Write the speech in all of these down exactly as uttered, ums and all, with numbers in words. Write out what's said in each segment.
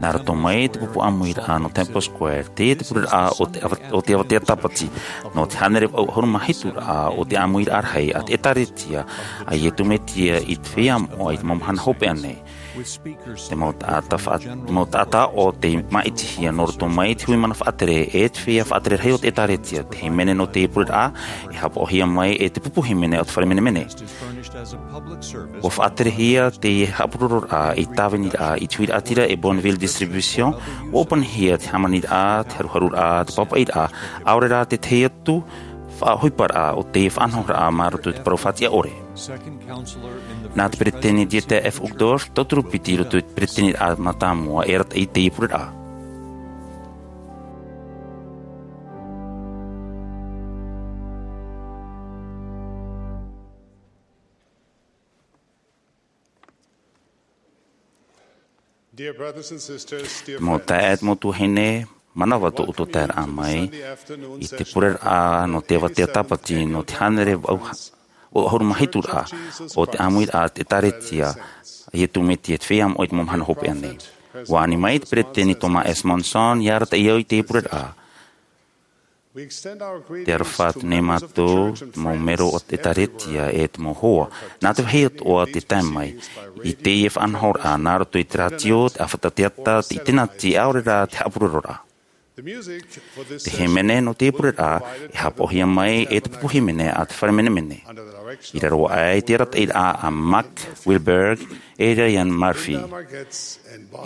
Nā roto mai te pupu ʻāmuiraʻa nō Temple Square, teie te pureraʻa o te ava-, o te avatea tāpati, nō te hānere vaʻu ʻahuru mā hitu rā o te ʻāmuiraʻa rahi a te ʻĒtārētia a Iesu Mesia i te feiā moʻa i te mau mahana hopeʻa nei. Te mau taʻata faʻa-, te mau taʻata ʻo tei māʻitihia nō roto mai te hui mana faʻatere e te feiā faʻatere rahi o te ʻĒtārētia, te hīmene nō te pureraʻa, e haʻapaʻohia mai e te pupu hīmene o te fare menemene. ʻUa faʻaterehia teie haʻapurororaʻa i tāviniraʻa i te huiraʻatira e Bonneville Distribution, ʻua ʻōpanihia te hāmaniraʻa, te haruharuraʻa, te pāpaʻiraʻa, ʻaore rā te tahi atu faʻaʻohiparaʻa o te faʻanahoraʻa mā roto i te parau faʻatiʻa ʻore. Nā te peretiteni Dieter F. Uchtdorf, tauturu piti i roto i te peretiteniraʻa mātāmua e arataʻi i teie pureraʻa. Dear brothers and sisters, dear Mau friends, taeaʻe, mau tuahine, manava tō ʻoutou taeraʻa mai i te pureraʻa nō te avatea tāpati, nō te hānere vaʻu ʻahuru mā hitu rā o te ʻāmuiraʻa a te ʻĒtārētia a Iesu Mesia i te feiā moʻa i te mau mahana hopeʻa nei. ʻUa ani mai te peretiteni Thomas S. Monson, ʻia arataʻi au i teie pureraʻa. Te aroha atu nei mātou, te mau melo o te ʻĒtārētia e te mau hoa, nā te vāhi atoʻa tē tae mai i teie faʻanahoraʻa nā roto i te rātio, te ʻāfata teata, te ʻitenati, ʻaore rā te haʻapurororaʻa. Te hīmene nō teie pureraʻa e haʻapaʻohia mai e te pupu hīmene a te fare menemene, i raro aʻe i te arataʻiraʻa a Mark Wilberg e Ryan Murphy,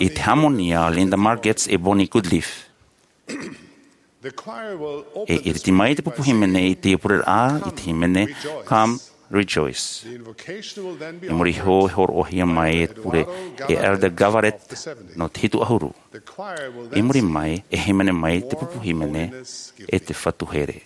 i te hāmoni a Linda Margetts e Bonnie Goodleaf. E ʻiriti mai te pupu hīmene i teie pureraʻa i te hīmene Come, Rejoice. I muri iho e hōroʻahia mai e te pure e Elder Gavaret nō te hitu ʻahuru. I muri mai e hīmene mai te pupu hīmene e te Fatu Here.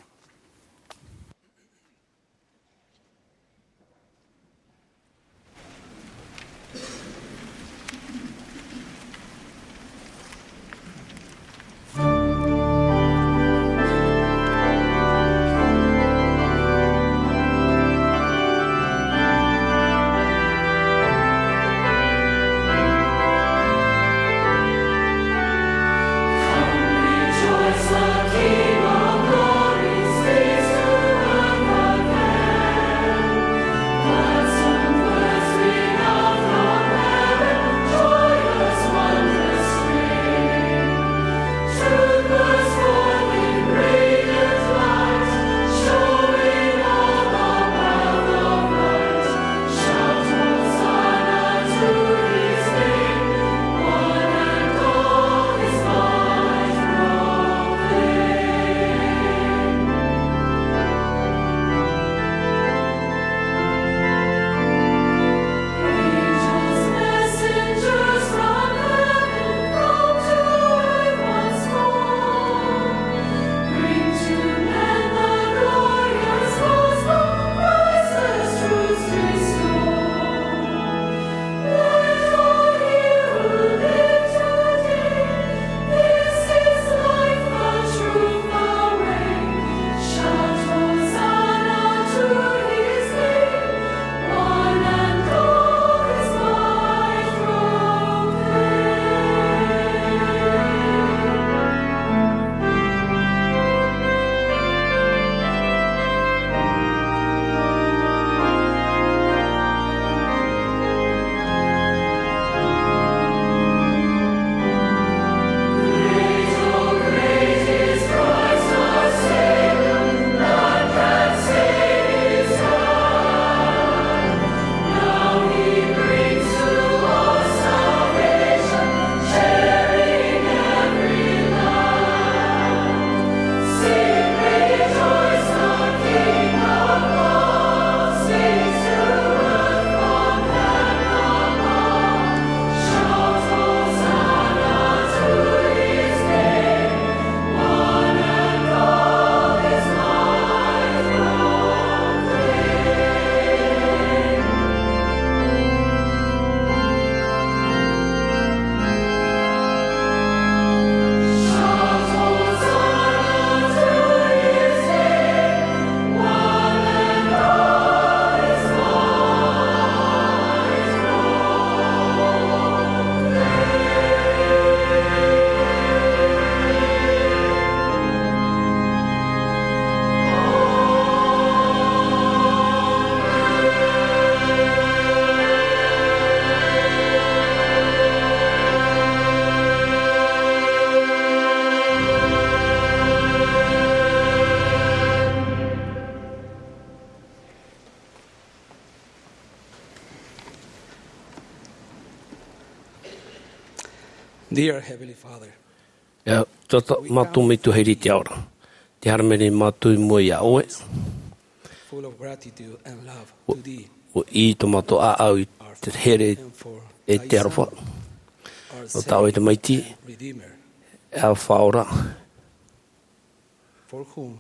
Dear Heavenly Father, e, tō mātou Metua i te ao ra. Tē haere mai nei mātou i mua iā ʻoe. Full of gratitude and love to thee. ʻUa ʻī tō mātou ʻāʻau i te here e te aroha. Nō tā ʻoe te maitaʻi, e ʻAfā ora. For whom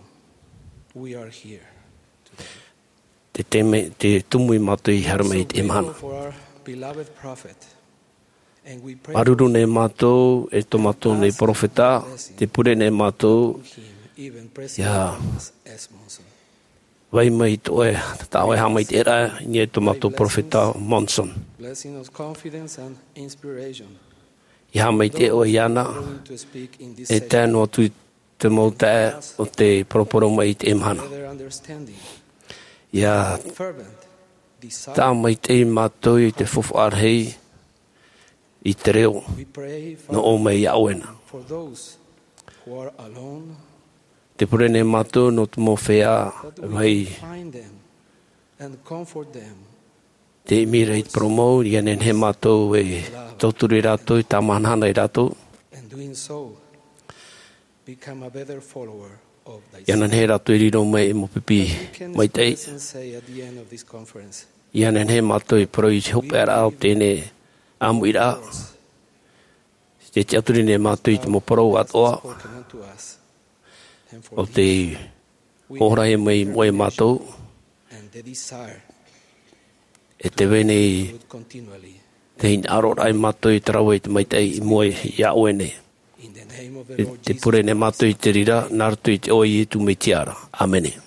we are here today. Te teme, te tumu i mātou i haere mai i te mahana. We pray for our beloved prophet, and we pray for his soul. Māuruuru nei mātou e tō mātou nei perofeta, tē pure nei mātou, ia vai mai tō ʻoe, tā ʻoe haʻamaitaʻiraʻa i niʻa i tō mātou perofeta Monson. Blessing of confidence and inspiration. Ia haʻamaitaʻi ʻoe iāna, e tae noa atu i te mau taeaʻe o te poroporoʻa mai i te mahana. Ia tāmaitaʻi mātou i te faufaʻa rahi i te reo nō ʻō mai iā ʻoe na. Tē pure nei mātou nō te mau feiā vai tē ʻimi ra i te parau mau, ia nehenehe mātou e tauturu ia rātou, e tāmahanahana ia rātou. Ia nehenehe rātou e riro mai ei mau pipi maitaʻi. Ia nehenehe mātou e parau i te hopeʻaraʻa o teie nei ʻāmuiraʻa. Tē tiʻaturi nei mātou i te mau parau atoʻa. ʻO tē hōroʻahia mai iā mātou. E tē vai nei te hinaʻaroraʻa iā mātou i te rave i te maitaʻi i mua iā ʻoe nei. E tē pure nei mātou i te reira, nā roto i te iʻoa o Iesu Mesia ra. ʻĀmene.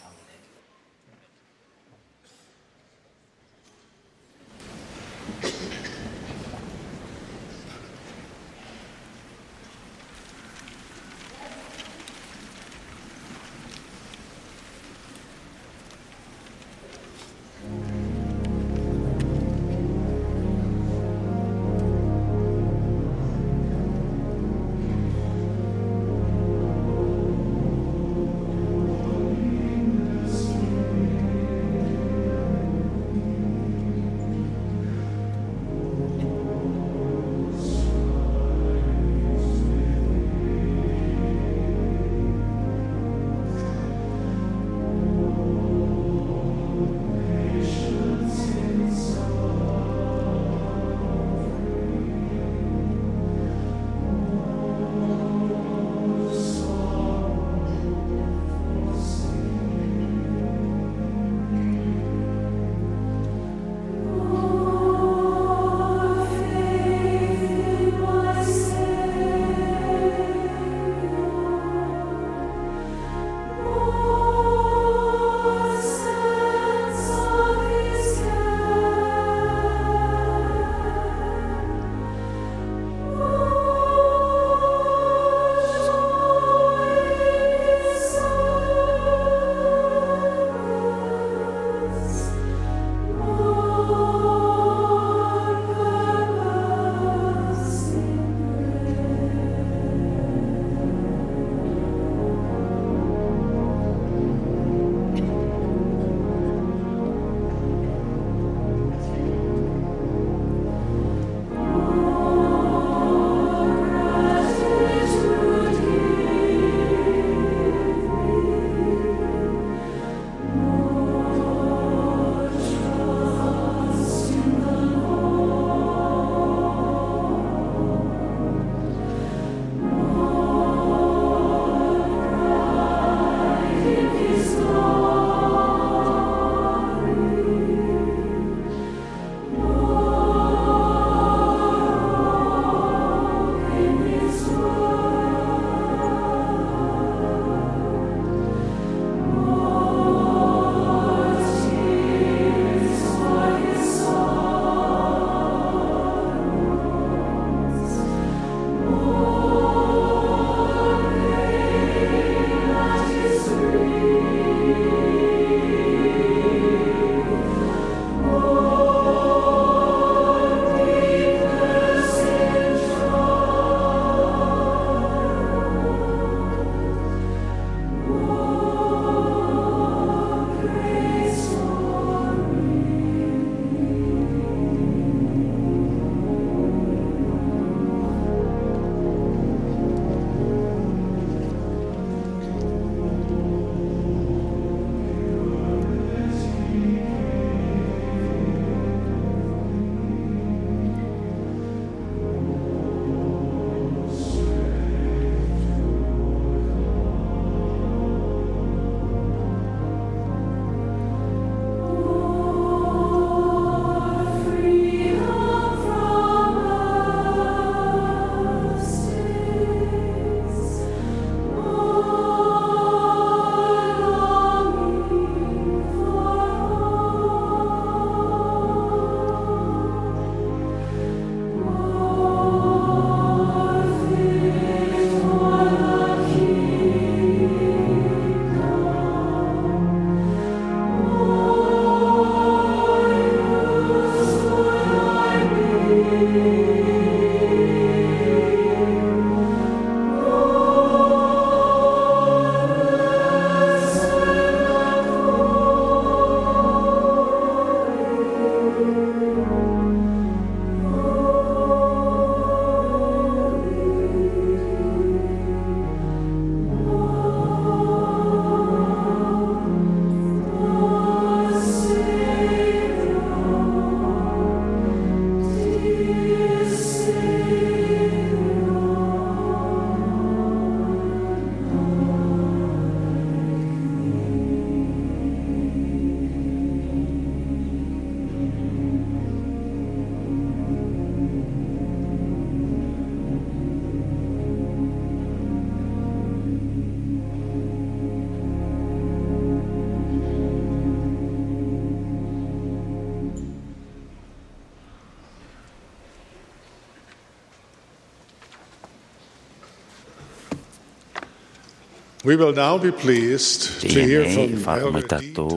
We will now be pleased to hear from Elder E. Todd Christofferson. Teie nei e faʻaroʻo mai tātou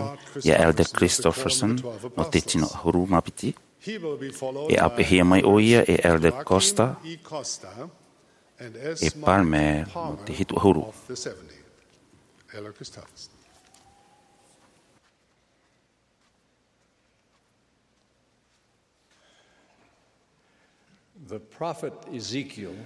ia Elder Christofferson nō te tino ʻahuru mā piti. He will be followed by Bishop Ray Costa and Elder Costa. E ʻāpeʻehia mai ʻoia e Elder Costa, e Palmer nō te hitu ʻahuru. Elder Christofferson. The prophet Ezekiel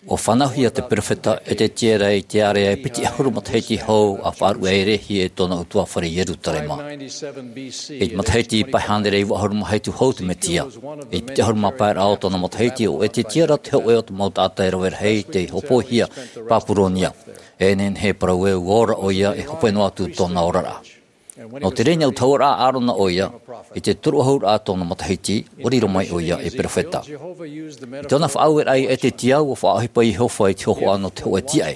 ʻUa fānauhia te perofeta Ezekiela i te ārea e piti ʻahuru matahiti hou a faʻaruʻe e Lehi e tōna ʻutuāfare i Ierutarema. I te matahiti pae hānere iva ʻahuru mā hitu hou te Mesia. I te piti ʻahuru mā pae raʻa o tōna matahiti, ʻo Ezekiela te hōʻē o te mau taʻata e rave rahi tei hōpoihia i Papuronia. E nehenehe e parau ē ʻua ora ʻoia e hope noa atu tōna oraraʻa. Nō te reira ʻua taura ʻo ʻĀrona ʻoia, i te toru ʻahuru raʻa tōna matahiti, ʻua riro mai ʻoia ei perofeta. I tōna faʻaueraʻa ia Ezekiela, ʻua faʻaʻohipa Iehova i te hōhoʻa nō te hōʻē tīaʻi.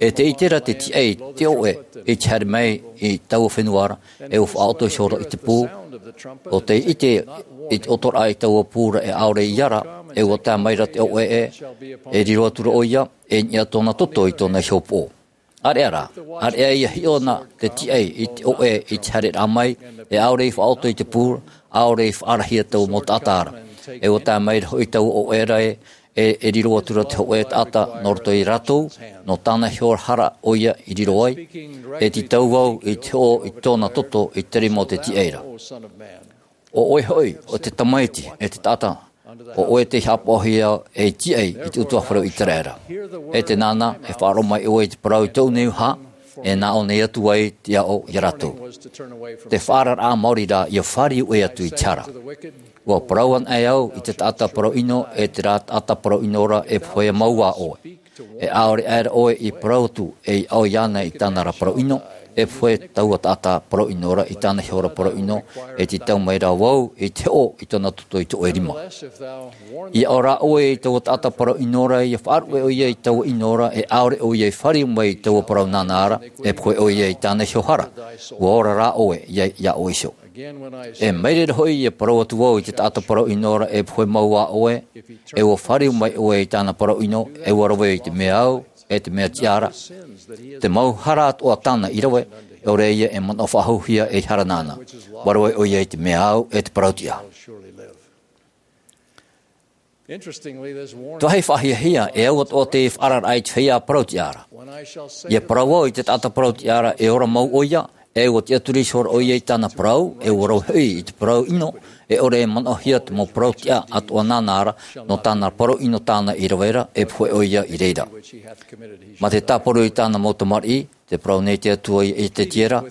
E tē ʻite ra te tīaʻi, te ʻoʻe, i te haere mai i taua fenua ra, e ʻua faʻaʻoto iho ra i te pū, ʻo tē ʻite i te ʻotoraʻa i taua pū ra e ʻaore i ara, e ʻua tae mai ra te ʻoʻe ē, e riro atu ra ʻoia, e niʻa tōna toto i tōna iho upoʻo. ʻĀreʻa rā, ʻāreʻa ia hiʻo na te tīaʻi i te ʻoʻe i te haereraʻa mai, e ʻaore i faʻaʻoto i te pū, ʻaore i faʻaarahia taua mau taʻata ra. E ʻua tae mai ra hoʻi taua ʻoʻe ra ē, e, e riro atu ra te hōʻē taʻata nō roto ia rātou, nō tāna iho hara ʻoia i riro ai, e tītau vau i te hoʻo i tōna toto i te rima o te tīaʻi ra. ʻO ʻoe hoʻi, ʻo te tamaiti, e te taʻata, ʻo ʻoe tei haʻapaʻohia ei tīaʻi i te ʻutuāfare o Iseraela. E teie nei, e faʻaroʻo mai ʻoe i te parau i tōʻu nei uha, e nā ʻō nei atu ai te aʻo ia rātou. Te faʻaararaʻa maori rā, ʻia fāriu ʻoe atu i te hara. ʻUa parau anaʻe au i te taʻata parau ʻino, e terā taʻata parau ʻino ra e pohe mau ā ʻoe. E ʻaore aʻera ʻoe i parau atu, e aʻo iāna i tāna ra parau ʻino, e pohe taua taʻata parau ʻino ra i tāna iho ra parau ʻino, e tītau mai rā vau i te hoʻo i tōna toto i te ʻoe rima. ʻIa ʻō rā ʻoe i taua taʻata parau ʻino ra, ʻia faʻaruʻe ʻoia i taua ʻino ra, e ʻaore ʻoia i fāriu mai i taua parau nāna ra, e pohe ʻoia i tāna iho hara, ʻua ora rā ʻoe, ʻia, ʻia ʻō iho. E mai reira hoʻi ʻia parau atu vau i te taʻata parau ʻino ra e pohe mau ā ʻoe, e ʻua fāriu mai ʻoe i tāna parau ʻino, e ʻua rave i te mea au, e te mea tiʻa ra. Te mau hara atoʻa tāna i rave, ʻaore ʻoia e manaʻo faʻahouhia ei hara nāna. ʻUa rave ʻoia i te mea au, e te parau tiʻa. Te vāhi faʻahiahia, e au atoʻa te faʻaararaʻa i te feiā parau tiʻa ra. ʻIa parau vau i te taʻata parau tiʻa ra, e ora mau ʻoia, e ʻua tiʻaturi iho ra ʻoia i tāna parau, e ʻua rave hoʻi i te parau ʻino, e ʻore e manaʻohia te mau parau tiʻa atoʻa nāna ra, nō tāna parau ʻino tāna i rave ra, e pohe ʻoia i reira. Mā te tāparu i tāna mau tamariʻi, tē parau nei te Atua ia Ezekiela,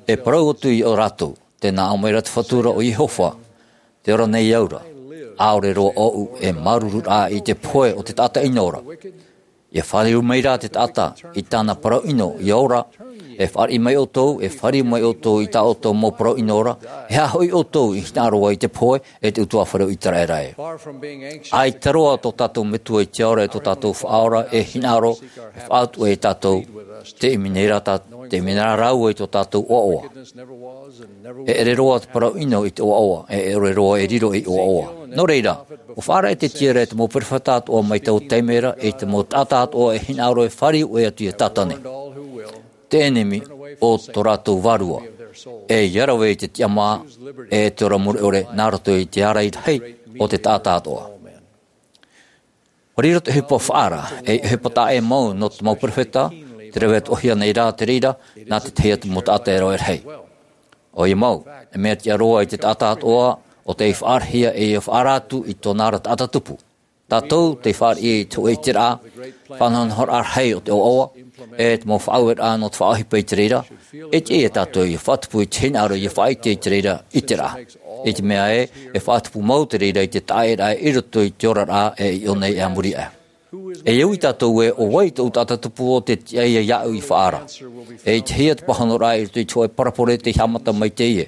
e parau atu ia ō rātou, tē nā ʻō mai ra te Fatu ra ʻo Iehova, tē ora nei au ra, ʻaore roa ʻoʻu e māuruururaʻa i te pohe o te taʻata ʻino ra. ʻIa fāriu mai rā te taʻata i tāna parau ʻino ʻia ora, e fāriʻi mai ʻoutou, e fāriu mai ʻoutou i tā ʻoutou mau parau ʻino ra, e aha hoʻi ʻoutou i hinaʻaro ai i te pohe, e te ʻutuāfare o Iseraela ē. ʻAita roa tō tātou Metua i te ao ra, e tō tātou Faʻaora, e hinaʻaro, e faʻatuʻu ia tātou, tē ʻimi nei rā tā, tē ʻimi nei rā rāua i tō tātou ʻoaʻoa. E ʻere roa te parau ʻino i te ʻoaʻoa, e ʻere roa e riro ei ʻoaʻoa. Nō reira, ʻua faʻaara Ezekiela e te mau perofeta atoʻa mai taua taime ra, e te mau taʻata atoʻa e hinaʻaro e fāriu ʻoe atu ia Satane, te ʻenemi o tō rātou vārua, e ʻia rave i te tiʻamā, e te ora mure ʻore, nā roto i te ārai rahi o te taʻata atoʻa. ʻUa riro te ʻohipa faʻaara, e ʻohipa taʻa ʻē mau nō te mau perofeta, tē rave atoʻahia nei rā te reira, nā te tahi atu mau taʻata e rave rahi. ʻOia mau, e mea tiʻa roa i te taʻata atoʻa, ʻo tei faʻaarahia e ʻia faʻaara atu i tōna ra taʻata tupu. Tātou tei fāriʻi i te hōʻē ʻiteraʻa, faʻanahonahoraʻa rahi o te ʻoaʻoa, e te mau faʻaueraʻa nō te faʻaʻohipa i te reira, e tiʻa ia tātou ʻia faʻatupu i te hinaʻaro ʻia faʻaʻite i te reira ʻiteraʻa. I te mea ē, e faʻatupu mau te reira i te taʻaʻēraʻa i roto i te oraraʻa e i ʻō nei e a muri aʻe. E au ia tātou ē, ʻo vai tōʻu taʻata tupu ʻo tē tiʻa ia iāʻu i faʻaara. E ʻitehia te pāhonoraʻa i roto i te hōʻē parabole tei haʻamata mai teie.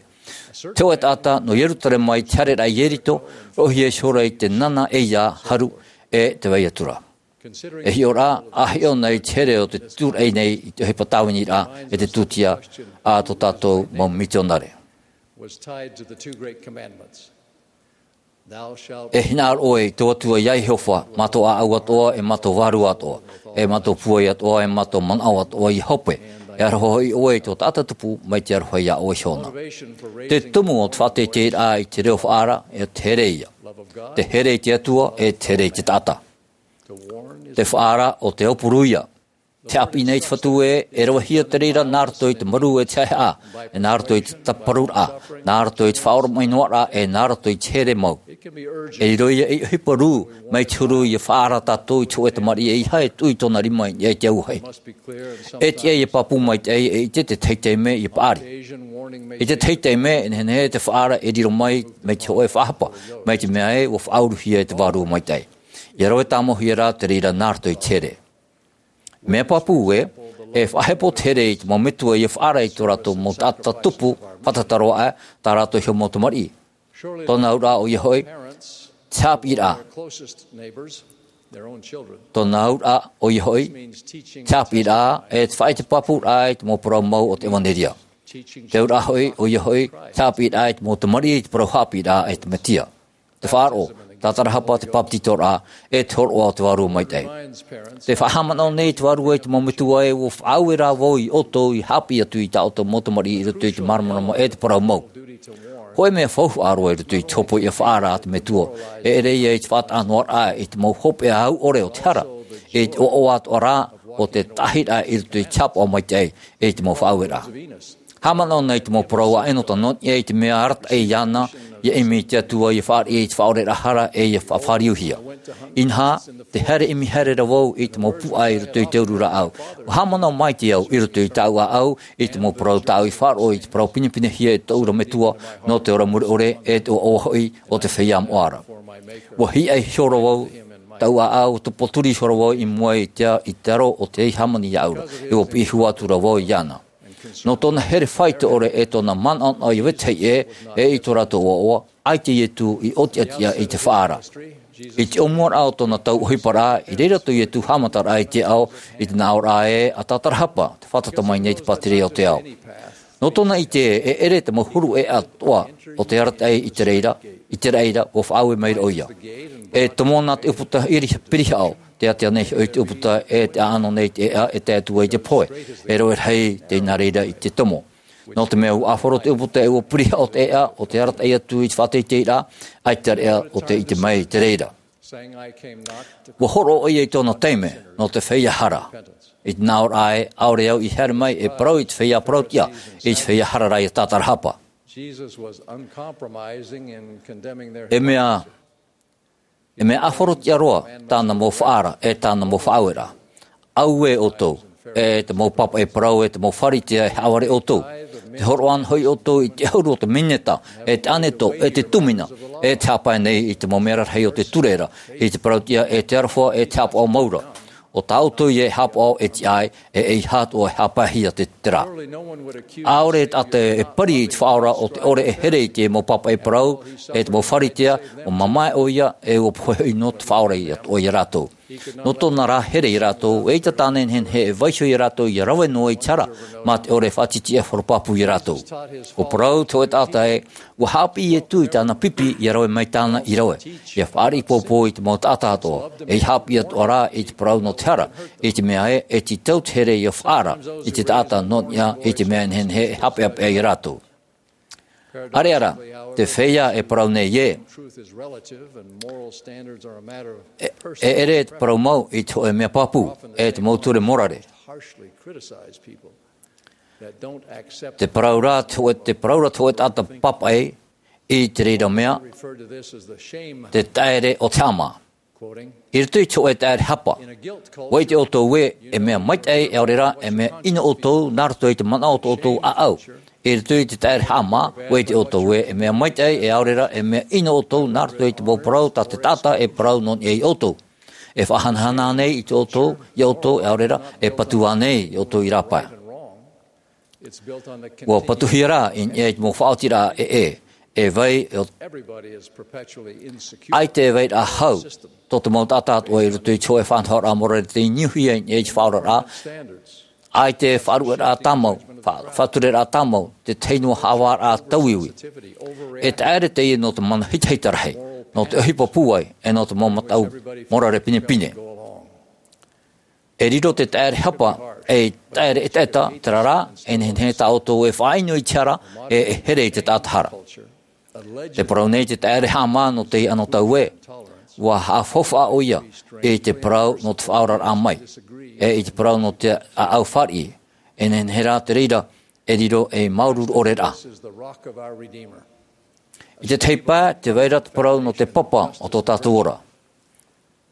Te hōʻē taʻata nō Ierutarema i te haereraʻa i Ieriko, roʻohia iho ra i te nana ʻeiā, haru, e te vai atu ra. E hiʻo ra, ʻa hiʻo na i te here o te tūraʻi nei i te ʻohipa tāviniraʻa e te tūtia a tō tātou mau mitionare. Was tied to the two great commandments. E hinaʻaro ʻoe i tō Atua iā Iehova, mā tō ʻāʻau atoʻa, e mā tō vārua atoʻa, e mā tō pūai atoʻa, e mā tō manaʻo atoʻa iā hope. E aroha hoʻi ʻoe i tō taʻata tupu, mai te aroha iā ʻoe iho na. Te tumu o te faʻateiteiraʻa i te reo faʻaara, e te here ia. Te here i te Atua, e te here i te taʻata. Te faʻaara o te aupuru ia. Te haʻapiʻi nei te Fatu ē, e ravehia te reira nā roto i te marū e te haʻehaʻa, e nā roto i te tāparuraʻa, nā roto i te faʻaoromaʻi noa ra, e nā roto i te here mau. E riro ia ei ʻohipa rū, mai te huru ʻia faʻaara tātou i te hōʻē tamariʻi e ʻeiaha e tuʻu i tōna rima i niʻa i te auahi. E tiʻa ʻia pāpū maitaʻi e ʻite te tahi taime ʻia paʻari. I te tahi taime, e nehenehe te faʻaara e riro mai, mai te hōʻē faʻahapa, mai te mea ē, ʻua faʻauruhia e te Vārua Maitaʻi. ʻIa rave tāmauhia rā te reira nā roto i te here. Mea pāpū ē, e faʻahepo te here i te mau metua ʻia faʻaara i tō rātou mau taʻata tupu, fātata roa aʻe, tā rātou iho mau tamariʻi. Tōna auraʻa ʻoia hoʻi, te haʻapiʻiraʻa. Tōna auraʻa ʻoia hoʻi, te haʻapiʻiraʻa, e te faʻaʻite pāpūraʻa i te mau parau mau o te ʻevanelia. Te auraʻa hoʻi, ʻoia hoʻi, te haʻapiʻiraʻa i te mau tamariʻi i te parau haʻapiʻiraʻa e te Mesia. Te faʻaroʻo, tātarahapa, te bāpetizoraʻa, e te hōroʻa o te Vārua Maitaʻi. Tē faʻahaʻamanaʻo nei te Vārua i te mau metua ē, ʻua faʻaue rā vau iā ʻoutou ʻia haʻapiʻi atu i tā ʻoutou mau tamariʻi i roto i te māramarama e te parau mau. Hōʻē mea faufaʻa roa i roto i te hōpoiʻa faʻaara a te Metua, e ʻere ia i te faʻataʻa noa ra i te mau hopeʻa au ʻore o te hara, i te ʻoaʻoa atoʻa rā o te taʻahiraʻa i roto i te haʻapaʻo maitaʻi, i te mau faʻaueraʻa. Haʻamanaʻo na i te mau parau a ʻEnota nō niʻa i te mea arataʻi iāna, ʻia ʻimi i te Atua, ʻia fāriʻi i te faʻaoreraʻa hara, e ʻia faʻafāriuhia. Inaha, tē haere ʻimi haere ra vau i te mau pūʻai i roto i te uru rāʻau. ʻUa haʻamanaʻo maitaʻi au i roto i tāʻu ʻāʻau, i te mau parau tāʻu i faʻaroʻo i te parau pinepinehia e tōʻu ra Metua, nō te ora mure ʻore, e te ʻoaʻoa hoʻi o te feiā moʻa ra. ʻUa hiʻai iho ra vau, tāʻu ʻāʻau, ʻua tupu turi iho ra vau i mua i te, i te aro o tei hāmani iāʻu ra, e ʻua piʻi hua atu ra vau iāna. Nō tōna here faito ʻore e tōna manaʻonaʻo ʻia vetahi ʻē, e i tō rātou ʻoaʻoa, ʻaita Ietu i ʻōtiʻatiʻa i te faʻaara. I te ʻōmuaraʻa o tōna tau ʻohiparaʻa, i reira tō Ietu haʻamataraʻa i te ao, i te nāʻōraʻa ē, a tātarahapa, tē fātata mai nei te pātireia o te ao. Nō tōna ʻite, e ʻere te mau huru ʻēʻa atoʻa o te arataʻi i te reira, i te reira, ʻua faʻaue maira ʻoia. E tomo na te ʻūputa ʻiri-, pirihaʻo, tē ʻātea nei hoʻi te ʻūputa e tē ʻaʻano nei te ʻēʻa e tae atu ai te pohe, e rave rahi tei nā reira i te tomo. Nō te mea ʻua ʻāfaro te ʻūputa e ʻua pirihaʻo te ʻēʻa o te arataʻi atu i te faʻateiteiraʻa, ʻaita reʻa ʻo tē ʻite mai i te reira. ʻUa hōroʻa ʻoia i tōna taime, nō te feiā hara. I te nāʻōraʻa ē, ʻaore au i haere mai e parau i te feiā parautiʻa, i te feiā hara rā ʻia tātarahapa. E mea, e mea ʻāfarotiʻa roa tāna mau faʻaara, e tāna mau faʻaueraʻa. Auē ʻoutou, e te mau pāpaʻi parau, e te mau Pharisea, e haʻavare ʻoutou. Tē hōroʻa ana hoʻi ʻoutou i te ʻahuru o te mineta, e te ʻāneto, e te tūmina, e tē haʻapae nei i te mau mea rarahi o te ture ra, i te parautiʻa, e te aroha, e te haʻapaʻo mau ra. ʻO tā ʻoutou ïa e haʻapaʻo e tiʻa ai, e ʻeiaha atoʻa e haʻapaehia te, te reira. ʻAore taʻata e pari i te Faʻaora o te ʻore e here i te mau pāpaʻi parau, e te mau Pharisea, ʻua mamae ʻoia, e ʻua pohe hoʻi noa te Faʻaora atoʻa ia rātou. Nō tōna rā here ia rātou, eʻita tāna e nehenehe e vaiiho ia rātou ʻia rave noa i te hara, mā te ʻore e faʻatitiʻa horopāpū ia rātou. ʻUa parau te hōʻē taʻata ē, ʻua haʻapiʻi Ietu i tāna pipi ʻia rave mai tāna i rave, ʻia fāriʻi pōpō i te mau taʻata atoʻa, e ʻia haʻapiʻi atoʻa rā i te parau nō te hara, i te mea ē, e tītau te here ʻia faʻaara i te taʻata nō niʻa i te mea e nehenehe e haʻapeʻapeʻa ia rātou. ʻĀreʻa rā, te feiā e parau nei ē, e, e ʻere te parau mau i te hōʻē mea pāpū, e te mau ture morare. Te parau ra te hōʻē, te parau ra te hōʻē taʻata pāpaʻi i te reira mea, te taʻere o te haʻamā. I roto i te hōʻē taʻere hapa, ʻua ʻite ʻoutou ē, e mea maitaʻi e ʻaore rā, e mea ʻino ʻoutou, nā roto i te manaʻo o tō ʻoutou ʻāʻau. I roto i te taʻere haʻamā, ʻua ʻite ʻoutou ē, e mea maitaʻi e ʻaore rā, e mea ʻino ʻoutou, nā roto i te mau parau tā te taʻata e parau nō niʻa ia ʻoutou. E faʻahanahana nei i tō ʻoutou, ia ʻoutou, e ʻaore rā, e patu ānei ia ʻoutou i rāpae. ʻUa patuhia rā i niʻa i te mau faʻaotiraʻa ʻē, e vai, ʻo, ʻaita e vai ra hau, tō te mau taʻata atoʻa i roto i te hōʻē faʻanahoraʻa morare tei niuhia i niʻa i te faʻaoraraʻa, ʻaita e faʻaruʻeraʻa tāmau, fa-, faʻatureraʻa tāmau, te tahi noa haʻavāraʻa tauiui. E taʻere teie nō te mana hitahita rahi. nō te ʻohipa pūai, e nō te mau mataʻu morare pinepine. E riro te taʻere hapa, e taʻere ʻetaʻeta, terā rā, e nehenehe tā ʻoutou e faʻaʻino i te hara, e, e here i te taʻata hara. Te parau nei te taʻere haʻamā nō teie anotau ē, ʻua haʻafaufaʻa ʻoia i te parau nō te faʻaoraraʻa mai, e i te parau nō te ʻāʻau fāriʻi, e nehenehe rā te reira, e riro ei māuruuru ʻore ra. I te tahi pae, tē vai ra te parau nō te papa o tō tātou ora.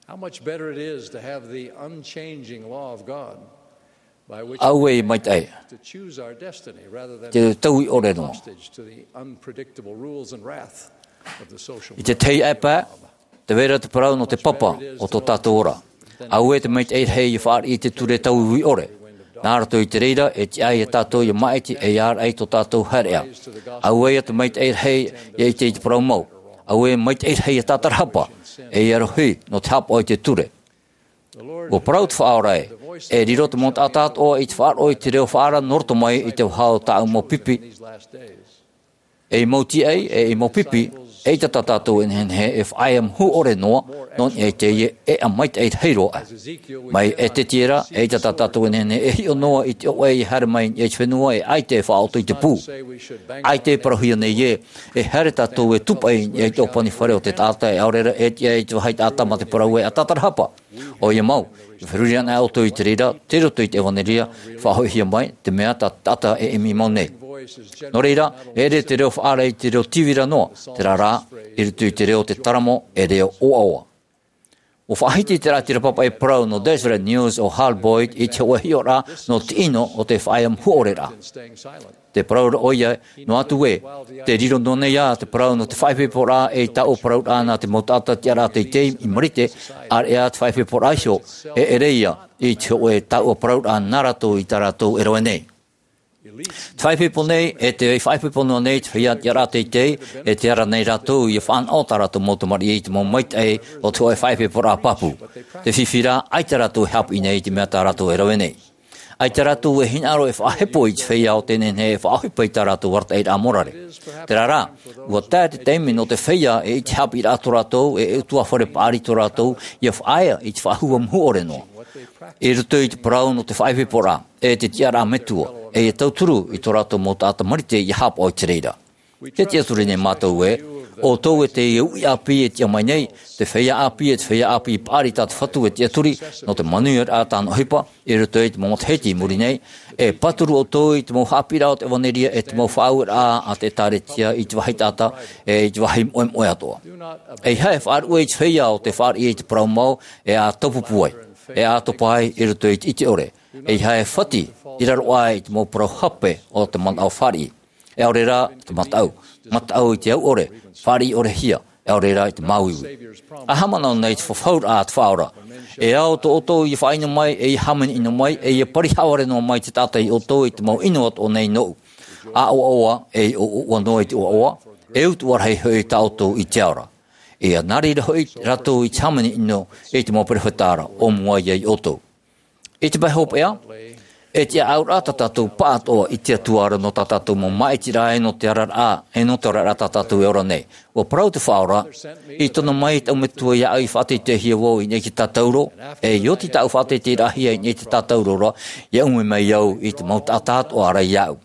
How much better it is to have the unchanging law of God by which Auē e maitaʻi. To choose our destiny rather than Te taui ʻore noa. Hostage to the unpredictable rules and wrath of the social I te tahi pae, tē vai ra te parau nō te papa o tō tātou ora. Auē te maitaʻi rahi ʻia fāriʻi i te ture tauiui ʻore. Nā roto i te reira, e tiʻa ia tātou ʻia māʻiti e ʻia āraʻi tō tātou haereʻa. Auē ia te maitaʻi rahi ʻia ʻite i te parau mau. Auē maitaʻi rahi ʻia tātarahapa, e ʻia rohi nō te haʻapaʻo i te ture. ʻUa parau te Faʻaora ē, e riro te mau taʻata atoʻa i te faʻaroʻo i te reo faʻaara nō roto mai i te vaha o tāʻu mau pipi. Ei mau tīaʻi, e ei mau pipi, eʻita tā tātou e nehenehe e faʻaea mahu ʻore noa, nō niʻa i teie ʻēʻa maitaʻi rahi roa. Mai Ezetiera, eʻita tā tātou e nehenehe e hiʻo noa i te ʻoaʻoa e haere mai i te fenua e ʻaita e faʻaʻoto i te pū. ʻAita e parauhia nei ē, e haere tātou e tūpaʻi i te ʻōpani fare o te taʻata e ʻaore ra e tiʻa i te vāhi taʻata mā te parau ē ʻa tātarahapa. ʻOia mau, e feruri ana ʻoutou i te reira, tei roto i te ʻevanelia, faʻahoʻihia mai, te mea tā te taʻata e ʻimi mau nei. Nō reira, e ʻere te reo faʻaara i te reo tīvira noa, terā rā, i roto i te reo o te taramo, e reo ʻoaʻoa. ʻUa faʻahiti te rātira pāpaʻi parau nō Deseret News ʻo Hal Boyd i te hōʻē hiʻoraʻa nō te ʻino o te faʻaea mahu ʻore ra. Te parau ra ʻoia, noa atu ē, tē riro noa nei ā te parau nō te faʻaipoiporaʻa e i taua parauraʻa nā te mau taʻata tiʻaraʻa teitei i Marite, ʻāreʻa te faʻaipoiporaʻa iho, e ʻere ia i te hōʻē taua parauraʻa nā rātou i tā rātou e rave nei. Te faʻaipoipo nei, e tē faʻaipoipo noa nei te feiā tiʻaraʻa teitei, e tē ara nei rātou ʻia fānaʻo tā rātou mau tamariʻi i te mau maitaʻi o te hōʻē faʻaipoiporaʻa pāpū. Te fifi rā, ʻaita rātou e haʻapiʻi nei i te mea tā rātou e rave nei. ʻAita rātou e hinaʻaro e faʻahepo i te feiā o tē nehenehe e faʻaʻohipa i tā rātou arataʻiraʻa morare. Terā rā, ʻua tae te taime nō te feiā e ʻite haʻapiʻiraʻa tō rātou, e ʻutuāfare paʻari tō rātou, ʻia faʻaea i te faʻahua mahu ʻore noa. I roto i te parau nō te faʻaipoiporaʻa, e te tiʻaraʻa metua, e ʻia tauturu i tō rātou mau taʻata Marite ʻia haʻapaʻo i te reira. Te tiʻaturi nei mātou ē, ʻoutou e te uʻi ʻāpī e tiʻa mai nei, te feiā ʻāpī e te feiā ʻāpī paʻari tā te Fatu e tiʻaturi, nō te manuiaraʻa tāna ʻohipa, i roto i te mau matahiti i muri nei, e pāturu ʻoutou i te mau haʻapiʻiraʻa o te ʻevanelia e te mau faʻaueraʻa a te ʻĒkālesia i te vāhi taʻata, e i te vāhi moʻemoʻe atoʻa. ʻEiaha e faʻaruʻe i te feiā o tē fāriʻi i te parau mau, e ʻa taupupū ai, e ʻa topa ai i roto i te ʻite ʻore. ʻEiaha e fati, i raro aʻe i te mau parau hape o te manaʻo fāriʻi. E ʻaore rā te mataʻu, mataʻu i te au ʻore, fāriʻi ʻore hia, e ʻaore rā i te māuiui. ʻA haʻamanaʻo nei te fafauraʻa a te Faʻaora. E ao tō ʻoutou ʻia faʻaʻino mai, e ʻia hāmani ʻino mai, e ʻia pari haʻavare noa mai te taʻata ia ʻoutou i te mau ʻino atoʻa nei nōʻu. ʻA ʻoaʻoa, e ʻoaʻoa noa i te ʻoaʻoa, e utuʻa rahi hoʻi tā ʻoutou i te ao ra. E ʻia nā reira hoʻi rātou i te hāmani ʻino i te mau perofeta ra, ʻo mua ia ia ʻoutou. I te pae hopeʻa, e tiʻaʻauraʻa tā tātou pāʻatoʻa i te Atua ra nō tā tātou mau māʻitiraʻa e nō te araraʻa, e nō te oraraʻa tā tātou e ora nei. ʻUa parau te Faʻaora, i tono mai tāʻu Metua iāʻu ʻia faʻateiteihia vau i niʻa i te tātauro, e ʻia oti tāʻu faʻateiteiraʻahia i niʻa i te tātauro ra, ʻia ʻumi mai au i te mau taʻata atoʻa ra iāʻu.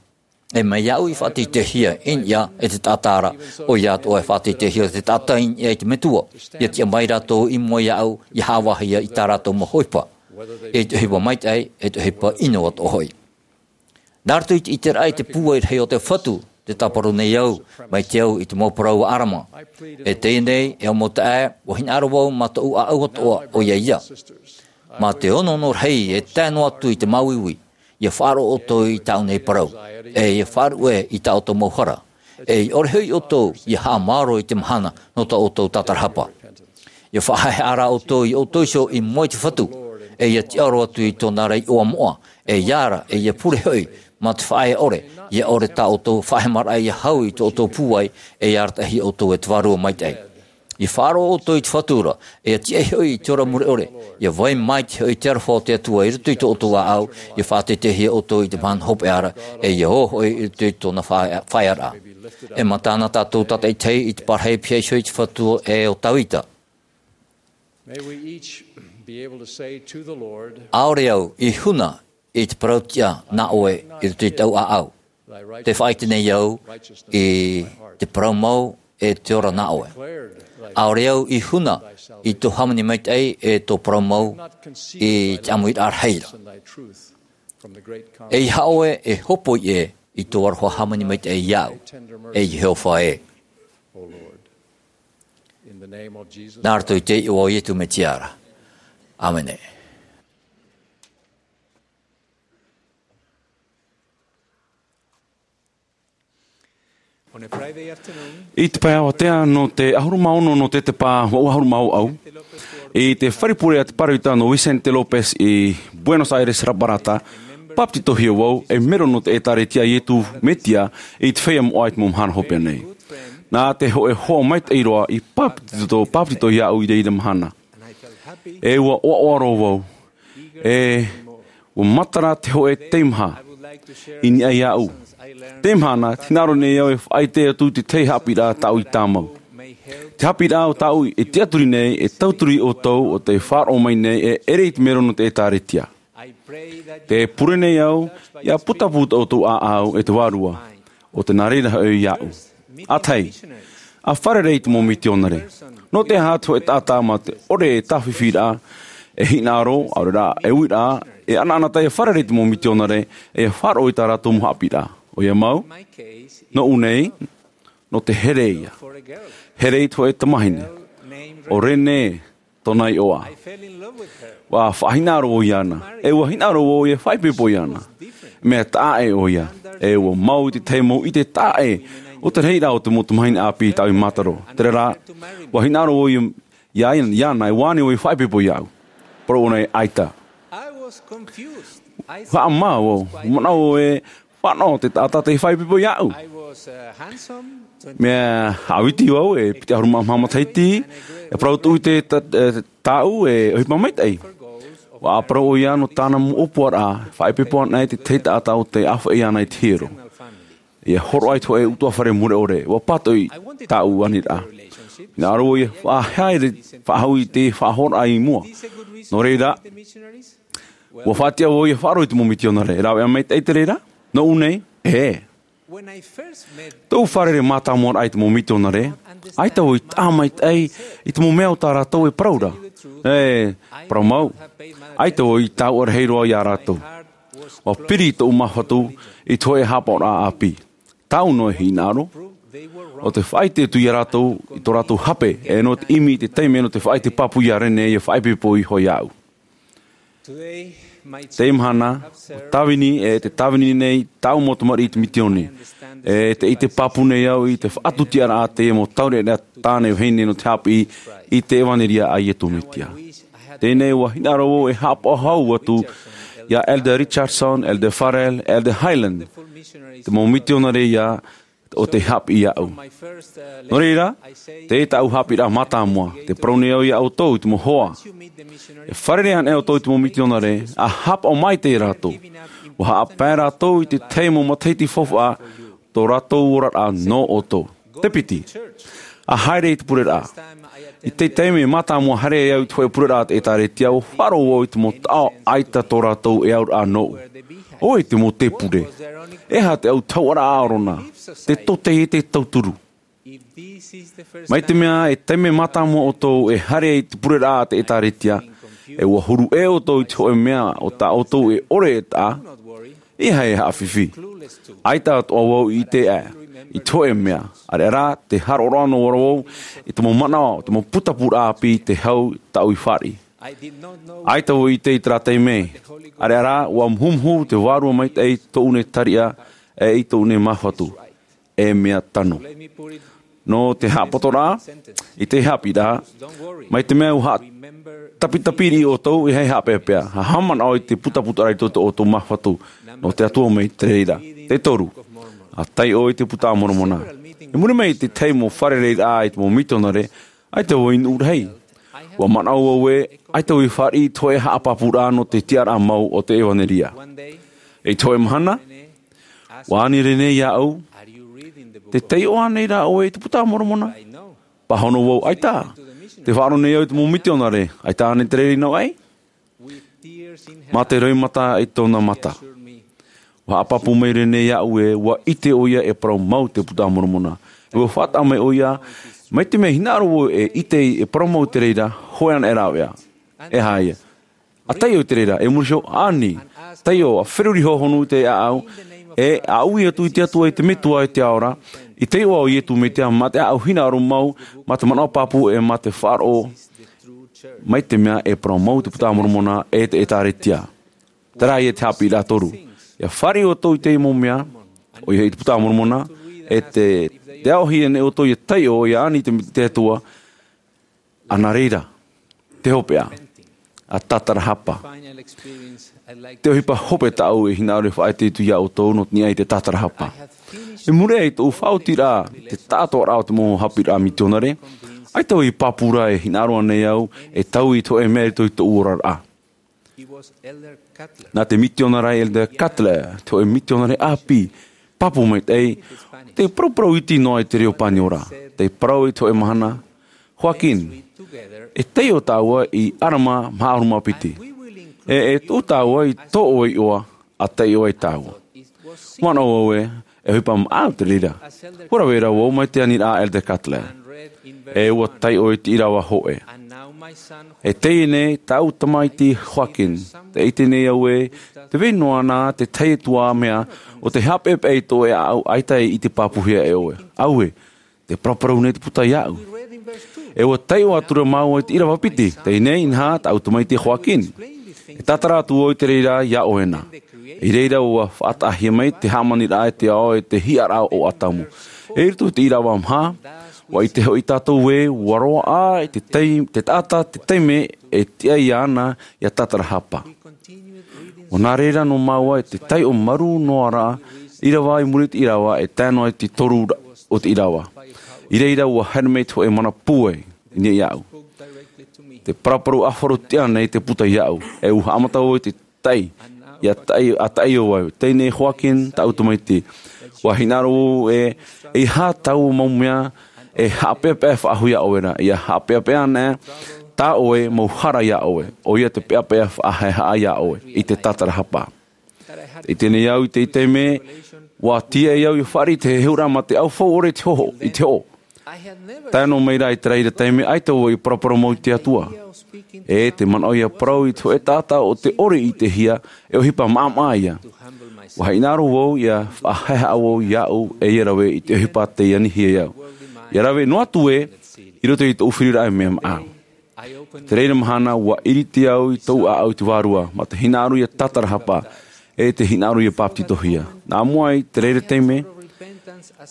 E mai iāʻu ʻia faʻateiteihia i niʻa i te taʻata ra, ʻoia atoʻa e faʻateiteihia te taʻata i niʻa i te Metua, ʻia tiʻa mai rātou i mua iāʻu, ʻia haʻavāhia i tā rātou mau ʻohipa. I te ʻohipa maitaʻi, e te ʻohipa ʻino atoʻa hoʻi. Nā roto i te ʻiteraʻa i te pūai rahi o te Fatu, tē tāparu nei au, mai te au i te mau parau a ʻĀrama. E teie nei, e au mau taeaʻe, ʻua hinaʻaro vau mā tōʻu ʻāʻau atoʻa, ʻoia ia. Mā te onoono rahi e tae noa atu i te māuiui, ʻia faʻaroʻo ʻoutou i tāʻu nei parau, e ʻia faʻaruʻe i tā ʻoutou mau hara, e ʻia ʻore hoʻi ʻoutou ʻia haʻamāoro i te mahana nō tā ʻoutou tātarahapa. ʻIa faʻahaʻehaʻa rā ʻoutou ia ʻoutou iho i mua i te Fatu, e ʻia tiʻaoro atu i tōna ra iʻoa moʻa, e ʻia ara, e ʻia pure hoʻi, mā te faʻaea ʻore, ʻia ʻore tā ʻoutou faʻahemaraʻa ʻia hau i tō ʻoutou pūai, e ʻia arataʻihia ʻoutou e te Vārua Maitaʻi. ʻIa faʻaroʻo ʻoutou i te Fatu ra, e ʻia tiʻa hoʻi i te ora mure ʻore, ʻia vai maitaʻi hoʻi te aroha o te Atua i roto i tō ʻoutou ʻāʻau, ʻia faʻateiteihia ʻoutou i te mahana hopeʻa ra, e ʻia ō hoʻi i roto i tōna faʻa-, faʻaearaʻa. E matana tātou tātaʻitahi i te parahi pea iho i te Fatu e o Tavita. May we each be able to say to the Lord, ʻaore au i huna i te parau tiʻa nā ʻoe i roto i tāʻu ʻāʻau. Te faʻaʻite nei au i te parau mau e te ora nā ʻoe. ʻAore au i huna i tō hāmani maitaʻi e tō parau mau i te ʻāmuiraʻa rahi ra. E ʻaore e hōpoi ʻē i tō aroha hāmani maitaʻi iāʻu, e Iehova ē. Nā roto i te iʻoa o Iesu Mesia ra. ʻĀmene. I te pae avatea nō te ʻahuru mā ono nō te pā vaʻu ʻahuru mā ʻau, i te fare pure a te Pāroita nō Vicente López i Buenos Aires Raparata, pāpetitohia vau ei mero nō te ʻĒtārētia a Iesu Mesia i te feiā moʻa i te mau mahana hopeʻa nei. Nā te hōʻē hoa maitaʻi roa i pāpetito, pāpetitohia iāʻu i reira mahana. E ʻua ʻoaʻoa roa vau. E ʻua matara te hōʻē teimaha i niʻa iāʻu. Teie mahana, tē hinaʻaro nei au e faʻaʻite atu i te tahi haʻapiʻiraʻa tāʻu i tāmau. Te haʻapiʻiraʻa o tāʻu e tiʻaturi nei, e tauturu iā ʻoutou ʻo tē faʻaroʻo mai nei e ʻere i te mero nō te ʻĒtārētia. Tē pure nei au, ʻia putapū tō ʻoutou ʻāʻau e te Vārua, ʻo tē nā reira hoʻi iāʻu. ʻA tahi, ʻa fārerei i te mau mitionare. Nō te aha te hōʻē taʻata mā te ʻore e tāfifiraʻa, e hinaʻaro, ʻaore rā, e uiraʻa, e ʻanaʻanatae e fārerei i te mau mitionare, e faʻaroʻo i tā rātou mau haʻapiʻiraʻa. ʻOia mau, nōʻu nei, nō te here ïa. Here i te hōʻē tamahine. ʻO Renee tōna iʻoa. ʻUa faʻahinaʻaro vau iāna. E ʻua hinaʻaro vau e faʻaipoipo iāna. Mea taʻa ʻē ʻoia. E ʻua mau i te tahi mau ʻite taʻa ʻē o te rahiraʻa o te mau tamahine ʻāpī tāʻu i mātaro. Terā rā, ʻua hinaʻaro vau iā, iā, iāna, e ʻua ani vau e faʻaipoipo iāʻu. Parau ʻōna ē, ʻaita. Haʻamā vau, manaʻo vau ē, fānaʻo te taʻata tei faʻaipoipo iāʻu. Mea haʻaviti vau, e piti ʻahuru mā maha matahiti, e parau tuʻu i te ta-, e, tāʻu e ʻohipa maitaʻi. ʻUa parau ʻoia nō tāna mau ʻōpuaraʻa, faʻaipoipo ana e te tahi taʻata ʻo tē ʻāfaʻi ana i te hiero. ʻIa hōroʻa i te hōʻē ʻutuāfare mure ʻore, ʻua pātoʻi tāʻu aniraʻa. Hinaʻaro vau ʻia faʻahaere, faʻahou i te faʻahoraʻa i mua. Nō reira, ʻua faʻatiʻa vau ʻia faʻaroʻo i te mau mitionare. E rāveʻa maitaʻi te reira? Nōʻu nei, ē. Tōʻu fārerei mātāmua raʻa i te mau mitionare, ʻaita vau i taʻa maitaʻi i te mau mea o tā rātou e parau ra. E, parau mau, ʻaita vau i tauturu rahi roa iā rātou. ʻUa piri tōʻu māfatu i te hōʻē haʻapaʻoraʻa ʻāpī. Tāʻu noa e hinaʻaro, ʻo tē faʻaʻite atu iā rātou i tō rātou hape, e nō te ʻimi i te taime nō te faʻaʻite pāpū iā Renee ʻia faʻaipoipo iho iāʻu. Teie mahana, ʻua tāvini, e tē tāvini nei tāʻu mau tamariʻi i te misiōni. E tē ʻite pāpū nei au i te faʻatūtiaraʻa a teie mau taureʻareʻa tāne vahine nō te haʻapiʻi i te ʻevanelia a Iesu Mesia. Teie nei ʻua hinaʻaro vau e haʻapaʻo hau atu iā Elder Richardson, Elder Farrell, Elder Hyland, te mau mitionare ïa o tei haʻapiʻi iāʻu. Nō reira, teie tāʻu haʻapiʻiraʻa mātāmua, tē parau nei au iā ʻoutou i te mau hoa. E fārerei ana ʻoutou i te mau mitionare, ʻa haʻapaʻo maitaʻi ia rātou. ʻUa haʻapae rātou i te tahi mau matahiti faufaʻa tō rātou oraraʻa nō ʻoutou. Te piti, ʻa haere i te pureraʻa. I te taime mātāmua haere ai au i te hōʻē pureraʻa a te ʻĒtārētia, ʻua faʻaroʻo vau i te mau taʻo ʻaita tō rātou e auraʻa nōʻu. ʻO vai te mau tēpure? E aha te ʻautauʻaraʻa ʻāʻoro na? Te tōtaiete tauturu. Mai te mea e taime mātāmua ʻoutou e haere ai i te pureraʻa a te ʻĒtārētia, e ʻua huru ʻē ʻoutou i te hōʻē mea o tā ʻoutou e ʻore e taʻa, ʻeiaha e haʻafifi. ʻAita atoʻa vau i ʻite aʻe i te hōʻē mea, ʻareʻa rā, tē haʻaroʻo noa ra vau i te mau manaʻo, te mau putapūraʻa ʻāpī tei hau tāʻu i fāriʻi. ʻAita vau i ʻite i terā taime, ʻareʻa rā, ʻua muhumuhu te Vārua Maitaʻi i tōʻu nei tariʻa, e i tōʻu nei māfatu, e mea tano. Nō te haʻapotoraʻa, i te haʻapiʻiraʻa, mai te mea ʻua haʻatapitapi riʻi ʻoutou, ʻeiaha e haʻapeʻapeʻa, ʻa haʻamanaʻo i te putapūraʻa i tō ʻoutou māfatu, nō te Atua mai te reira. Te toru, ʻa taiʻo i te Buka a Moromona. I muri mai i te tahi mau fārereiraʻa i te mau mitionare, ʻaita vau i nuʻu rahi. ʻUa manaʻo vau ē, ʻaita vau i fāriʻi i te hōʻē haʻapāpūraʻa nō te tiʻaraʻa mau o te ʻevanelia. I te hōʻē mahana, ʻua ani Renee iāʻu, Te taiʻo ānei rā ʻoe i te Buka a Moromona? Pāhono vau, ʻAita. Tē faʻaroʻo nei au i te mau mitionare, ʻAita ānei te reira i nō ʻai? Mā te roimata i tōna mata. Ua haʻapāpū maitaʻi nei iāʻu ē, ʻua ʻite ʻoia e parau mau te Buka a Moromona. ʻUa faʻataʻa mai ʻoia, mai te mea hinaʻaro vau e ʻite e parau mau te reira, hōʻē anaʻe rāveʻa. E aha ïa? ʻA taiʻo i te reira, e muri iho, ani, taiʻo, ʻa feruri hohonu i te ʻāʻau, e, ʻa ui atu i te Atua, i te Metua, i te Ao ra, i te iʻoa o Iesu Mesia, mā te ʻāʻau hinaʻaro mau, mā te manaʻo pāpū, e mā te faʻaroʻo, mai te mea e parau mau te Buka a Moromona, e te ʻĒtārētia. Terā ïa te haʻapiʻiraʻa toru. ʻIa fāriʻi ʻoutou i te mau mea, ʻoia hoʻi te Buka a Moromona, e te, te aʻohia nei ʻoutou ʻia taiʻo, ʻia ani i te, te Atua, ʻa nā reira, te hopeʻa, ʻa Tatarahapa. Te ʻohipa hope tāʻu e hinaʻaro e faʻaʻite atu iā ʻoutou nō te niʻa i te Tatarahapa. I muri aʻe i tōʻu faʻaotiraʻa, te taʻatoʻaraʻa o te mau haʻapiʻiraʻa mitionare, ʻaita vau i pāpū ra e hinaʻaro ānei au, e taui i te hōʻē mea i roto i tōʻu oraraʻa. Nā te mitionare Elder Cutler, te hōʻē mitionare ʻāpī, pāpū maitaʻi, tē paraparau iti noa i te reo Pāniora, tē parau i te hōʻē mahana, Joaquin, e taiʻo tāua i ʻarama maha ʻahuru mā piti. E, e tuʻu tāua i tō ʻoe iʻoa, ʻa taiʻo ai tāua. Manaʻo vau ē, e ʻohipa maʻau te reira. ʻUa rave ra vau mai te aniraʻa a Elder Cutler. E ʻua taiʻo i te ʻīrava hōʻē. E teie nei, tāʻu tamaiti Joaquin, tē ʻite nei au ē, tē vai noa na te tahi atu ā mea, ʻo tē haʻapeʻapeʻa i tō ʻoe ʻāʻau ʻaita e ʻite pāpūhia e ʻoe. Auē, tē paraparau nei te Buka iāʻu. E ʻua taiʻo atu ra māua i te ʻīrava piti, teie nei, inaha, tāʻu tamaiti Joaquin. E tātara atu vau i te reira iā ʻoe na. I reira ʻua faʻataʻahia mai te hāmaniraʻa e te ao e te hiʻaraʻa o ʻĀtamu. E i roto i te ʻīrava maha, ʻua ʻite hoʻi tātou ē, ʻua roaʻa i te tai-, te taʻata, te taime e tiʻa iāna iā Tatarahapa. ʻUa nā reira noa māua i te taiʻo marū noa ra, ʻīrava i muri i te ʻīrava, e tae noa i te toru ra-, o te ʻīrava. I reira ʻua haere mai te hōʻē mana pūai, i niʻa iāʻu. Tē paraparau ʻāfaro tiʻa nei te Buka iāʻu, e ʻua haʻamata vau i te tai, ʻia tai, ʻa taiʻo vau, teie nei Joaquin, tāʻu tamaiti. ʻUa hinaʻaro vau ē, e aha taua mau mea, e haʻapeʻapeʻa e faʻahou iā ʻoe ra, ʻia haʻapeʻapeʻa anaʻe, tā ʻoe mau hara iā ʻoe, ʻoia te peʻapeʻa faʻahaehaʻa iā ʻoe, i te Tatarahapa. I teie nei au i te taime, ʻua tiaʻi au ʻia fāriʻi te hehuraʻa mā te ʻaufau ʻore i te hoʻo, i te hoʻo. Tae noa mai rā i te reira taime, ʻaita vau i paraparau mau i te Atua. E te manaʻo ʻia parau i te hōʻē taʻata ʻo tē ʻore i ʻitehia, e ʻohipa maʻamaʻa ïa. ʻUa hinaʻaro vau ʻia faʻahaehaʻa vau iāʻu e ʻia rave i te ʻohipa tei anihia iāʻu. ʻIa rave noa atu ē, i roto i tōʻu firiraʻa e mea maʻau. Te reira mahana, ʻua ʻiriti au i tōʻu ʻāʻau i te Vārua, mā te hinaʻaro iā Tatarahapa, e te hinaʻaro ʻia papetitohia. Nā mua i te reira taime,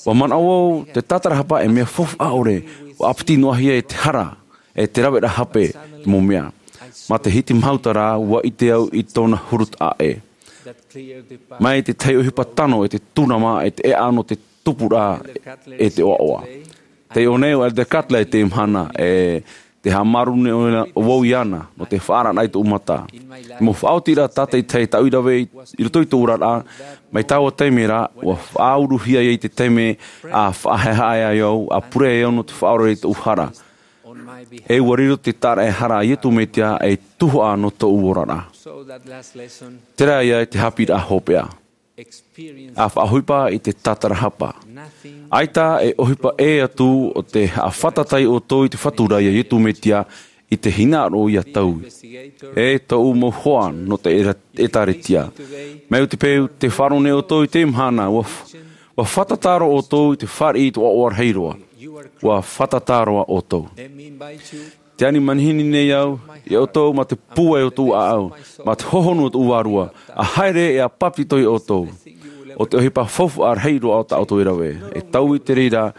ʻua manaʻo vau te Tatarahapa e mea faufaʻa ʻore, ʻua ʻāpiti noa hia e te hara, e te raveraʻa hape, te mau mea. Mā te hiti mahuta rā, ʻua ʻite au i tōna huru taʻa ʻē. Mai te tahi ʻohipa tano, e te tūnama, e te ʻēʻa nō te tupuraʻa, e te ʻoaʻoa. Taiʻo nei ʻo Elder Cutler i teie mahana, e tē haʻamāuruuru nei vau iāna, nō te faʻaararaʻa i tōʻu mata. Te mau faʻaotiraʻa tātaʻitahi tāʻu i rave i, i roto i tōʻu oraraʻa, mai taua taime rā, ʻua faʻauruhia ai te taime, ʻa faʻahaehaʻa ai au, ʻa pure ai au nō te faʻaora i tōʻu hara. E ʻua riro te tāraʻehara a Iesu Mesia ei tuhaʻa nō tōʻu oraraʻa. Terā ïa te haʻapiʻiraʻa hopeʻa. ʻA faʻaʻohipa i te Tatarahapa. ʻAita e ʻohipa ʻē atu ʻo te haʻafātata ʻoutou i te Fatu ra iā Iesu Mesia i te hinaʻaro ʻia taui. E tōʻu mau hoa nō te ʻēra-, ʻĒtārētia. Mai te peu tē faʻaroʻo nei ʻoutou i teie mahana, ʻua f-, ʻua fātata roa ʻoutou i te fāriʻi i te ʻoaʻoa rahi roa. ʻUa fātata roa ʻoutou. Tē ani manihini nei au iā ʻoutou mā te pūai o tōʻu ʻāʻau, mā te hohonu o tōʻu Vārua, ʻa haere e ʻa papetitohia ʻoutou. ʻO te ʻohipa faufaʻa rahi roa tā ʻoutou e rave, e taui i te reira,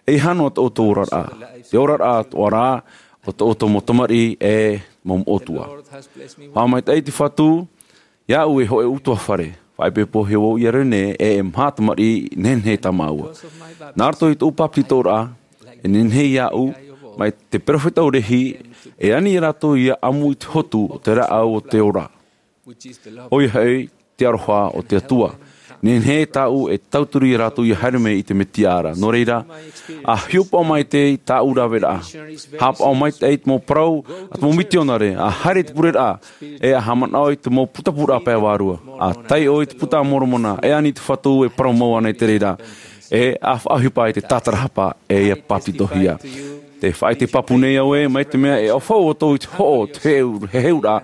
e hano tō ʻoutou oraraʻa, te oraraʻa atoʻa ra, o tō ʻoutou mau tamariʻi e mau moʻotua. Faʻamaitaʻi te Fatu, iāʻu e hōʻē ʻutuāfare, faʻaipoipohia vau ʻia rave nei, e, e maha tamariʻi nehenehe tā māua. Nā roto i tōʻu papetitoraʻa, e nehenehe iāʻu, mai te perofeta ʻo Lehi, e ani ia rātou ʻia ʻamu i te hotu o te rāʻau o te ora. ʻOia hoʻi, te aroha o te Atua. Nehenehe tāʻu e tauturu iā rātou ʻia haere mai i te Mesia ra. Nō reira, ʻa hiʻopoʻa maitaʻi tāʻu raveraʻa. Haʻapaʻo maitaʻi te mau parau a te mau mitionare, ʻa haere i te pureraʻa, e ʻa haʻamanaʻo i te mau putapūraʻa pae vārua. ʻA taiʻo i te Puta a Moromona, e ani i te Fatu e parau mau ana i te reira. E ʻa faʻaʻohipa i te tātarahapa, e ʻia bāpetizohia. Tē faʻaʻite pāpū nei au ē, mai te mea e ʻaufau ʻoutou i te hoʻo, te heu, he heuraʻa,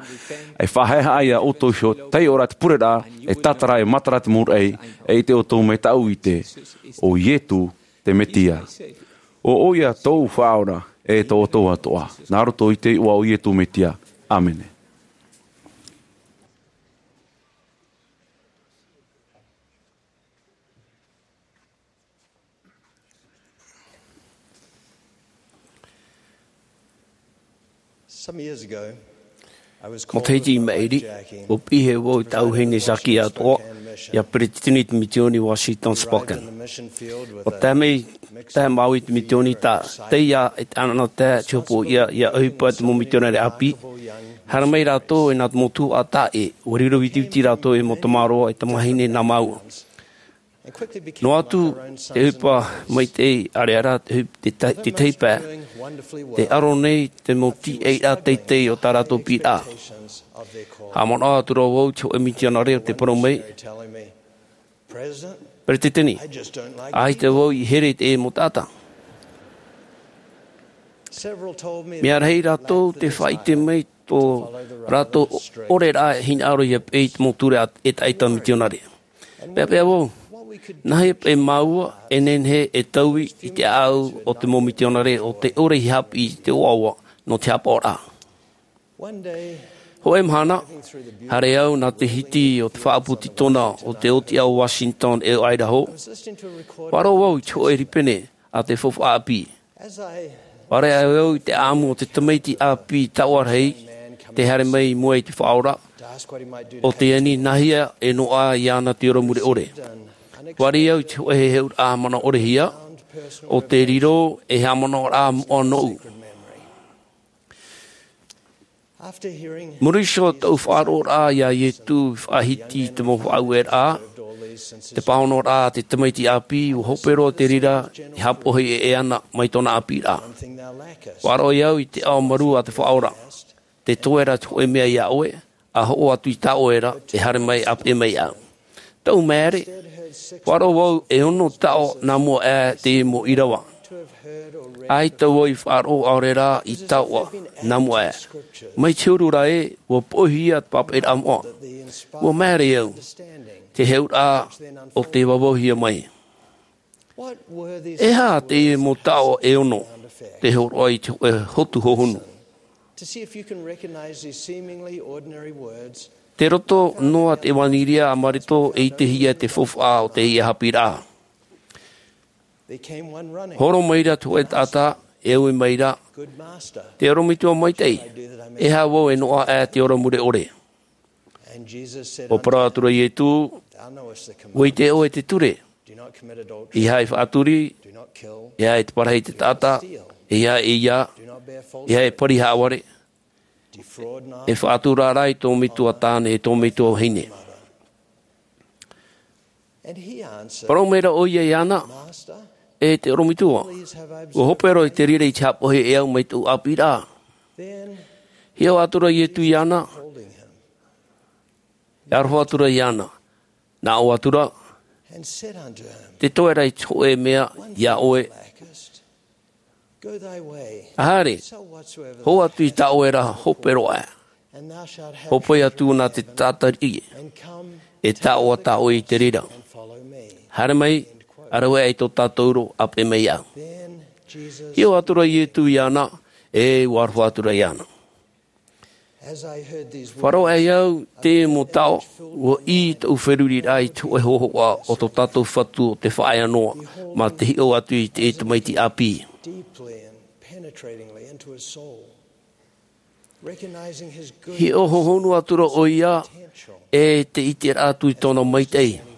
e faʻahaʻehaʻa iā ʻoutou iho, taiʻo rā te pureraʻa, e tātara, e matara te mau raʻi, e ʻite ʻoutou mai tāʻu ʻite, ʻo Ietu te Mesia. ʻO ʻoia tōʻu Faʻaora, e tō ʻoutou atoʻa. Nā roto i te iʻoa o Ietu Mesia. ʻĀmene. Some years ago, I was called Matahiti i maʻiri, ʻo piʻi hia vau i tāʻu vahine Jackie atoʻa, ʻia peretiteni i te mitioni Washington Spokane. ʻUa tae mai, tae māua i te mitioni, tā, tei ia, e te ʻanaʻanatae, te hopoiʻa, ʻia ʻohipa te mau mitionare ʻāpī. Haere mai rātou, e nā te mau tuhaʻa taʻa ʻē, ʻua riro vitiviti rātou e mau tamaroa, e tamāhine nā māua. Noa atu te ʻohipa maitaʻi, ʻareʻa rā te ʻohipa, te ta-, te tētahi pae, tē ʻaro nei te mau tīaʻiraʻa teitei o tā rātou piʻiraʻa. Haʻamanaʻo atu ra vau i te hōʻē mitionare ʻo tē parau mai, Peretiteni, ʻaita vau i here i te mau taʻata. Mea rahi rātou tē faʻaʻite mai tō rātou ʻoreraʻa e hinaʻaro ʻia peʻe i te mau ture a-, ʻetaʻeta mitionare. Peʻapeʻa vau, nāhea paʻi māua e nehenehe e taui i te ʻāʻau o te mau mitionare ʻo tē ʻore i haʻapiʻi i te ʻoaʻoa nō te haʻapaʻoraʻa. Hōʻē mahana, haere au nā te hiti o te faʻaʻapu tītona o te ʻōtiʻa o Washington e o Idaho, ʻua faʻaroʻo vau i te hōʻē rīpene a te faufaʻa ʻāpī. ʻUa ʻareʻa au i te ʻāʻamu o te tamaiti ʻāpī taoʻa rahi, tē haere mai i mua i te Faʻaora, ʻo tē ani nāhea e noaʻa iāna te ora mure ʻore. ʻUa riro au i te hōʻē heheuraʻa manaʻo ʻore hia, ʻo tē riro ei haʻamanaʻoraʻa moʻa nōʻu. Muri iho tōʻu faʻaroʻoraʻa iā Ietu i faʻahiti i te mau faʻaueraʻa, te pāhonoraʻa a te tamaiti ʻāpī, ʻua hope roa te reira e haʻapohe ʻē ana mai tōna ʻāpīraʻa. ʻUa roaʻa au i te ʻaomaru a te Faʻaora, tē toe ra te hōʻē mea iā ʻoe, ʻa hoʻo atu i tā ʻoe ra, e haere mai ʻa peʻe mai iāʻu. Tōʻu maere, ʻua roaʻa vau e ono taoʻa nā mua aʻe te mau ʻīrava. ʻAita vau i faʻaroʻo ʻaore rā i taoʻa nā mua aʻe. Mai te huru ra ē, ʻua poʻihia te pāpaʻiraʻa moʻa. ʻUa maere au, te heheuraʻa ʻo tē vauvauhia mai. E aha te mau taoʻa e ono tē hōroʻa i te hōʻē hotu hohonu? Tei roto noa te ʻevanelia a Mareko e ʻitehia te faufaʻa o teie haʻapiʻiraʻa. Horo mai ra te hōʻē taʻata, e ui mai ra, Te ʻorometua maitaʻi, e aha vau e noaʻa aʻe te ora mure ʻore? ʻUa parau atu ra Ietu, ʻUa ʻite ʻoe te ture, ʻEiaha e faʻaturi, ʻeiaha e parahi te taʻata, ʻeiaha e ʻeiā, ʻeiaha e pari haʻavare, e faʻatura rā i tō metua tāne, e tō metua vahine. Parau mai ra ʻoia iāna, E te ʻorometua, ʻua hope roa i te reira i te haʻapohe e au mai tōʻu ʻāpīraʻa. Hiʻo atu ra Ietu iāna, e aroha atu ra iāna, nā ʻō atu ra, Tē toe ra i te hōʻē mea iā ʻoe. Haere, hō atu i tā ʻoe ra hope roa aʻe. Hōpoi atu nā te taʻata riʻi, e taoʻa tā ʻoe i te reira. Haere mai, ʻa rave aʻe i tō tātou iʻoa, ʻa peʻe mai iāʻu. Hiʻo atu ra Ietu iāna, e ʻua aroha atu ra iāna. Faʻaroʻo aʻe au i te mau taoʻa, ʻua ʻī tōʻu feruriraʻa i te hōʻē hōhoʻa o tō tātou Fatu o te faʻaea noa, mā te hiʻo atu i te tamaiti ʻāpī. Hiʻo hohonu atu ra ʻoia, e te ʻiteraʻa atu i tōna maitaʻi.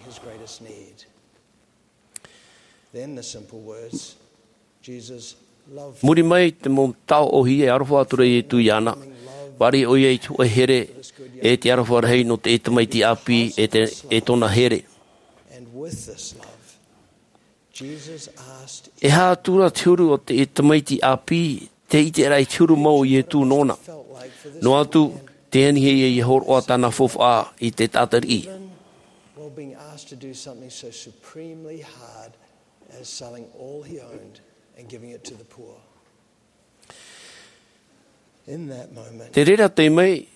Muri mai te mau taoʻa ʻōhie, e aroha atu ra Ietu iāna. Fāriʻi ʻoia i te hōʻē here, e te aroha rahi nō te tamaiti ʻāpī, e te, e tōna here. With this love, Jesus asked E aha atu ra te huru o te tamaiti ʻāpī, tē ʻite ra i te huru mau o Ietu nōna. Noa atu, tē anihia ia hōroʻa tāna faufaʻa i te taʻata riʻi. Even while being asked to do something so supremely hard as selling all he owned and giving it to the poor. In that moment, Te reira taime,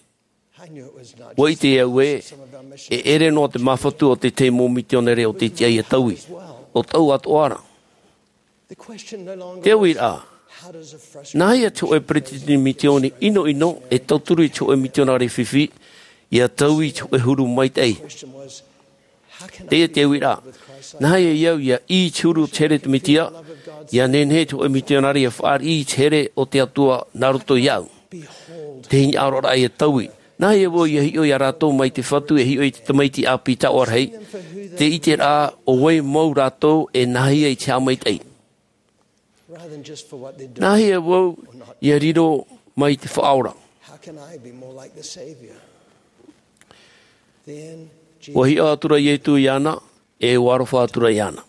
I knew it was not ua ʻite au ē, e ʻere noa te māfatu o te tahi mau mitionare o te tiʻa ia taui. ʻO tāʻu atoʻa ra. Te uiraʻa, nāhea te hōʻē peretiteni misiōni ʻinoʻino e tauturu i te hōʻē mitionare fifi, ia taui i te hōʻē huru maitaʻi? Teie te uiraʻa, nāhea au ia ʻī i te huru o te here o te Mesia, ia nehenehe te hōʻē mitionare ia fāriʻi i te here o te Atua nā roto iāʻu? Te hinaʻaroraʻa ia taui. Nāhea vau ia hiʻo ia rātou mai te Fatu e hiʻo i te tamaiti ʻāpī taoʻa rahi, te ʻiteraʻa ʻo vai mau rātou e nāhea i te haʻamaitaʻi? Nāhea vau ia riro mai te Faʻaora? Ua hiʻo atura Ietu iāna, e ua aroha atura iāna.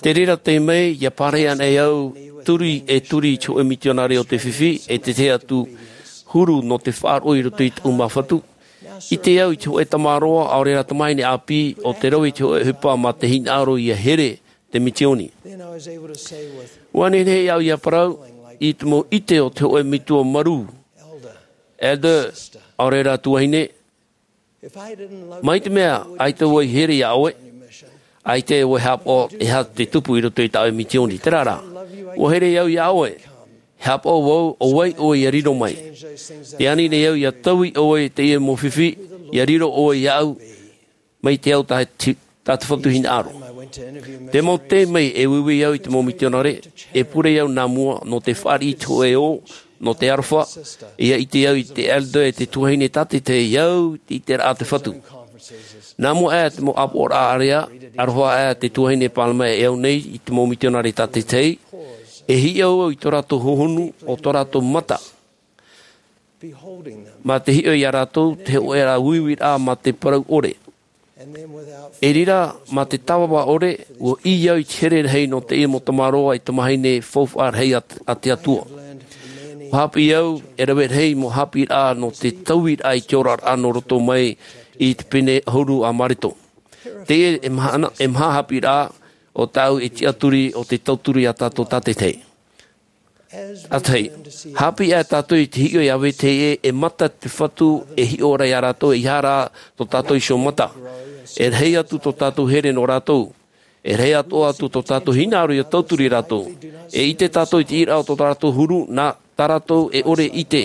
Te reira taime, ia pārahi ana e au, turi e turi i te hōʻē mitionare o te fifi, e te tahi atu huru nō te faʻaroʻo i roto i tāʻu māfatu. ʻIte au i te hōʻē tamaroa, ʻaore rā tamahine ʻāpī, ʻo tē rave i te hōʻē ʻohipa mā te hinaʻaro ia here te misiōni. Ua nehenehe au ia parau, i te mau ʻite o te hōʻē metua marū. Elder, ʻaore rā tuahine, mai te mea, ʻaita vau i here iā ʻoe, ʻaita vau i haʻapaʻo e aha te tupu i roto i tā ʻoe misiōni, terā rā. Ua here au iā ʻoe, e haʻapaʻo vau, ʻo vai ʻoe ia riro mai. Tē ani nei au ia taui ʻoe i teie mau fifi, ia riro ʻoe iāʻu, mai te ao tā te, tā te Fatu hinaʻaro. Te mau taime e uiui au i te mau mitionare, e pure au nā mua nō te fāriʻi i te hōʻē ō, nō te aroha, ia ʻite au i te elder e te tuahine tātaʻitahi au i te ʻiteraʻa a te Fatu. Nā mua aʻe te mau ʻāpoʻoraʻa ʻārea, aroha aʻe te tuahine Palmer e au nei i te mau mitionare tātaʻitahi, e hiʻo au i tō rātou hohonu, ʻo tō rātou mata. Mā te hiʻo iā rātou, te hōʻē rā uiuiraʻa mā te parau ʻore. E reira, mā te tāvava ʻore, ua ʻī au i te here rahi nō teie mau tamaroa e tamahine faufaʻa rahi a, a te Atua. Ua haʻapiʻi au, e rave rahi mau haʻapiʻiraʻa nō te tauiraʻa i te oraraʻa nō roto mai i te pene ʻahuru a Mareto. Teie e maha, e maha haʻapiʻiraʻa o tāʻu e tiʻaturi o te tauturu iā tātou tātaʻitahi. ʻA tahi, haʻapiʻi aʻe tātou i te hiʻo iā vetahi ʻē, e mata te Fatu e hiʻo ra iā rātou, e ʻeiaha rā tō tātou iho mata. E rahi atu tō tātou here nō rātou. E rahi atoʻa atu tō tātou hinaʻaro ia tauturu ia rātou. E ʻite tātou i te ʻīraʻa o tō rātou huru, nā tā rātou e ʻore e ʻite.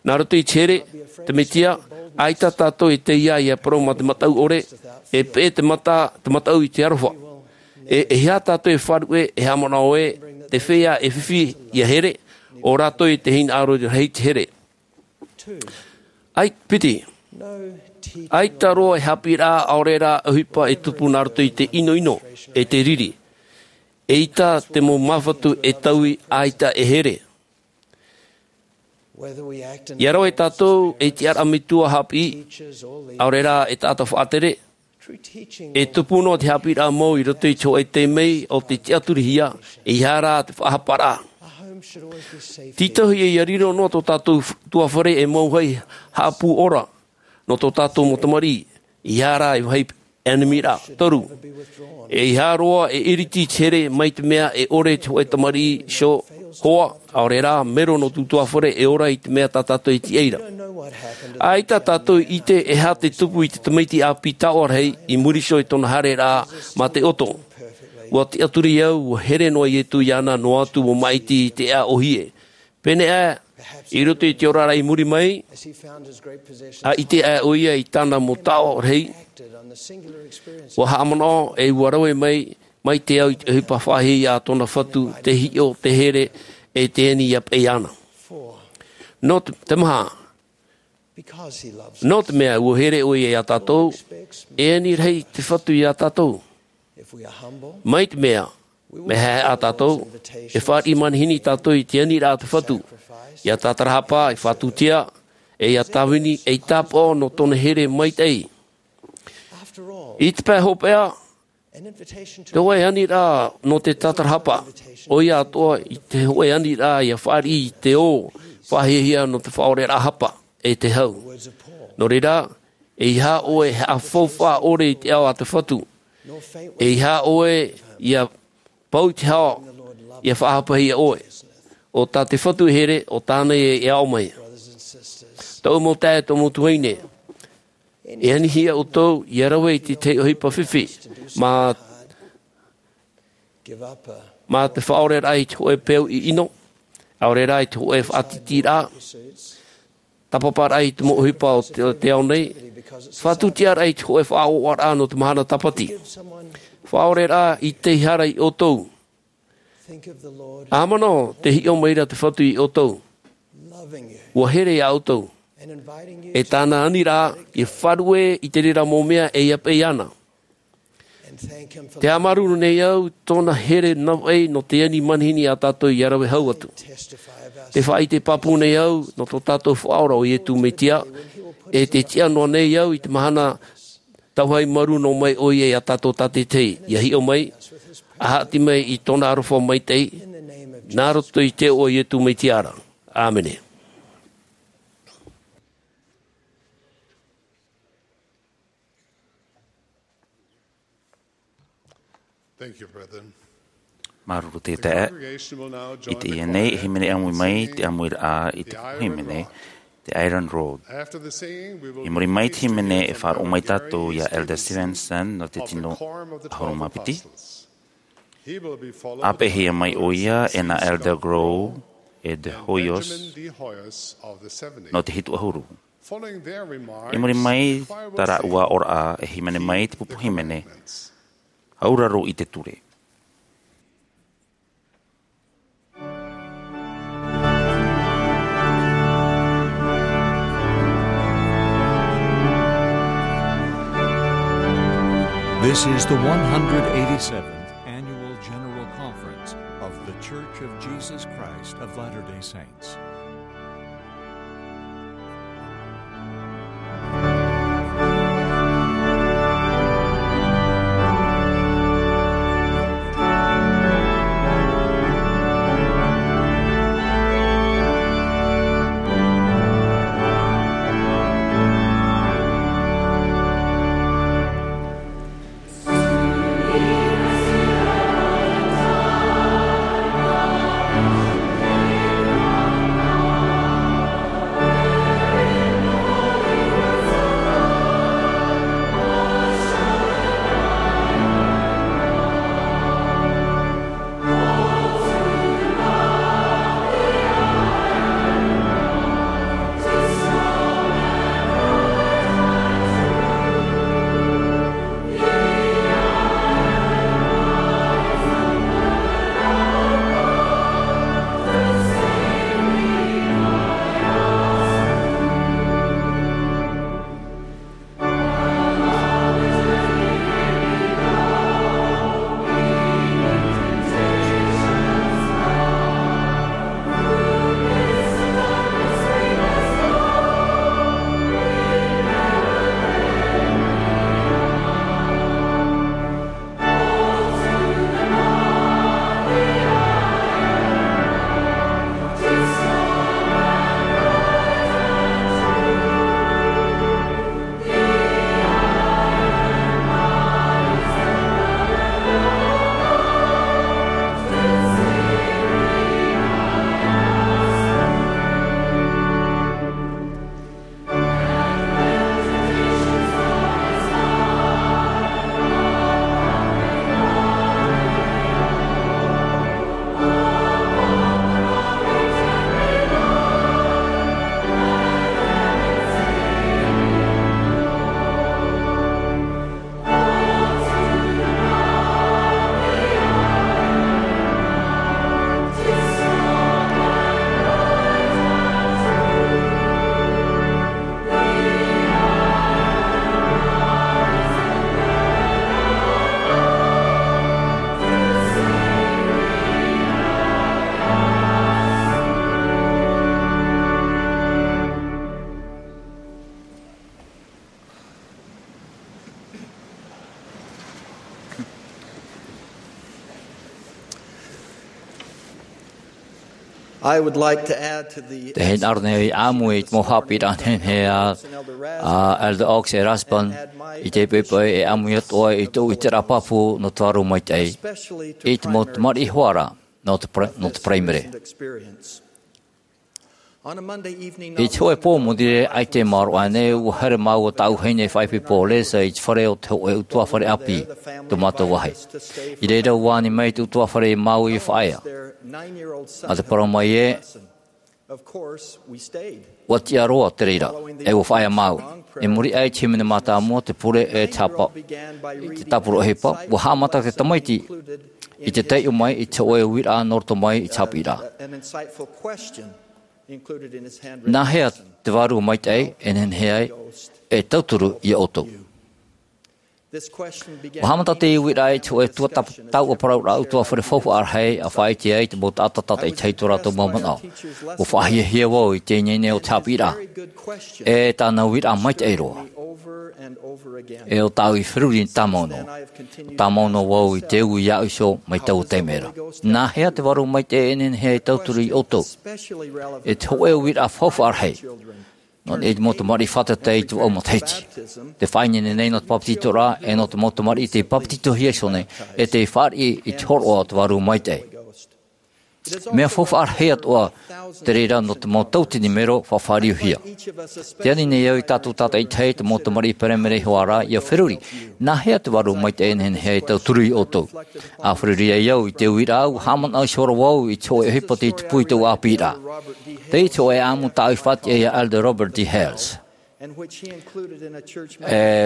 Nā roto i te here, te Mesia, ʻaita tātou e taiā ia parau mā te mataʻu ʻore, e peʻe te mata, te mataʻu i te aroha. E, e ʻeiaha tātou e faʻaruʻe, e haʻamanaʻo ē, te feiā e fifi ia here, ʻo rātou i te hinaʻaro rahi te here. ʻAi, piti. ʻAita roa e haʻapiʻiraʻa ʻaore rā ʻohipa e tupu nā roto i te ʻinoʻino, e te riri. ʻEita te mau māfatu e taui ʻaita e here. ʻIa rave tātou e tiʻaraʻa metua haʻapiʻi, ʻaore rā e taʻata faʻatere, e tupu noa te haʻapiʻiraʻa mau i roto i te hōʻē taime o te tiʻaturihia, ʻeiaha rā te faʻahaparaʻa. Tītauhia ia riro noa tō tātou f-, tuāfare e mau vāhi haʻapū ora, nō tō tātou mau tamariʻi, ʻeiaha rā e vāhi ʻenemi ra. Toru, ʻeiaha roa e iriti i te here mai te mea e ʻore te hōʻē tamariʻi iho hoa, ʻaore rā, mero nō tō tuāfare e ora i te mea tā tātou e tiʻa ra. ʻAita tātou i ʻite e aha te tupu i te tamaiti ʻāpī taoʻa rahi i muri iho i tōna haereraʻa mā te ʻoto. Ua tiʻaturi au, ua here noa Ietu iāna noa atu ua māʻiti i te ʻēʻa ʻōhie. Pēneiaʻe, i roto i te oraraʻa i muri mai, ʻa ʻite aʻe ʻoia i tāna mau taoʻa rahi, ua haʻamanaʻo e ua rave mai, mai te ao i te ʻohipa faʻahiahia a tōna Fatu, te hiʻo, te here, e te ani ʻia peʻe iāna. Nō te, te maha, nō te mea ua here ʻoia iā tātou, e ani rahi te Fatu iā tātou. Mai te mea, mea haʻehaʻa tātou, e fāriʻi manihini tātou i te aniraʻa a te Fatu, ʻia tātarahapa, ʻia fātūtia, e ʻia tāvini, ʻei tāpaʻo nō tōna here maitaʻi. I te pae hopeʻa, te hōʻē aniraʻa nō te tātarahapa, ʻoia atoʻa i te hōʻē aniraʻa ʻia fāriʻi i te ō faʻahiahia nō te faʻaoreraʻa hapa e te hau. Nō reira, ʻeiaha ʻoe e haʻafaufaʻa ʻore i te ao a te Fatu. ʻEiaha ʻoe ʻia pau i te hau ʻia faʻahapahia ʻoe. ʻO tā te Fatu e here, ʻo tāna ia e aʻo mai. Tōʻu mau taeaʻe, tōʻu mau tuahine, e anihia ʻoutou ʻia rave i te tahi ʻohipa fifi, mā, mā te faʻaoreraʻa i te hōʻē peu ʻiʻino, ʻaore rā i te hōʻē faʻatītīraʻa, tāpaparaʻa i te mau ʻohipa o te, te ao nei, faʻatūtiaraʻa i te hōʻē faʻaʻoaʻoaraʻa nō te mahana tāpati. Faʻaoreraʻa i te hara iā ʻoutou. ʻA manaʻo te hiʻo mai ra te Fatu iā ʻoutou. ʻUa here iā ʻoutou. E tāna aniraʻa, ʻia faʻaruʻe i te reira mau mea e ʻia peʻe iāna. Te haʻamāuruuru nei au i tōna here navaʻi nō te ani manihini iā tātou ʻia rave hau atu. Te faʻaʻite pāpū nei au nō tō tātou Faʻaora ʻo Iesu Mesia, e te tiʻa noa nei au i te mahana tau haʻamāuruuru noa mai ʻoia iā tātou tātaʻitahi, ʻia hiʻo mai, ʻa haʻati mai i tōna aroha maitaʻi, nā roto i te iʻoa o Iesu Mesia ra. ʻĀmene. Thank you, brethren. Māuruuru te taeaʻe. I teie nei, e hīmene ʻāmui mai te ʻāmuiraʻa i te hīmene, te Iron Road. I muri mai te hīmene, e faʻaroʻo mai tātou iā Elder Stevenson nō te tino ʻahuru mā piti. ʻA peʻehia mai ʻoia e nā Elder Grow e De Hoyos nō te hitu ʻahuru. I muri mai tā rāua ʻōraʻa, e hīmene mai te pupu hīmene, auraro i te ture. This is the one hundred eighty-seventh Annual General Conference of The Church of Jesus Christ of Latter-day Saints. I would like to add to the Te hinaʻaro nei au i ʻāmui i te mau haʻapiʻiraʻa nehenehe a, a Elder Oaks e Rasband, i te poʻipoʻi e ʻāmui atu ai i tōʻu ʻiteraʻa pāpū nō te Vārua Maitaʻi, i te mau tamariʻi hoʻi ra, nō te pra-, nō te paraimere. I te hōʻē pō Monday, ʻaita e maoro aʻenei, ʻua haere māua tāʻu vahine faʻaipoipo, Lesa, i te fare o te hōʻē ʻutuāfare ʻāpī, tō mātou vāhi. I reira ʻua ani mai te ʻutuāfare ia māua i faʻaea. Nā te parau mai ē, ʻua tiʻa roa te reira, e ʻua faʻaea māua. I muri aʻe i te hīmene mātāmua, te pure e te hapa-, i te tāpura ʻohipa, ʻua haʻamata te tamaiti i te taiʻo mai i te hōʻē uiraʻa nō roto mai i te haʻapiʻiraʻa. Nā hea te Vārua Maitaʻi e nehenehe ai e tauturu ia ʻoutou? ʻUa haʻamata te uiraʻa i te hōʻē tuatāpapa, tauʻaparauraʻa ʻutuāfare faufaʻa rahi, ʻa faʻaʻite ai te mau taʻata tātaʻitahi tō rātou mau manaʻo. ʻUa faʻahiahia vau i te ineine o te haʻapiʻiraʻa, e tāna uiraʻa maitaʻi roa. E ʻo tāʻu i feruri tāmau noa. Tāmau noa vau i te ui iāʻu iho mai taua taime ra. Nā hea te Vārua Maitaʻi e nehenehe e tauturu ia ʻoutou? E te hōʻē uiraʻa faufaʻa rahi. Nō niʻa i te mau tamariʻi fātata i te vaʻu matahiti. Tē faʻaineine nei nō te papetitoraʻa, e nō te mau tamariʻi tei papetitohia iho nei, e tei fāriʻi i te hōroʻa o te Vārua Maitaʻi. Mea faufaʻa rahi atoʻa te reira nō te mau tauatini mero faʻafāriuhia. Tē ani nei au ia tātou tātaʻitahi, te mau tamariʻi paraimere hoʻi ra, ia feruri, nā hea te Vārua Maitaʻi e nehenehe e tauturu ia ʻoutou? ʻA feruri ai au i te uiraʻa, ʻua haʻamanaʻo iho roa vau i te hōʻē ʻohipa tei tupu i tōʻu ʻāpīraʻa. Tei te hōʻē ʻāʻamu tāʻu i faʻatiʻa ia Elder Robert D. Hales. E,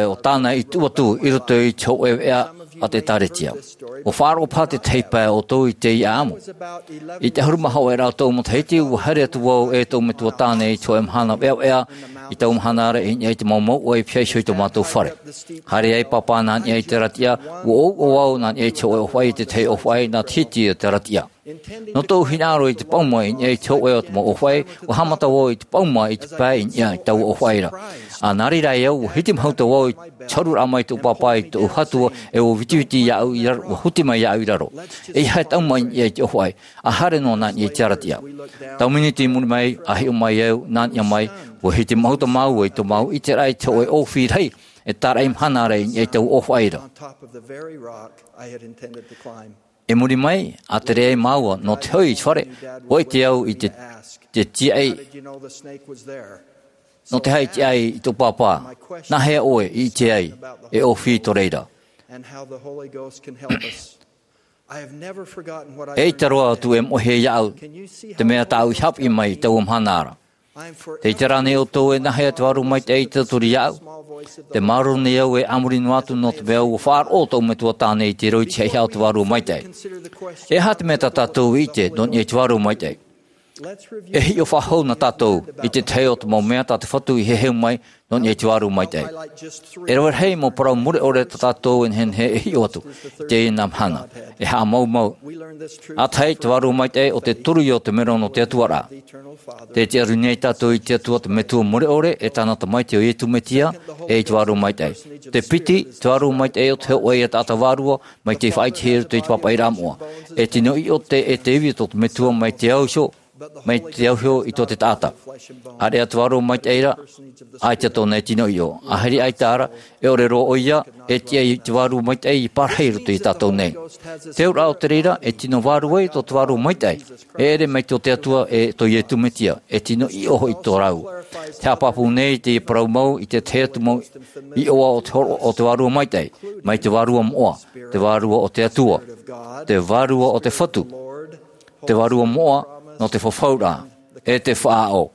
ʻo tāna i tuʻu atu i roto i te hōʻē veʻa a te ʻĒtārētia. ʻUa faʻaroʻo paha te tahi pae ʻoutou i teie ʻāʻamu. I te ʻahuru mā hōʻē ra o tōʻu matahiti, ʻua haere atu vau e tōʻu metua tāne i te hōʻē mahana veʻaveʻa, i taua mahana ra i niʻa i te mau mouʻa i pihaʻi iho i tō mātou fare. Haere ai Pāpā nā niʻa i te rātiʻa, ʻua ʻouʻou au nā niʻa i te hōʻē ʻōfaʻi i te tahi ʻōfaʻi nā te hiti o te rātiʻa. Nō tōʻu hinaʻaro i te pauma i niʻa i te hōʻē o te mau ʻōfaʻi, ʻua haʻamata vau i te pauma i te pae i niʻa i taua ʻōfaʻi ra. ʻA nā reira ai au, ʻua hitimahuta vau i te hōroʻaraʻa mai tōʻu pāpā i tōʻu hatua, e ʻua vitiviti iāʻu i raro, ʻua huti mai iāʻu i raro. ʻEiaha e tauma i niʻa i te ʻōfaʻi, ʻa haere noa nā niʻa i te rātiʻa. Tau miniti i muri mai, ʻa hiʻo mai au, nā niʻa mai, ʻua hitimahuta māua i tō māua ʻiteraʻa i te hōʻē ʻōfī rahi, e tāraʻi mahana ra i niʻa i taua ʻōfaʻi ra. I muri mai, ʻa tere ai māua nō te hoʻi i te fare, ʻua ʻite au i te, te tiaʻi, nō te haʻi tiaʻi i tō pāpā, nā hea ʻoe i ʻite ai, e ʻōfī tō reira. E ʻaita roa atu e moʻehia iāʻu, te mea tāʻu i haʻapiʻi mai i taua mahana ra. Tē ʻite ra ānei ʻoutou e nā hea te Vārua Maitaʻi i tauturu iāʻu? Tē māuruuru nei au e a muri noa atu nō te mea ʻua faʻaroʻo tōʻu metua tāne i te roiti haʻihaʻa o te Vārua Maitaʻi. E aha te mea tā tātou i ʻite nō niʻa i te Vārua Maitaʻi? E hiʻo faʻahou na tātou i te tahi o te mau mea tā te Fatu i heheu mai nō niʻa i te Vārua Maitaʻi. E rave rahi mau parau mure ʻore tā tātou e nehenehe e hiʻo atu i teie mahana. E haʻamaumau. ʻA tahi, te Vārua Maitaʻi ʻo te toru ia o te mero nō te Atua ra. Tē tiʻaruru nei tātou i te Atua te Metua mure ʻore, e tāna Tamaiti ʻo Iesu Mesia, e i te Vārua Maitaʻi. Te piti, te Vārua Maitaʻi ʻo te hōʻē ia taʻata vārua, mai tei faʻaʻitehia i roto i te pāpaʻiraʻa moʻa. E tino ʻiʻo te, e te ivi o tō te Metua mai te au iho, mai te au iho i tō te taʻata. ʻĀreʻa te Vārua Maitaʻi ra, ʻaita tōna e tino ʻiʻo. ʻĀhiri ʻaita ra, e ʻore roa ʻoia, e tiʻa i te Vārua Maitaʻi i parahi i roto ia tātou nei. Te auraʻa o te reira, e tino vārua ia tō te Vārua Maitaʻi. E ʻere mai tō te Atua, e tō Iesu Mesia, e tino ʻiʻo hoʻi tō rāua. Te haʻapāpū nei te parau mau i te tahi atu mau iʻoa o te hōroʻa o te Vārua Maitaʻi, mai te vārua moʻa, te vārua o te Atua, te vārua o te Fatu, te vārua moʻa nō te fafauraʻa, e te faʻaʻo.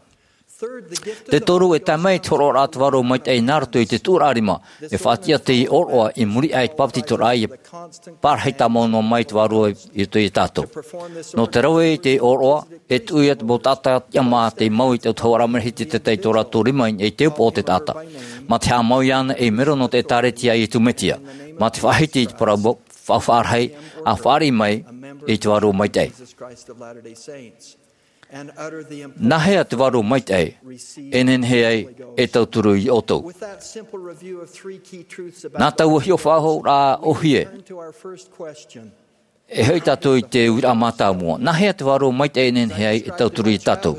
Te toru, e tae mai te hōroʻaraʻa a te Vārua Maitaʻi nā roto i te tuʻuraʻa rima, e faʻatiʻa teie ʻōroʻa i muri aʻe i te papetitoraʻa, ʻia parahi tāmau noa mai te Vārua i roto ia tātou. Nō te rave i teie ʻōroʻa, e tuʻu ia te mau taʻata tiʻamā tei mau i te autahuʻaraʻa matahiti tētahi tō rātou rima i te upoʻo o te taʻata. Mā te haʻamau iāna ei mero nō te ʻĒtārētia a Iesu Mesia. Mā te faʻahiti i te parau mau, faʻafaʻarahi, ʻa fāriʻi mai i te Vārua Maitaʻi. Nā hea te Vārua Maitaʻi e nehenehe ai e tauturu ia ʻoutou? Nā taua hiʻo faʻahou ra ʻōhie, E hoʻi tātou i te uiraʻa mātāmua. Nā hea te vārua maitaʻi e nehenehe ai e tauturu iā tātou?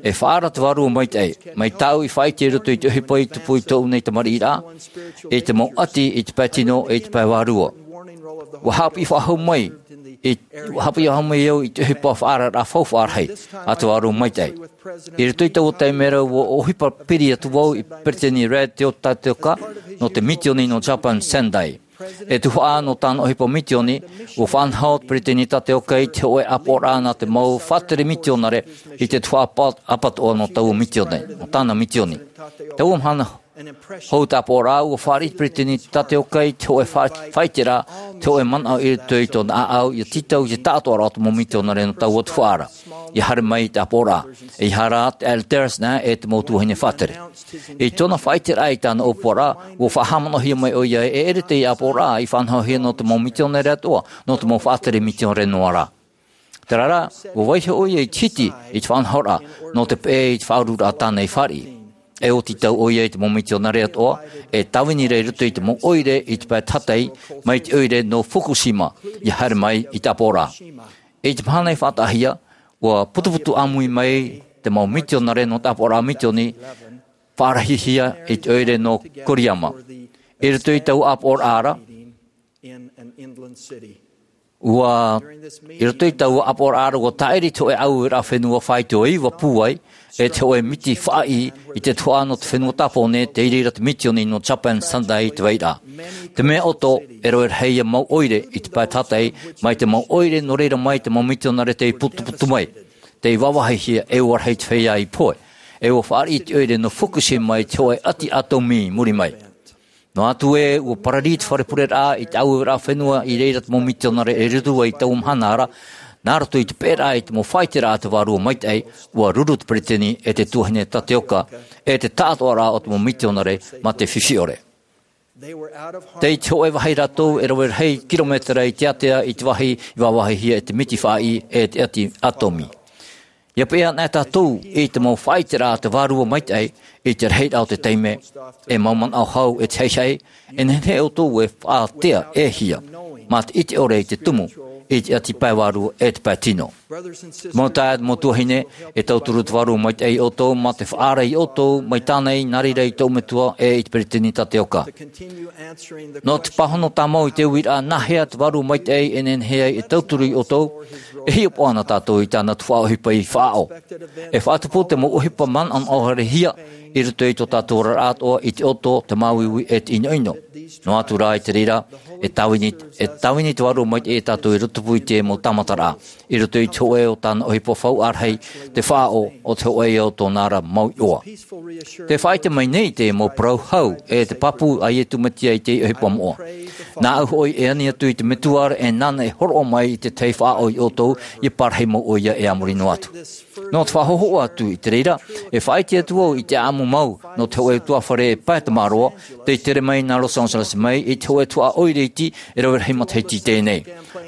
E faʻaara te vārua maitaʻi. Mai tāʻu i faʻaʻite i roto i te ʻohipa i tupu i tōʻu nei tamariʻiraʻa, i te mau ʻati, i te pae tino, i te pae vārua. Ua haʻapiʻi faʻahou mai, i, ua haʻapiʻi faʻahou mai au i te ʻohipa faʻaararaʻa faufaʻa rahi a te vārua maitaʻi. I roto i taua taime ra ua ʻohipa piri atu vau i Peretiteni Rudd Teotateoka nō te mitioni nō Japan Sendai. E tuhaʻa nō tāna ʻohipa mitioni, ua faʻanaho te Peretiteni Tateoka i te hōʻē ʻāpoʻoraʻa nā te mau faʻatere mitionare i te tuhaʻa ʻāpa-, ʻāpatoʻa nō taua mitioni, nō tāna mitioni. Taua mahana hou te ʻāpoʻoraʻa, ua fāriʻi te Peretiteni Tateoka i te hōʻē fa-, faʻaʻiteraʻa, te hōʻē manaʻo i roto i tōna ʻāʻau, ʻia tītau i te taʻatoʻaraʻa o te mau mitionare nō taua tuhaʻa ra. ʻIa haere mai i te ʻāpoʻoraʻa, ʻeiaha rā te ʻaere Terence nā e te mau tuahine faʻatere. I tōna faʻaʻiteraʻa i tāna ʻōpuaraʻa, ua faʻahaʻamanaʻohia mai ʻoia e ʻere teie ʻāpoʻoraʻa i faʻanahohia nō te mau mitionare atoʻa, nō te mau faʻatere mitionare noa rā. Terā rā, ua vaiiho ʻoia i te hiti i te faʻanahoraʻa nō te peʻe i te faʻaururaʻa tāna i fāriʻi. E ʻua tītau ʻoia i te mau mitionare atoʻa, e tāvini ra i roto i te mau ʻoire i te pae tahatai, mai te ʻoire nō Fukushima, ʻia haere mai i te ʻāpoʻoraʻa. I te mahana i faʻataʻahia, ua putuputu ʻāmui mai te mau mitionare nō te ʻāpoʻoraʻa mitioni, faʻarahihia i te ʻoire nō Koriyama. I roto i taua ʻāpoʻoraʻa ra, ua, i roto i taua ʻāpoʻoraʻa ra, ua tāʻiri te hōʻē ʻāueraʻa fenua faito e iva pūai, e te hōʻē miti faʻaʻī i te tuhaʻa nō te fenua Tāpōnē, tei reira te mitioni nō Japan Sendai i te vai ra. Te mea ʻoto, e rave rahi ïa mau ʻoire i te pae tahatai, mai te mau ʻoire nō reira mai te mau mitionare tei putuputu mai, tei vāvāhihia e ʻua rahi te feiā i pohe. E ʻua fāriʻi te ʻoire nō Fukushima i te hōʻē ʻati ʻātomi i muri mai. Noa atu ē, ua pararī te fare pureraʻa i te ʻāueraʻa fenua i reira te mau mitionare e ruru ai i taua mahana ra, nā roto i te peʻeraʻa i te mau faʻaʻiteraʻa a te vārua maitaʻi, ua ruru te Peretiteni e te tuahine Tateoka, e te taʻatoʻaraʻa o te mau mitionare mā te fifi ʻore. Tei te hōʻē vāhi rātou e rave rahi kirometera i te ātea i te vāhi i vāvāhihia e te miti faʻaʻī e te ʻati ʻātomi. ʻIa peʻe anaʻe tātou i te mau faʻaʻiteraʻa a te vārua maitaʻi, i te rahiraʻa o te taime, e mau manaʻo hau e te haʻehaʻe, e nehenehe ʻoutou e faʻatea e hia, mā te ʻite ʻore i te tumu, i te ʻati pae vārua e te pae tino. Mau taeaʻe, mau tuahine, e tauturu te vārua maitaʻi iā ʻoutou, mā te faʻaara iā ʻoutou, mai tāna i nā reira i tōʻu metua, e i te Peretiteni Tateoka. Nō te pāhono tāmau i te uiraʻa, nā hea te vārua maitaʻi e nehenehe ai e tauturu iā ʻoutou, e hiʻopoʻa na tātou i tāna tuhaʻa ʻohipa i faʻaʻo. E faʻatupu te mau ʻohipa manaʻonaʻo haerehia, i roto i tō tātou oraraʻa atoʻa i te ʻoto, te māuiui e te ʻinoʻino. Noa atu rā i te reira, e tāvini, e tāvini te vārua maitaʻi iā tātou i rotopū i te mau tāmataraʻa. I roto i te hōʻē o tāna ʻohipa faufaʻa rahi, te faʻaʻo o te hōʻē ia o tōna ra mau iʻoa. Tē faʻaʻite mai nei te mau parau hau, e te pāpū a Iesu Mesia i te ʻohipa moʻa. Nāʻu hoʻi e ani atu i te Metua ra e nāna e hōroʻa mai i te tahi faʻaʻo iā ʻoutou, ʻia parahi mau ʻoia e a muri noa atu. Nō te faʻahōhoʻa atu i te reira, e faʻaʻite atu vau i te ʻāʻamu mau, nō te hōʻē ʻutuāfare e pae tamaroa, tei tere mai nā Los Angeles mai, i te hōʻē tuhaʻa ʻoire iti, e rave rahi matahiti i teie nei.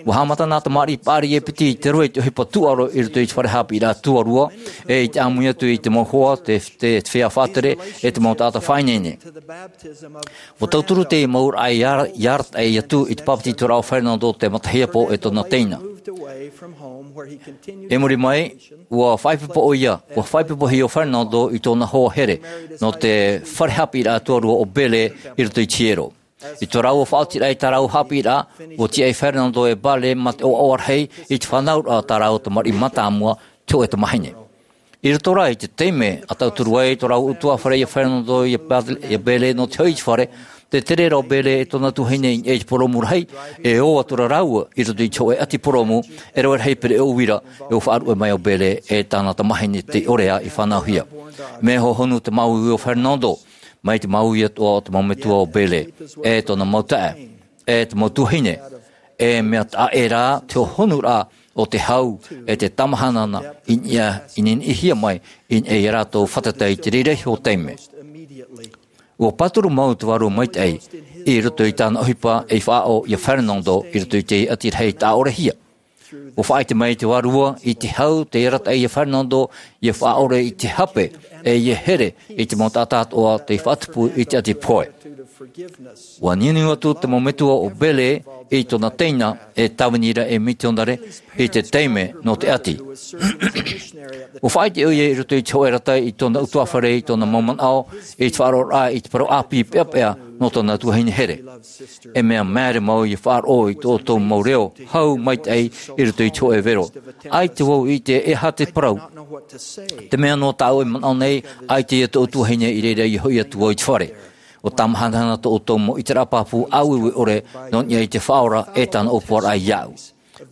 ʻUa haʻamata nā Tamarii Paʻari e piti i te rave i te ʻohipa tūʻaro i roto i te fare haʻapiʻiraʻa tuarua, e i te ʻāmui atu i te mau hoa, te, te, te feiā faʻatere, e te mau taʻata faʻaineine. ʻUa tauturu te mau ʻāraʻa i ara-, i arataʻi atu i te pāpetitoraʻa o Fernando te matahiapo e tōna teina. I muri mai, ʻua faʻaipoipo ʻoia, ʻua faʻaipoipohia ʻo Fernando i tōna hoa here, nō te fare haʻapiʻiraʻa tuarua ʻo Bele i roto i te hiero. I tō rāua faʻaotiraʻa i tā rāua haʻapiʻiraʻa, ʻua tiʻa ʻo Fernando e Bele mā te ʻoaʻoa rahi i te fānauraʻa o tā rāua tamariʻi mātāmua, te hōʻē tamāhine. I roto rā i te taime a tauturu ai tō rāua ʻutuāfare iā Fernando iā Bele, iā Bele nō te hoʻi i te fare, tē tere ra ʻo Bele e tōna tuahine i niʻa i te purōmu rahi, e ō atu ra rāua i roto i te hōʻē ʻati purōmu, e rave rahi pereʻoʻo uira, e ʻua faʻaruʻe mai ʻo Bele e tāna tamāhine tei ʻore ā i fānauhia. Mea hohonu te māuiui o Fernando, mai te māuiui atoʻa o te mau metua ʻo Bele, e tōna mau taeaʻe, e te mau tuahine, e mea taʻa rā te hohonuraʻa o te hau, e te tamahanahana i niʻa, i niniʻihia mai i niʻa iā rātou fātata i te reira iho taime. ʻUa pāturu mau te vārua maitaʻi i roto i tāna ʻohipa ei faʻaʻo iā Fernando i roto i te ʻati rahi taʻa ʻorehia. ʻUa faʻaʻite mai te vārua i te hau tei arataʻi iā Fernando ʻia faʻaʻore i te hape, e ʻia here i te mau taʻata atoʻa tei faʻatupu i te ʻati pohe. ʻUa niuniu atu te mau metua ʻo Bele i tōna teina e tāvini ra ei mitionare i te taime nō te ʻati. ʻUa faʻaʻite ʻoia i roto i te hōʻē rata i tōna ʻutuāfare, i tōna mau manaʻo, i te faʻaroʻoraʻa i te parau ʻāpī peʻapeʻa nō tōna tuahine here. E mea māere mau ʻia faʻaroʻo i tō ʻoutou mau reo hau maitaʻi i roto i te hōʻē vero. ʻAita vau i ʻite e aha te parau. Te mea nō tāʻu e manaʻo nei, ʻaita ia tōʻu tuahine, i reira ʻia hoʻi atu vau i te fare. ʻUa tāmahanahana tō ʻoutou mau ʻiteraʻa pāpū ʻāueue ʻore nō niʻa i te Faʻaora e tāna ʻōpuaraʻa iāʻu.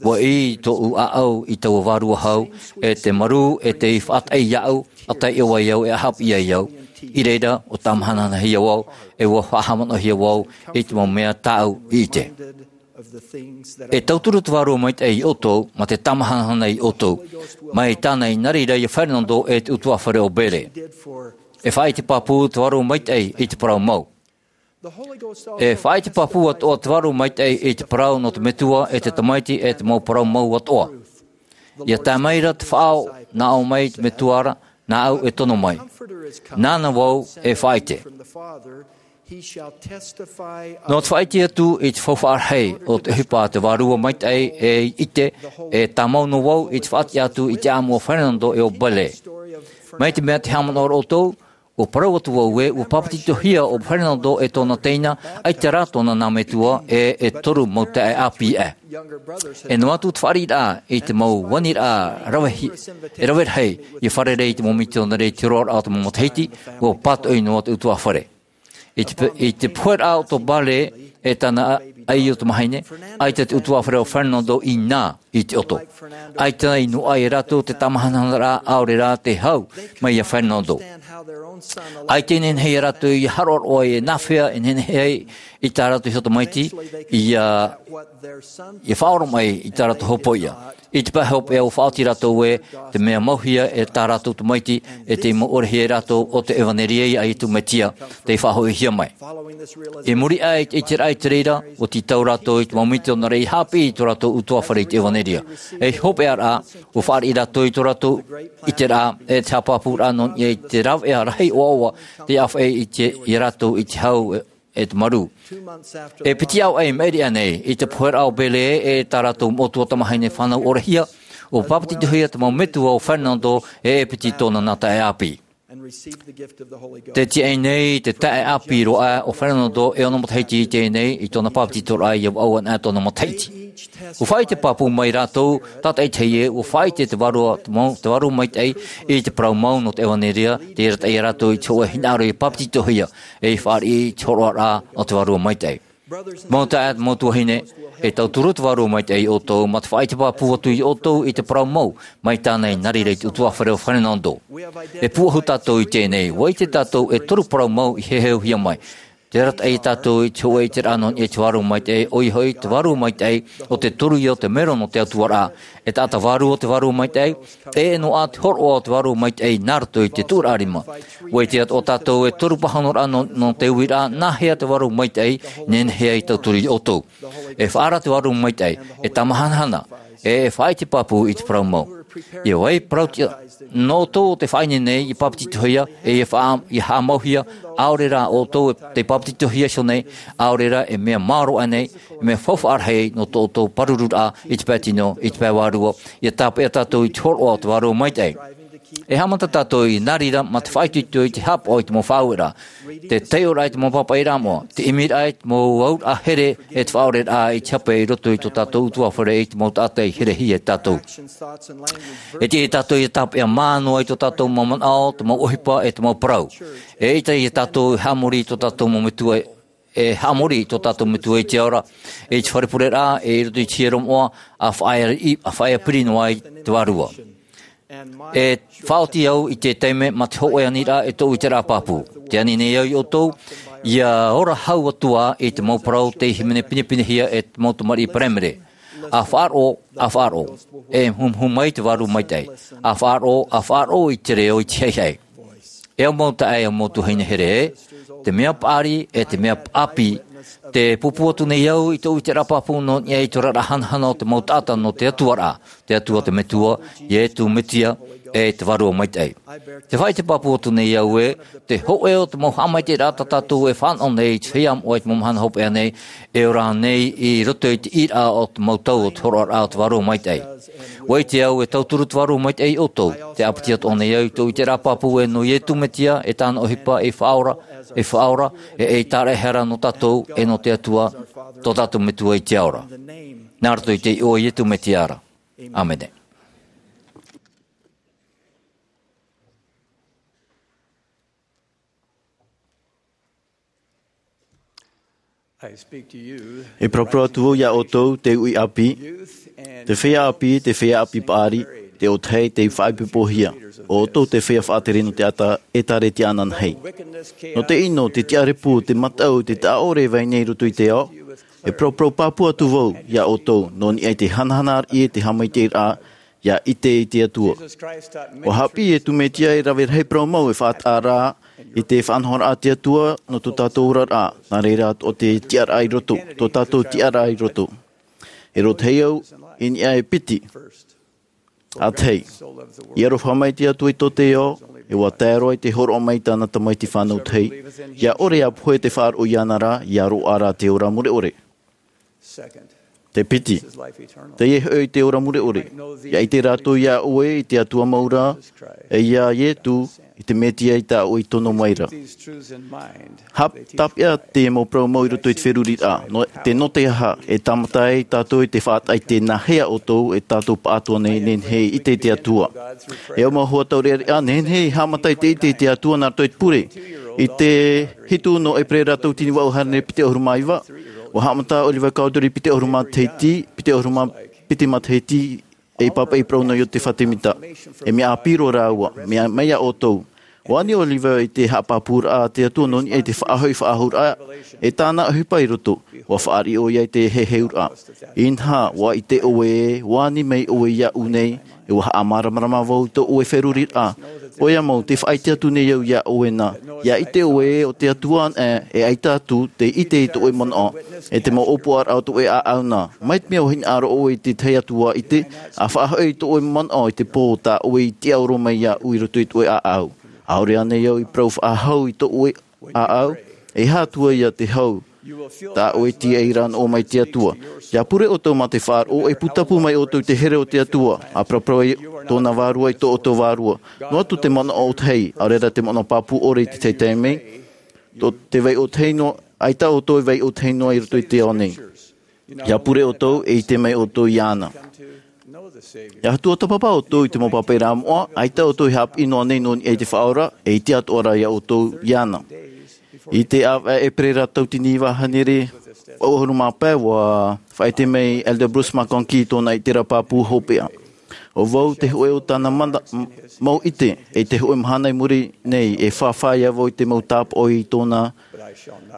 ʻUa ʻī tōʻu ʻāʻau i taua vārua hau, e te marū, e tei faʻataʻi iāʻu, ʻa tae ʻoe ai au, e haʻapiʻi ai au. I reira, ʻua tāmahanahana hia vau, e ʻua faʻahaʻamanaʻohia vau i te mau mea tāʻu i ʻite. E tauturu te Vārua Maitaʻi ia ʻoutou, mā te tāmahanahana ia ʻoutou, mai tāna i nā reira ia Fernando e te ʻutuāfare ʻo Bele. E faʻaʻite pāpū te Vārua Maitaʻi i te parau mau. E faʻaʻite pāpū atoʻa te Vārua Maitaʻi i te parau nō te Metua, e te Tamaiti, e te mau parau mau atoʻa. ʻIa tae mai ra te Faʻaora, nā ʻō mai te Metua ra, nāʻu e tono mai. Nāna vau e faʻaʻite. Nō te faʻaʻite atu i te faufaʻa rahi o te ʻohipa a te Vārua Maitaʻi, e ʻite, e tāmau noa vau i te faʻatiʻa atu i te ʻāʻamu o Fernando e ʻo Bele. Mai te mea tē haʻamanaʻo ra ʻoutou, ʻua parau atu vau ē, ʻua papetitohia ʻo Fernando e tōna teina, ʻaita rā tōna nā metua, e, e toru mau taeaʻe ʻāpī aʻe. E noa atu te fāriʻiraʻa i te mau aniraʻa rave hi-, e rave rahi, ʻia fārerei i te mau mitionare i te hōroʻaraʻa o te mau matahiti, ʻua pātoʻi noa te ʻutuāfare. I te pe-, i te poheraʻa o tō Bele e tāna ʻai o te mahine, ʻaita te ʻutuāfare o Fernando i nā i te ʻoto. ʻAita i noaʻa ia rātou te tāmahanahana ra, ʻaore rā te hau mai ia Fernando. ʻAita i nehenehe ia rātou ʻia haʻaroʻaroʻa e nāhea e nehenehe ai i tā rātou iho tamaiti, ʻia, ʻia faʻaoromaʻi i tā rātou hopoiʻa. I te pae hopeʻa ʻua faʻaoti rātou ē, te mea mauhia e tā rātou tamaiti, e tei mau ʻorehia e rātou ʻo te ʻevanelia ia Iesu Mesia, tei faʻahoʻihia mai. I muri aʻe i te ʻiteraʻa i te reira, ʻua tītau rātou i te mau mitionare ʻia haʻapiʻi i tō rātou ʻutuāfare i te ʻevanelia. Ei hopeʻaraʻa, ʻua fāriʻi rātou i tō rātou ʻiteraʻa, e te haʻapāpūraʻa nō niʻa i te rāveʻa rahi ʻoaʻoa, tei ʻāfaʻi i te, ia rātou i te hau, e, e te marū. E piti ʻāvaʻe i maʻiri aʻenei, i te poheraʻa o Bele e tā rātou moʻotua tamahine fānau ʻorehia, ʻua papetitohia te mau metua o Fernando, e, e piti tōna nā taeaʻe ʻāpī. Tē tiaʻi nei te taeaʻe ʻāpī roa aʻe o Fernando e ono matahiti i teie nei, i tōna papetitoraʻa ʻia vaʻu ana tōna matahiti. ʻUa faʻaʻite pāpū mai rātou, tātaʻitahi ē, ʻua faʻaʻite te Vārua, te mau, te Vārua Maitaʻi i te parau mau nō te ʻevanelia, tei arataʻi ia rātou i te hōʻē hinaʻaro ʻia papetitohia, e ʻia fāriʻi i te hōroʻaraʻa o te Vārua Maitaʻi. Mau taeaʻe, mau tuahine, e tauturu te Vārua Maitaʻi ia ʻoutou, mā te faʻaʻite pāpū atu ia ʻoutou i te parau mau, mai tāna i nā reira i te ʻutuāfare o Fernando. E pūʻohu tātou i teie nei, ʻua ʻite tātou e toru parau mau i heheuhia mai. Tē arataʻi ia tātou i te hōʻē ʻiteraʻa nō niʻa i te Vārua Maitaʻi, ʻoia hoʻi, te Vārua Maitaʻi, ʻo te toru ïa o te mero nō te Atua ra. E taʻata vārua o te Vārua Maitaʻi, e noaʻa te hōroʻa o te Vārua Maitaʻi nā roto i te Tuʻuraʻa Rima. ʻUa ʻite atoʻa tātou e toru pāhonoraʻa nō, nō te uiraʻa, nāhea te Vārua Maitaʻi i nehenehe ai e tauturu ia ʻoutou. E faʻaara te Vārua Maitaʻi, e tāmahanahana, e, e faʻaʻite pāpū i te parau mau. ʻIa vai parau tiʻa, nō ʻoutou ʻo tē faʻaineine nei ʻia papetitohia, e ʻia faʻa-, ʻia haʻamauhia, ʻaore rā ʻoutou e tei papetitohia iho nei, ʻaore rā e mea maoro aʻenei, e mea faufaʻa rahi nō tō ʻoutou pārururaʻa i te pae tino, i te pae vārua, ʻia tāpeʻa tātou i te hōroʻa o te Vārua Maitaʻi. E haʻamata tātou i nā reira mā te faʻaitoito i te haʻapaʻo i te mau faʻaueraʻa, te taiʻoraʻa i te mau pāpaʻiraʻa moʻa, te ʻimiraʻa i te mau auraʻa here, e te faʻaoreraʻa i te hape i roto i tō tātou ʻutuāfare, i te mau taʻata i herehia ia tātou. E tiʻa ia tātou ʻia tāpeʻa mā noa i tō tātou mau manaʻo, te mau ʻohipa, e te mau parau. E ʻaita ia tātou e haʻamori i tō tātou mau metua, e haʻamori i tō tātou Metua i te ao ra, i te fare pureraʻa, e i roto i te hiero moʻa, ʻa faʻaea, ʻa faʻaea piri noa ai te Vārua. E faʻaoti au i te taime mā te hōʻē aniraʻa e tōʻu ʻiteraʻa pāpū. Tē ani nei au ia ʻoutou, ʻia ora hau atu ā i te mau parau tei hīmene pinepinehia e te mau tamariʻi Paraimere. ʻA faʻaroʻo, ʻa faʻaroʻo. E humuhumu mai te Vārua Maitaʻi. ʻA faʻaroʻo, ʻa faʻaroʻo i te reo, i te haʻihaʻi. E au mau taeaʻe, e au mau tuahine here ē, te mea paʻari, e te mea ʻāpī, Te pūpū atu nei au i tōʻu ʻiteraʻa pāpū nō niʻa i te oraraʻa hanahana o te mau taʻata nō te Atua ra, te Atua te Metua, Iesu Mesia, e te Vārua Maitaʻi. Te faʻaʻite pāpū atu nei au ē, te hōʻē o te mau haʻamaitaʻiraʻa tā tātou e fānaʻo nei i te feiā moʻa i te mau mahana hopeʻa nei, e ora nei i roto i te ʻīraʻa o te mau tau o te hōroʻaraʻa o te Vārua Maitaʻi. ʻUa ʻite au e tauturu te Vārua Maitaʻi iā ʻoutou, tē ʻāpiti atoʻa nei au i tōʻu ʻiteraʻa pāpū ē nō Iesu Mesia, e tāna ʻohipa ei Faʻaora, ei Faʻaora, e ei Tāraʻehara nō tātou, e nō te Atua, tō tātou Metua i te ao ra. Nā roto i te iʻoa o Iesu Mesia ra. ʻĀmene. E paraparau atu vau iā ʻoutou, te uʻi ʻāpī, te feiā ʻāpī, te feiā ʻāpī paʻari, te ʻōtahi tei faʻaipoipohia, ʻo ʻoutou te feiā faʻatere nō te ʻētārētia ananahi. Nō te ʻino, te tiʻarepu, te mataʻu, te taʻaʻore e vai nei i roto i te ao, e paraparau pāpū atu vau iā ʻoutou, nō niʻa i te hanahana ariʻi e te haʻamaitaʻiraʻa, ʻia ʻite i te Atua. ʻUa haʻapiʻi Iesu Mesia e rave rahi parau mau e faʻataʻa ra i te faʻanahoraʻa a te Atua nō tō tātou oraraʻa, nā reira atoʻa te tiʻaraʻa i roto, tō tātou tiʻaraʻa i roto. E rōtahi au i niʻa e piti. ʻĀtahi. I aroha mai te Atua i tō te ao, e ʻua tae roa i te hōroʻa mai i tāna Tamaiti fānau tahi, ʻia ʻore ʻāpohe te faʻaroʻo iāna ra, ʻia roaʻa rā te ora mure ʻore. Te piti. Teie hoʻi te ora mure ʻore. ʻIa ʻite rātou iā ʻoe i te Atua mau ra, e iā Iesu, i te Mesia i tā ʻoe i tono mai ra. Hap-, tāpeʻa te mau parau mau i roto i te feruriraʻa. Nō, te nō te aha, e tāmata ai tātou i te faʻataʻa i te nāhea ʻoutou, e tātou pāʻatoa nei, nehenehe e ʻite i te Atua. E au mau hoa taureʻareʻa, nehenehe e haʻamata i te ʻite i te Atua nā roto i te pure. I te hitu nō ʻEperēra tauatini vaʻu hānere piti ʻahuru mā iva, ʻua haʻamata ʻo Levi Cowdery piti ʻahuru matahiti, piti ʻahuru mā piti matahiti, ei pāpaʻi parau nō Iosefa Semita. E mea ʻāpī roa rāua, mea mai iā ʻoutou. ʻUa ani ʻo Levi i te haʻapāpūraʻa a te Atua nō niʻa i te faʻahoʻi faʻahou ra, e tāna ʻohipa i roto, ʻua fāriʻi ʻoia i te heheuraʻa. Inaha, ʻua ʻite ʻoe ē, ʻua ani mai ʻoe iāʻu nei, e ʻua haʻamāramarama vau i tō ʻoe feruriraʻa. ʻOia mau, tē faʻaʻite atu nei au iā ʻoe na, ʻia ʻite ʻoe ē, ʻo te Atua anaʻe, e ʻaita atu te ʻite i tō ʻoe manaʻo, e te mau ʻōpuaraʻa o tō ʻoe ʻāʻau na. Mai te mea ʻua hinaʻaro ʻoe i te tahi atu ʻua ʻite, ʻa faʻahoʻi tō ʻoe manaʻo i te pō tā ʻoe i tiʻaoro mai iāʻu i roto i tō ʻoe ʻāʻau. ʻAore ānei au i parau faʻahou i tō ʻoe ʻāʻau, e aha atu ia te hau, tā ʻoe tīaʻi ra noa mai te Atua. ʻIa pure ʻoutou mā te faʻaroʻo, e pūtapu mai ʻoutou i te here o te Atua, ʻa paraparau ai tōna vārua i tō ʻoutou vārua. Noa atu te manaʻo ʻōtahi, ʻaore rā te manaʻo pāpū ʻore i te taime, tō te vai ʻōtahi noa, ʻaita ʻoutou e vai ʻōtahi noa i roto i te ao nei. ʻIa pure ʻoutou, e ʻite mai ʻoutou iāna. ʻIa tuatāpapa ʻoutou i te mau pāpaʻiraʻa moʻa, ʻaita ʻoutou e haʻapiʻi noa nei nō niʻa i te Faʻaora, e ʻite atoʻa ra iā ʻoutou iāna. I te ʻāvaʻe ʻEperēra tauatini iva hānere vaʻu ʻahuru mā pae, ʻua faʻaʻite mai Elder Bruce McConkie i tōna ʻiteraʻa pāpū hopeʻa. ʻO vau te hōʻē o tāna mana-, m-, mau ʻite, e te hōʻē mahana i muri nei, e fāfā ia vau i te mau tāpaʻo i tōna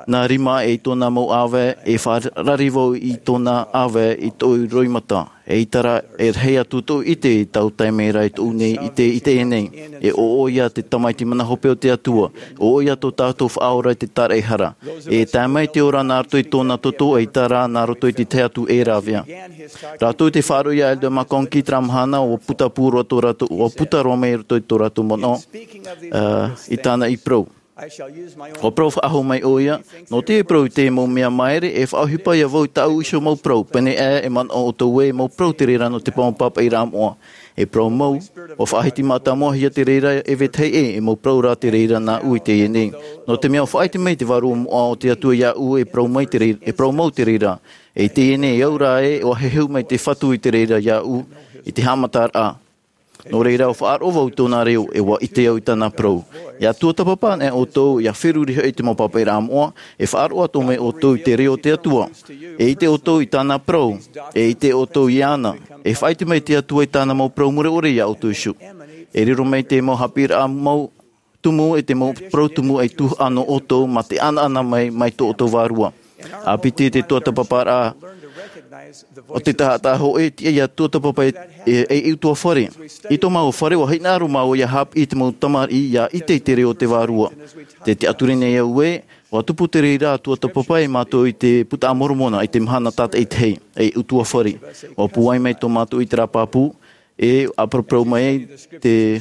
nā rima, e i tōna mau ʻāvae, e fārari vau i tōna ʻāvae i tōʻu roimata. Eʻita rā, e rahi atu tōʻu ʻite i taua taime ra i tōʻu nei ʻite, ʻite nei, e ʻo ʻoia te Tamaiti mana hope o te Atua, ʻo ʻoia tō tātou Faʻaora i te tāraʻehara. E tae mai te ora nā roto i tōna toto, eʻita rā nā roto i te tahi atu e rāvea. Rātou i te faʻaroʻo iā Elder McConkie i terā mahana, ʻua puta pū roa tō rātou, ʻua puta roa mai roto i tō rātou manaʻo, ā, i tāna i parau. ʻUa parau faʻahou mai ʻoia, nō te parau i te mau mea māere, e faʻaʻohipa ia vau i tāʻu iho mau parau, pēnei aʻe e manaʻo ʻoutou ē, mau parau te reira nō te pāpaʻiraʻa moʻa. E parau mau, ʻua faʻahiti mātāmuahia te reira e vetahi ʻē, e mau parau rā te reira nāʻu i teie nei. Nō te mea ʻua faʻaʻite mai te Vārua Moʻa o te Atua iāʻu, e parau mai te rei-, e parau mau te reira. E i teie nei, e au rā ē, ʻua heheu mai te Fatu i te reira iāʻu, i te haʻamataraʻa. Nō reira, ʻua faʻaroʻo vau i tōna reo, e ʻua ʻite au i tāna parau. ʻIa tuatāpapa anaʻe ʻoutou, ʻia feruri hoʻi i te mau pāpaʻiraʻa moʻa, e faʻaroʻo atoʻa mai ʻoutou i te reo o te Atua. E ʻite ʻoutou i tāna parau, e ʻite ʻoutou iāna, e faʻaʻite mai te Atua i tāna mau parau mure ʻore iā ʻoutou iho. E riro mai te mau haʻapiʻiraʻa mau tumu, e te mau parau tumu ei tuhaʻa nō ʻoutou, mā te ʻanaʻana mai, mai tō ʻoutou vārua. ʻĀpiti te tuatāpaparaʻa o te taʻata hōʻē, tiʻa ʻia tuatāpapa e, e, e ʻutuāfare. I tō māua fare, ʻua hinaʻaro māua ʻia haʻapiʻi i te mau tamariʻi, ʻia ʻite i te reo o te Vārua. Tē tiʻaturi nei au ē, ʻUa tupu te reira tuatāpapa ia mātou i te Buka a Moromona, i te mahana tātaʻitahi, ei ʻutuāfare. ʻUa pūai mai tō mātou ʻiteraʻa pāpū, e ʻāparau mai te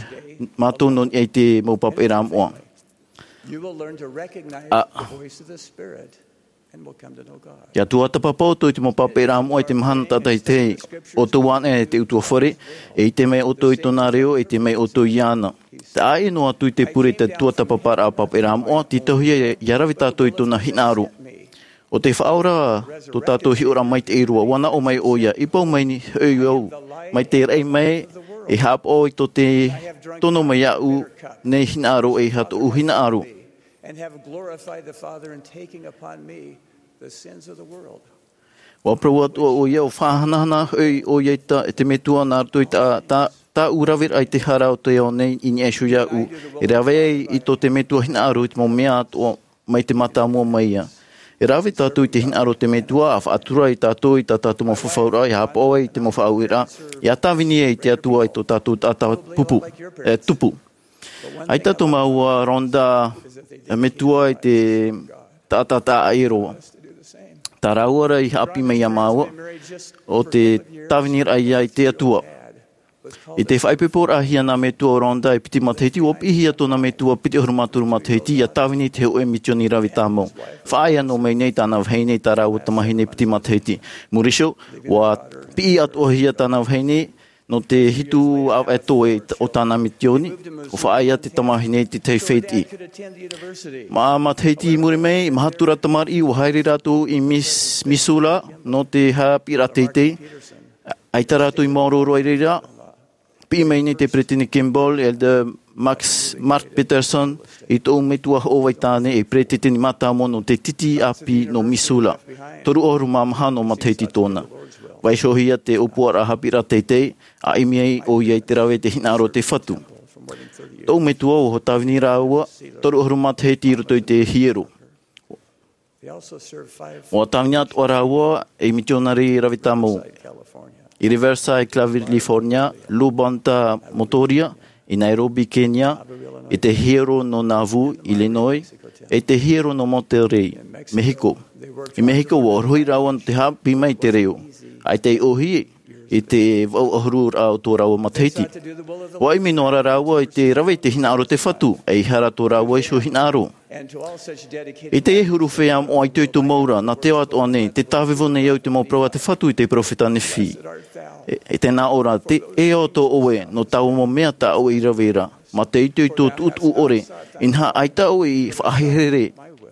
mātou nō niʻa i te mau pāpaʻiraʻa moʻa. You will learn to recognize the voice of the Spirit and will come to know God. ʻIa tuatāpapa ʻoutou i te mau pāpaʻiraʻa moʻa i te mahana tātaʻitahi, ʻoutou ʻānaʻe i te ʻutuāfare, e ʻite mai ʻoutou i tōna reo, e ʻite mai ʻoutou iāna. Taʻa ʻē noa atu i te pure i te tuatāpaparaʻa pāpaʻiraʻa moʻa, tītauhia ʻia rave tātou i tōna hinaʻaro. ʻO te Faʻaora tō tātou hiʻoraʻa maitaʻi roa, ʻua nā ʻō mai ʻoia, i pau mai nei hoʻi au, mai te raʻi mai, e haʻapaʻo i tō te tono mai iāʻu nei hinaʻaro, e ʻeiaha tōʻu hinaʻaro. And have glorified the Father in taking upon me the sins of the world. ʻUa parau atoʻa ʻoia, ʻua faʻahanahana hoʻi ʻoia i tā, e te Metua nā roto i tā, tā, tāʻu raveraʻa i te hara o te ao nei i niʻa iho iāʻu, e rave ai i tō te Metua hinaʻaro i te mau mea atoʻa mai te mātāmua mai ia. E rave tātou i te hinaʻaro o te Metua, ʻa faʻatura ia tātou i tā tātou mau fafauraʻa, ʻia haʻapaʻo ai i te mau faʻaueraʻa, ʻia tāvini ai i te Atua i tō tātou taʻata pupu, e, tupu. ʻAita tō māua Rhonda, e, metua i te taʻata taʻa ʻē roa. Tā rāua rā i haʻapiʻi mai iā māua, ʻo te tāviniraʻa ia i te Atua. I te faʻaipoiporaʻahia nā metua ʻo Rhonda e piti matahiti, ʻua piʻihia tōna metua piti ʻahuru mā toru matahiti, ʻia tāvini i te hōʻē misiōni rave tāmau. Faʻaea noa mai nei tāna vahine i tā rāua tamahine piti matahiti. Muri iho, ʻua piʻi atoʻahia tāna vahine, nō te hitu ʻāvaʻe toe o tāna misiōni, ʻua faʻaea te tamahine i te tahi fētiʻi. Mā matahiti i muri mai, maha atu rā tamariʻi, ʻua haere rātou i Mis-, Missoula, nō te haʻapiʻiraʻa teitei. ʻAita rātou i maoro roa i reira, piʻi mai nei te Peresideni Kimball, Elder Max, Mark Peterson, i tōʻu metua hoʻo vaitāne, e peresideni mātāmua nō te titi ʻāpī nō Missoula. Toru ʻahuru mā maha noa matahiti tōna. Vaiihohia te ʻōpuaraʻa haʻapiʻiraʻa teitei, ʻa ʻimi ai ʻoia i te rave i te hinaʻaro o te Fatu. Tōʻu metua ʻua tāvini rāua, toru ʻahuru matahiti i roto i te hiero. ʻUa tāvini atoʻa rāua ei mitionare rave tāmau. I Riverside, California, Lubanta, Motoria, i Nairobi, Kenya, i te hiero nō Nauvoo, Illinois, e te hiero nō Monterrey, Mexico. I Mexico, ʻua rohi rāua nō te haʻapiʻi mai i te reo. ʻAita i ʻōhie i te vaʻu ʻahuru rā o tō rāua matahiti. ʻUa ʻimi noa rā rāua i te rave i te hinaʻaro o te Fatu, ʻeiaha rā tō rāua iho hinaʻaro. I teie huru feiā moʻa itoito mau ra, nā te ao atoʻa nei, tē tāvevo nei au i te mau parau a te Fatu i te peropheta Nephi. E, e tē nā ʻō ra, tē ʻē atoʻa ʻoe, nō taua mau mea tā ʻoe i rave ra, mā te itoito tuʻutuʻu ʻore, inaha ʻaita ʻoe i faʻaherehere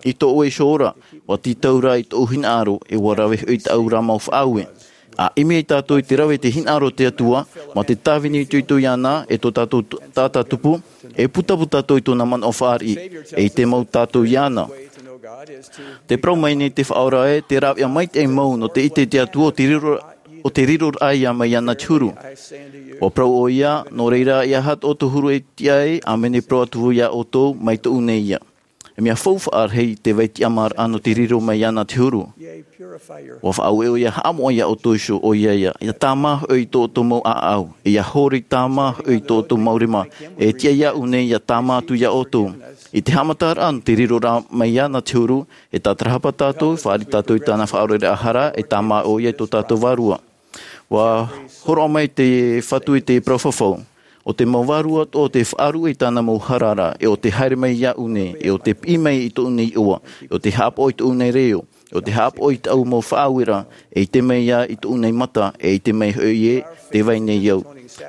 i tō ʻoe iho ora, ʻua tītau rā i tōʻu hinaʻaro, e ʻua rave hoʻi tāʻu ra mau faʻaue. ʻA ʻimi ai tātou i te rave i te hinaʻaro o te Atua, mā te tāvini itoito iāna, e tō tātou t-, taʻata tupu, e pūtapū tātou i tōna manaʻo fāriʻi, e ʻite mau tātou iāna. Tē parau mai nei te Faʻaora ē, te rāveʻa maitaʻi mau nō te ʻite i te Atua ʻo te riro, ʻo te riro raʻa ia mai iāna te huru. ʻUa parau ʻoia, nō reira, ʻeiaha tō ʻoutou huru e tiʻa ai, ʻāmene, parau atu vau iā ʻoutou, mai tōʻu nei ia. E mea faufaʻa rahi te vai tiʻamāraʻa nō te riro mai iāna te huru. ʻUa faʻaue ʻoia, haʻamoʻa iā ʻoutou iho, ʻoia ia, ʻia tāmā hoʻi i tō ʻoutou mau ʻāʻau, e ʻia hōroi tāmā hoʻi i tō ʻoutou mau rima, e tiʻa iāʻu nei ʻia tāmā atu iā ʻoutou. I te haʻamataraʻa nō te riro ra mai iāna te huru, e tātarahapa tātou, fāriʻi tātou i tāna faʻaoreraʻa hara, e tāmā ʻoia i tō tātou vārua. ʻUa hōroʻa mai te Fatu i te parau fafau. ʻO te mau vārua atoʻa tē faʻaruʻe i tāna mau hara ra, e ʻo tē haere mai iāʻu nei, e ʻo tē piʻi mai i tōʻu nei iʻoa, e ʻo tē haʻapaʻo i tōʻu nei reo, e ʻo tē haʻapaʻo i tāʻu mau faʻaueraʻa, e ʻite mai ïa i tōʻu nei mata, e ʻite mai hoʻi ē, tē vai nei au.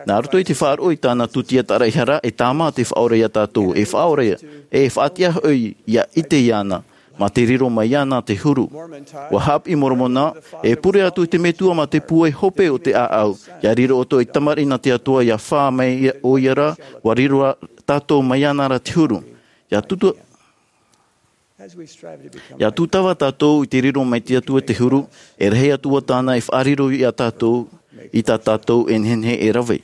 Nā roto i te faʻaroʻo i tāna tūtia tāraʻehara, e tāmā te Faʻaora iā tātou, e Faʻaora, e faʻatiʻa hoʻi ʻia ʻite iāna, mā te riro mai iāna te huru. ʻUa haʻapiʻi Moromona, e pure atu te Metua mā te pūai hope o te ʻāʻau, ʻia riro ʻoutou ei tamariʻi nā te Atua, ʻia fā mai ʻoia ra, ʻua riro ra tātou mai iāna ra te huru. ʻIa tū-, ʻIa tūtava tātou i te riro mai te Atua te huru, e rahi atu ā tāna e faʻariro iā tātou, i tā tātou e nehenehe e rave.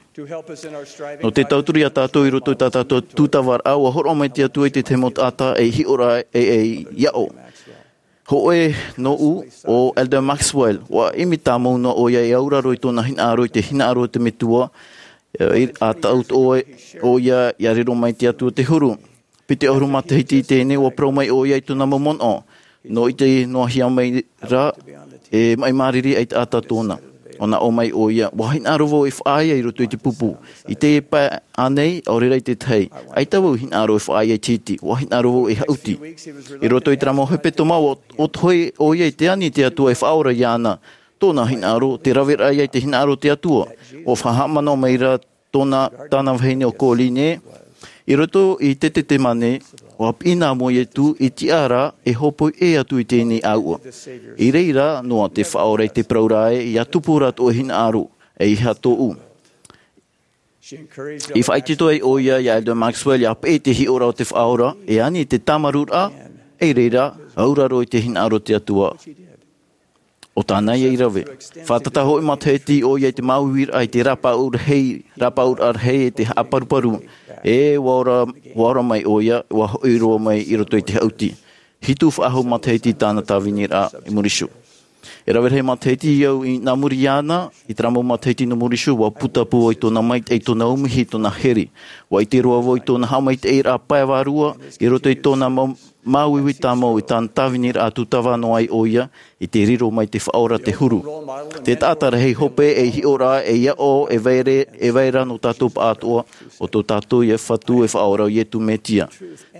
Nō te tauturu iā tātou i roto i tā tātou tūtavaraʻa, ʻua hōroʻa mai te Atua i te tahi mau taʻata ei hiʻoraʻa e, ei aʻo. Hōʻē nōʻu ʻo Elder Maxwell, ʻua ʻimi tāmau noa ʻoia e auraro i tōna hinaʻaro i te hinaʻaro o te Metua, e, ʻa tauturu ʻoia ʻia riro mai te Atua te huru. Piti ʻahuru matahiti i teie nei, ʻua parau mai ʻoia i tōna mau manaʻo. Nō ʻite noa hia mai rā, e maʻi māriri ai te taʻata tōna. ʻUa naʻo mai ʻoia, ʻua hinaʻaro vau e faʻaea i roto i te pupu. I teie pae ānei, ʻaore rā i te tahi. ʻAita vau i hinaʻaro e faʻaea i te hiti, ʻua hinaʻaro vau e haʻuti. I roto i terā mau hepetoma, ʻua, ʻua tohe ʻoia i te ani i te Atua e faʻaora iāna. Tōna hinaʻaro, te raveraʻa ia i te hinaʻaro o te Atua. ʻUa faʻahaʻamanaʻo mai rā tōna, tāna vahine ʻo Koline. I roto i te Tetemane, ʻua piʻi nā mua Ietu i tiʻa ra e hōpoi ʻē atu i teie nei ʻāuʻa. I reira noa te Faʻaora i te parau ra ē, ʻia tupu rātou e hinaʻaro, ʻeiaha tōʻu. I faʻaitoito ai ʻoia ia Elder Maxwell ʻia peʻe i te hiʻoraʻa o te Faʻaora, e ani i te tāmarū ra, i reira, auraro i te hinaʻaro o te Atua. ʻO tāna ia i rave. Faʻatata hoʻi matahiti ʻoia i te māuiuiraʻa i te rāpaʻau rahi, rāpaʻauraʻa rahi e te haʻaparuparu. E ʻua ora, ʻua ora mai ʻoia, ʻua hoʻi roa mai i roto i te haʻuti. Hitu faʻahou matahiti tāna tāviniraʻa i muri iho. E rave rahi matahiti au i nā muri iāna, i terā mau matahiti nō muri iho, ʻua putapū i tōna maitaʻi, tōna umihi, tōna here. ʻUa ʻite roa vau i tōna haʻamaitaʻiraʻa pae vārua, i roto i tōna mau, māuiui tāmau i tāna tāviniraʻa tūtava noa ai ʻoia, i te riro mai te Faʻaora te huru. Te taʻata rahi hope ei hiʻoraʻa ei aʻo e vai ra, e vai ra nō tātou pāʻātoʻa, ʻo tō tātou ia Fatu e Faʻaora ʻo Ietu Metia.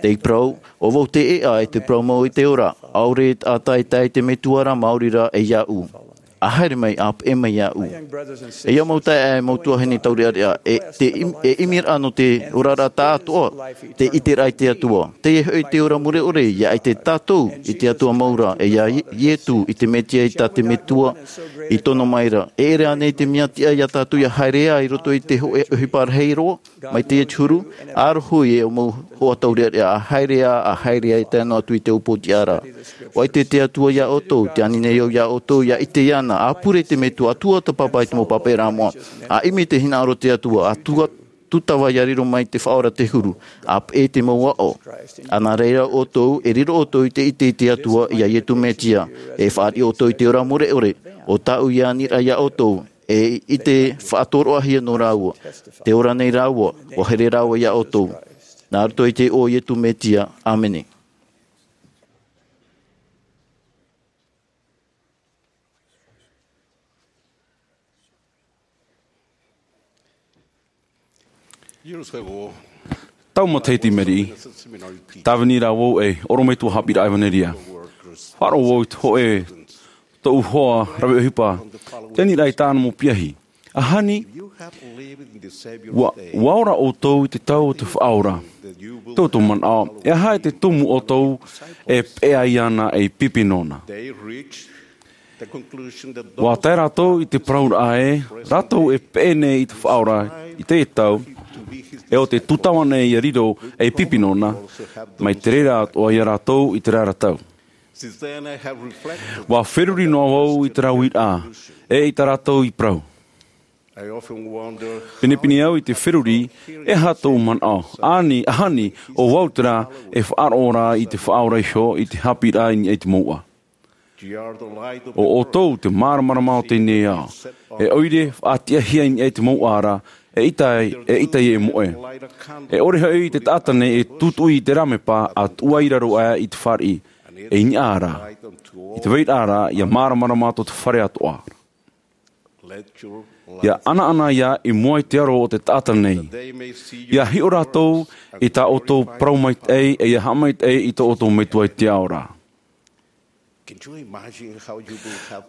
Tei parau, ʻo vau te ʻēʻa e te parau mau e te ora, ʻaore e taʻata e tae i te Metua ra maori rā e iāʻu. ʻA haere mai, ʻa peʻe mai iāʻu. E ia mau taeaʻe, e mau tuahine taureʻareʻa, e te im-, e ʻimiraʻa nō te oraraʻa tāʻātoʻa, te ʻiteraʻa i te Atua. Teie hoʻi te ora mure ʻore, ʻia ʻite tātou i te Atua mau ra, e ia Ie-, Ietu i te Metia i tā te Metua i tono mai ra. E ʻere ānei te mea tiʻa ia tātou ʻia haere ā i roto i te hōʻē ʻohipa rahi roa, mai teie te huru, ʻa rohi e ʻo mau hoa taureʻareʻa, ʻa haere ā, ʻa haere ā, e tae noa atu i te upoʻotiʻa ra. ʻUa ʻite te Atua ia ʻoutou, tē ani nei au ia ʻoutou, ʻia ʻite iāna, ʻa pure i te Metua, ʻa tuatāpapa i te mau pāpaʻiraʻa moʻa, ʻa ʻimi te hinaʻaro o te Atua, ʻa tua-, tūtava ʻia riro mai te Faʻaora te huru, ʻa peʻe i te mau aʻo. ʻA nā reira ʻoutou, e riro ʻoutou i te ʻite i te Atua, ia Ietu Metia, e fāriʻi ʻoutou i te ora mure ʻore, ʻo tāʻu ia aniraʻa ia ʻoutou, e i te faʻatoroʻahia nō rāua. Te ora nei rāua, ʻua here rāua ia ʻoutou. Nā roto i te iʻoa o Ietu Metia. ʻĀmene. Tau matahiti i maʻiri, tāvini rā vau ei ʻorometua haʻapiʻiraʻa ʻevanelia. Faʻaroʻo vau i te hōʻē tōʻu hoa rave ʻohipa, tē ani ra i tāna mau piahi. ʻAhani, ʻua, ʻua ora ʻoutou i te tau o te Faʻaora. Tō ʻoutou manaʻo, e aha te tumu ʻoutou e peʻe ai iāna ei pipi nōna? ʻUa tae rātou i te parauraʻa ē, rātou e peʻe nei i te Faʻaora i te tau, e ʻo te tūtava nei ʻia riro ei pipi nōna, mai te reira atoʻa ia rātou i te reira tau. ʻUa feruri noa vau i te rāveʻa, e i tā rātou i parau. Pinepine au i te feruri, e aha tōʻu manaʻo, ʻāni, ʻahani, ʻo vau terā, e faʻaroʻo ra i te Faʻaora iho, i te haʻapiʻiraʻa i niʻa i te mouʻa. ʻO ʻoutou te māramarama o teie nei ao. E ʻoire, faʻatiʻahia i niʻa i te mouʻa ra, e ʻita ai, e ʻita ai e moʻe. E ʻore hoʻi te taʻata nei e tūtuʻi i te rāmepa, ʻa tuʻu ai i raro aʻe i te fāriʻi, e i niʻa ra, i te vairaʻa ra, ʻia māramarama tō te fare atoʻa. ʻIa ʻanaʻana ia i mua i te aro o te taʻata nei. ʻIa hiʻo rātou i tā ʻoutou parau maitaʻi, e ʻia haʻamaitaʻi i tō ʻoutou Metua i te ao ra.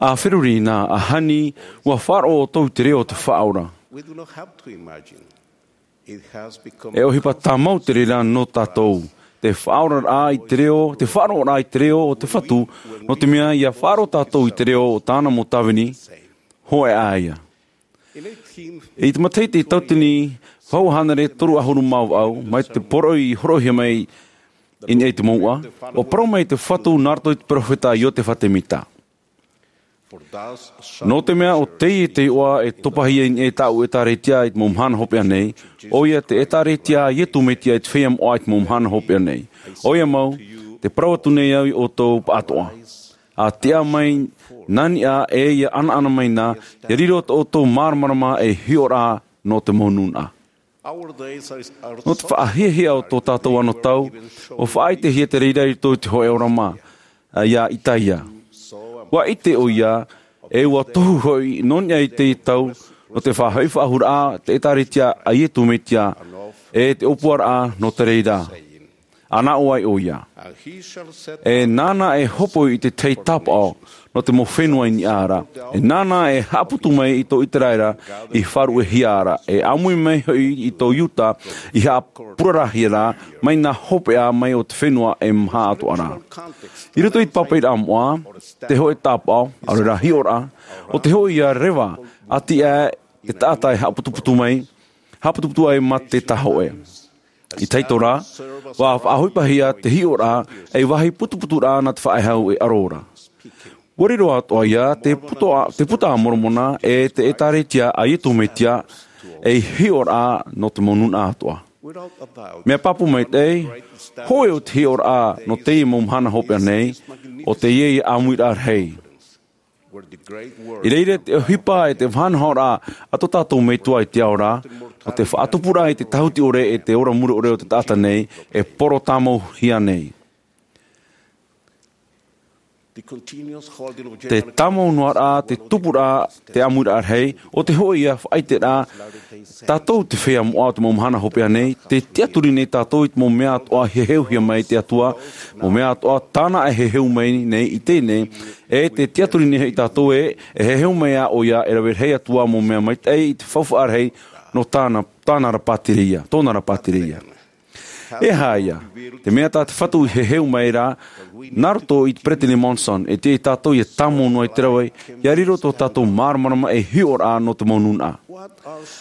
ʻA feruri na, ʻahani, ʻua faʻaroʻo ʻoutou i te reo o te Faʻaora. E ʻohipa tāmau te reira nō tātou. Te faʻaoraraʻa i te reo, te faʻaroʻoraʻa i te reo o te Fatu, nō te mea ʻia faʻaroʻo tātou i te reo o tāna mau tāvini, hōʻē ā ia. I te matahiti tauatini vaʻu hānere toru ʻahuru mā vaʻu, mai te poroʻi i hōroʻahia mai i niʻa i te mouʻa, ʻua parau mai te Fatu nā roto i te peropheta Iosepha Semita. Nō te mea ʻo teie te iʻoa e topahia i niʻa i tāʻu ʻētāretia i te mau mahana hopeʻa nei, ʻoia te ʻētāretia a Iesu Mesia i te feiā moʻa i te mau mahana hopeʻa nei. ʻOia mau, tē parau atu nei au ia ʻoutou pāʻatoʻa. ʻA tiʻa mai nā niʻa e ʻia ʻanaʻana mai na, ʻia riro tō ʻoutou māramarama ei hiʻoraʻa nō te mau nūnaʻa. Nō te faʻahiahia o tō tātou anotau, ua faʻaʻitehia te reira i roto i te hōʻē ʻōrama, ā, iā Itaia. Ua ʻite ʻoia, e ua tohu hoʻi nō niʻa i teie tau, nō te faʻahoʻi faʻahou raʻa te ʻĒtārētia a Iesu Mesia, e te ʻōpuaraʻa nō te reira. Ana ʻo vai ʻoia. E nāna e hōpoi i te tahi tāpaʻo nō te mau fenua i niʻa ra. E nāna e haʻaputu mai i tō Iteraera i faʻaruʻehia ra. E ʻāmui mai hoʻi i tō Iuta i haʻapurarahia ra mai nā hopeʻa mai o te fenua e maha atoʻa ra. I roto i te pāpaʻiraʻa moʻa, te hōʻē tāpaʻo, ʻaore rā hiʻoraʻa, ʻo te hōʻē ia reva, ʻati aʻe te taʻata e haʻaputuputu mai, haʻaputuputu ai mā te tāhōʻē. I te tahi atu rā, ua faʻaʻohipahia te hiʻoraʻa ei vāhi putuputuraʻa nā te faʻehau e ʻaro ra. Ua riro atoʻa ia te puta, te puta a Moromona e te ʻĒtārētia a Iesu Mesia ei hiʻoraʻa nō te mau nūnaʻa atoʻa. Mea pāpū maitaʻi, hōʻē o te hiʻoraʻa nō teie mau mahana hopeʻa nei, ʻo teie ʻāmuiraʻa rahi. I reira te ʻohipa e te faʻanahoraʻa a tō tātou Metua i te ao ra, ʻo te faʻatupuraʻa i te tāhuti ʻore e te ora mure ʻore o te taʻata nei, e poro tāmauhia nei. Te tāmau noa ra, te tupuraʻa, te ʻāmuiraʻa rahi, ʻo te hōʻē ia faʻaʻiteraʻa, tātou te feiā moʻa o te mau mahana hopeʻa nei, tē tiʻaturi nei tātou i te mau mea atoʻa e heheuhia mai e te Atua, mau mea atoʻa tāna e heheu mai nei i teie nei, e tē tiʻaturi nei hoʻi tātou ē, e heheu mai ā ʻoia e rave rahi atu ā mau mea maitaʻi i te faufaʻa rahi nō tāna, tāna ra pātireia, tōna ra pātireia. E aha ïa te mea tā te Fatu i heheu mai ra, nā roto i te Peresideni Monson, e tiʻa ia tātou ʻia tāmau noa i te rave, ʻia riro tō tātou māramarama ei hiʻoraʻa nō te mau nūnaʻa.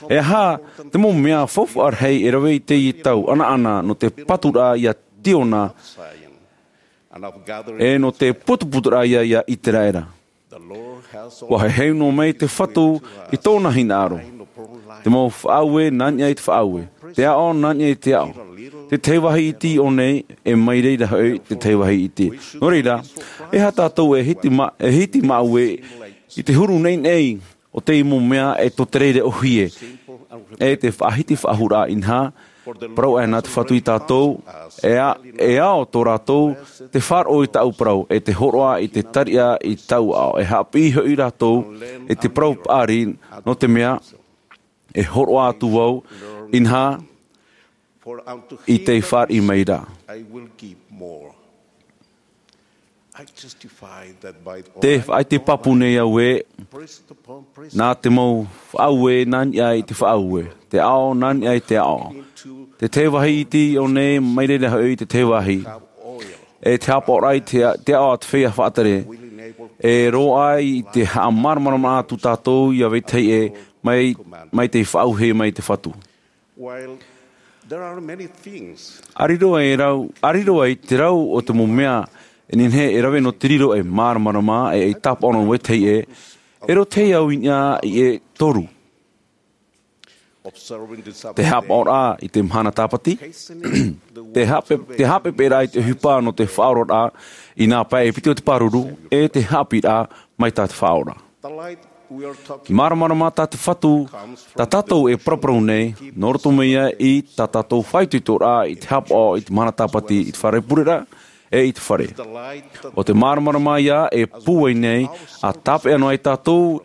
E aha te mau mea faufaʻa rahi e rave i teie tau ʻanaʻana nō te paturaʻa iā Siona, e nō te putuputuraʻa ia iā Iseraela. Ua heheu noa mai te Fatu i tōna hinaʻaro. Te mau faʻaue nā niʻa i te faʻaue, te aʻo nā niʻa i te aʻo. Te tahi vāhi iti i ʻō nei, e mai reira hoʻi te tahi vāhi iti. Nō reira, e aha tātou e hiti ma-, e hiti māʻue i te huru naʻinaʻi o te mau mea e tō te reira ʻōhie, e te faʻahiti faʻahou raʻa, inaha, parau aʻe nā te Fatu iā tātou, e a-, e ao tō rātou te faʻaroʻo i tāʻu parau, e te hōroʻa i te tariʻa i tāʻu aʻo, e haʻapiʻi hoʻi rātou i te parau paʻari, nō te mea, e hōroʻa atu vau, inaha, i te fāriʻi mai ra. Te faʻaʻite pāpū nei au ē, nā te mau faʻaue nā niʻa i te faʻaue, te aʻo nā niʻa i te aʻo, te tahi vāhi iti i ʻō nei mai reira hoʻi te tahi vāhi, e te haʻapaʻoraʻa i te, te aʻo a te feiā faʻatere, e roaʻa i te haʻamāramarama atu tātou iā vetahi ʻē, mai, mai te faʻaue mai te Fatu. While there are many things, ʻĀriro ai rau, ʻāriro ai te rau o te mau mea, e nehenehe e rave nō te riro ei māramarama, e, ei tāpaʻo nō vetahi ʻē, e roto au i niʻa i e toru. Observing the Sabbath, te haʻapaʻoraʻa i te mahana tāpati, hastening the te haʻape-, works of the te haʻapeʻapeʻaraʻa i te ʻohipa nō te faʻaoraraʻa, i nā pae e piti o te pāruru, e te haʻapiʻiraʻa mai tā te Faʻaora. The light we are talking Māramarama tā te Fatu, tā tātou e paraparau nei, nō roto mai ia i tā tātou faʻaitoitoraʻa i te haʻapaʻo i te mahana tāpati i te fare pureraʻa, e i te fare. The light that ʻO te māramarama ia e pūai nei, ʻa tāpeʻa noa ai tātou,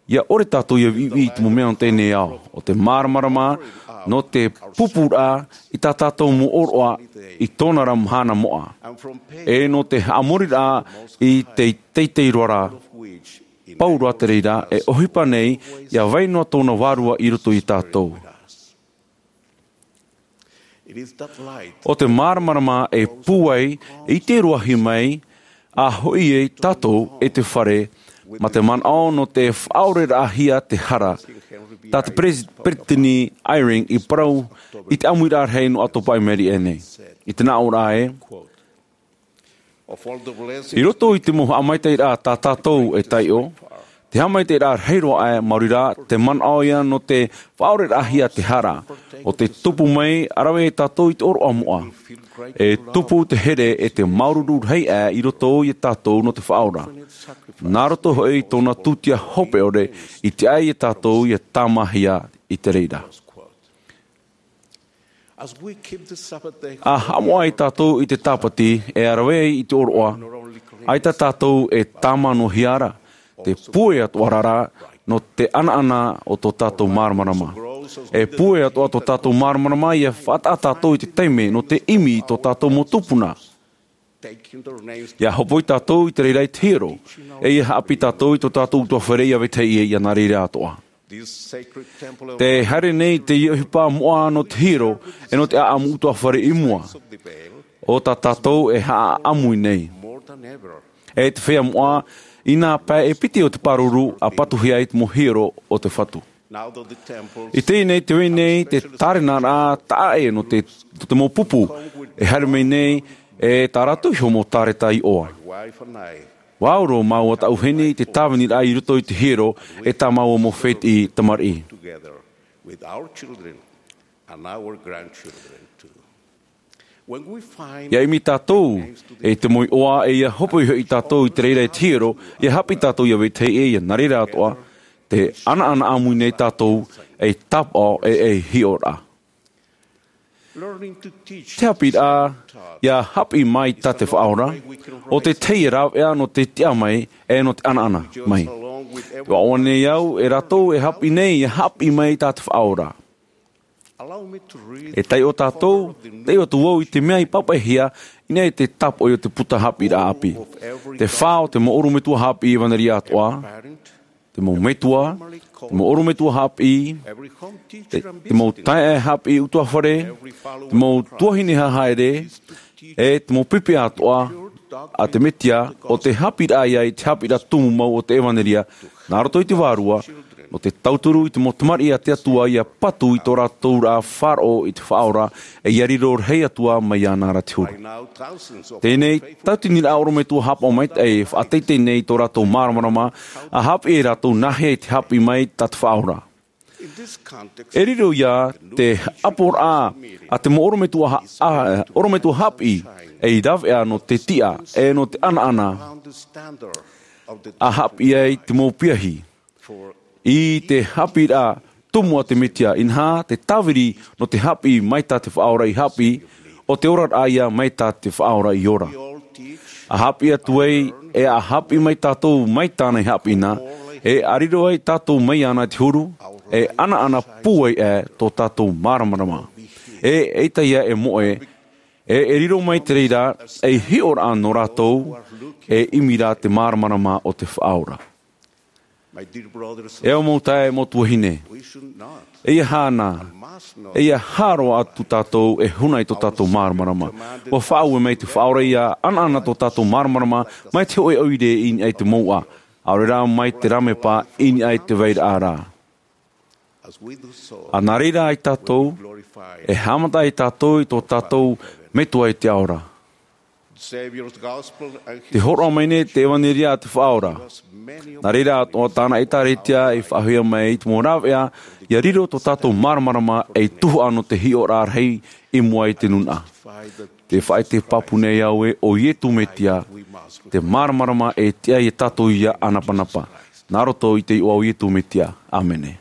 ʻia ʻore tātou ʻia viʻiviʻi i te mau mea o teie nei ao. ʻO te māramarama nō te pupuraʻa i tā tātou mau ʻōroʻa i tōna ra mahana moʻa. E nō te haʻamoriraʻa i te teitei roa ra, pauroa te reira, e ʻohipa nei, ʻia vai noa tōna vārua i roto ia tātou. It is that light ʻO te māramarama e pūai, e ʻite roa hia mai, ʻa hoʻi ai tātou e te fare, mā te manaʻo nō te faʻaoreraʻahia te hara. Tā te Peres-, Peresideni Eyring i parau i te ʻāmuiraʻa rahi nō ʻĀtopa i maʻiri aʻe nei. I te nāʻōraʻa ē, I roto i te mau haʻamaitaʻiraʻa tā tātou e taiʻo, te haʻamaitaʻiraʻa rahi roa aʻe, maori rā, te manaʻo ia nō te faʻaoreraʻahia te hara, ʻo te tupu mai, ʻa rave e tātou i te ʻōroʻa moʻa. E tupu te here e te māuruuru rahi aʻe i roto ia tātou nō te Faʻaora. Nā roto hoʻi i tōna tūtia hope ʻore, i tiʻa ia tātou ʻia tāmāhia i te reira. ʻA haʻamoʻa ai tātou i te tāpati e rave ai i te ʻōroʻa, ʻaita tātou e tāmānohia ra, te pūai atoʻa ra nō te ʻanaʻana o tō tātou māramarama. E pūai atoʻa tō tātou māramarama ʻia faʻataʻa tātou i te taime nō te ʻimi i tō tātou mau tupuna. ʻIa hopoi tātou i te reira i te hiero, e ʻia haʻapiʻi tātou i tō tātou ʻutuāfare ʻia vetahi ʻē ʻia nā reira atoʻa. Te haere nei te ʻohipa moʻa nō te hiero, e nō te ʻāʻamu ʻutuāfare i mua. ʻO tā tātou e haʻaʻamu i nei. E te feiā moʻa, i nā pae e piti o te pāruru ʻa patuhia ai te mau hiero o te Fatu. I teie nei te vai nei te tārena rā taʻa ʻē nō te, nō te mau pupu, e haere mai nei, e tā rātou iho mau tāreta i ʻoa. ʻUa ʻauro māua taʻu heni i te tāvini rā i roto i te hiero, e tā māua mau fētiʻi tamariʻi. ʻIa ʻimi tātou, e te mau iʻoa, e ʻia hopoi hoʻi tātou i te reira i te hiero, ʻia haʻapiʻi tātou ʻia vetahi ʻē ʻia nā reira atoʻa, te ʻanaʻana ʻāmui nei tātou, ei tāpaʻo, e ei hiʻoraʻa. Te haʻapiʻiraʻa, ʻia haʻapiʻi mai tā te Faʻaora, ʻo te tahi e rāveʻa nō te tiʻa mai, e nō te ʻanaʻana mai. Te ʻoaʻoa nei au, e rātou e haʻapiʻi nei, ʻia haʻapiʻi mai tā te Faʻaora. E taiʻo tātou, taiʻo atu vau i te mea i pāpaʻihia, i niʻa i te tāpoʻi o te puta haʻapiʻiraʻa ʻāpī. Te fā o te mau ʻorometua haʻapiʻi ʻevanelia atoʻa, te mau metua, te mau ʻorometua haʻapiʻi, te, te mau taeaʻe haʻapiʻi ʻutuāfare, te mau tuahine hahaere, e te mau pipi atoʻa a te Mesia, ʻo te haʻapiʻiraʻa ia i te haʻapiʻiraʻa tumu mau o te ʻevanelia, nā roto i te vārua, nō te tauturu i te mau tamariʻi a te Atua ʻia patu i tō rātou ra faʻaroʻo i te Faʻaora, e ʻia riro rahi atu ā mai iāna ra te huru. Teie nei, tauatini rā ʻorometua haʻapaʻo maitaʻi e faʻateitei nei i tō rātou māramarama, ʻa haʻapiʻi e rātou nāhea i te haʻapiʻi mai tā te Faʻaora. E riro ia te ʻaporaʻa a te mau ʻorometua ha-, a, ʻorometua haʻapiʻi, ei rāveʻa nō te tiʻa, e nō te ʻanaʻana, ʻa haʻapiʻi ai te mau piahi. I te haʻapiʻiraʻa tumu a te Mesia, inaha, te tāviri nō te haʻapiʻi mai tā te Faʻaora i haʻapiʻi, ʻo te oraraʻa ia mai tā te Faʻaora i ora. ʻA haʻapiʻi atu ai, e ʻa haʻapiʻi mai tātou mai tāna i haʻapiʻi na, e ʻa riro ai tātou mai iāna te huru, e ʻanaʻana pūai aʻe tō tātou māramarama. E, eʻita ia e moʻe, e, e riro mai te reira, ei hiʻoraʻa nō rātou, e ʻimi ra te māramarama o te Faʻaora. E au mau taeaʻe, mau tuahine. E ʻia hana, e ʻia haʻaroa atu tātou e huna i tō tātou māramarama. ʻUa faʻaue mai te Faʻaora ʻia ʻanaʻana tō tātou māramarama, mai te hōʻē ʻoire i niʻa i te mouʻa. ʻAore rā mai te rāmepa i niʻa i te vairaʻa ra. ʻA nā reira ai tātou, e haʻamata ai tātou i tō tātou Metua i te ao ra. Te hōroʻa mai nei te ʻevanelia a te Faʻaora. Nā reira atoʻa tāna ʻĒtārētia i faʻahoʻi mai i te mau rāveʻa, ʻia riro tō tātou māramarama ei tuhaʻa nō te hiʻoraʻa rahi i mua i te nūnaʻa. Te faʻaʻite pāpū nei au ē, ʻo Iesu Mesia, te māramarama e tiʻa ia tātou ʻia ʻanapanapa. Nā roto i te iʻoa o Iesu Mesia. ʻĀmene.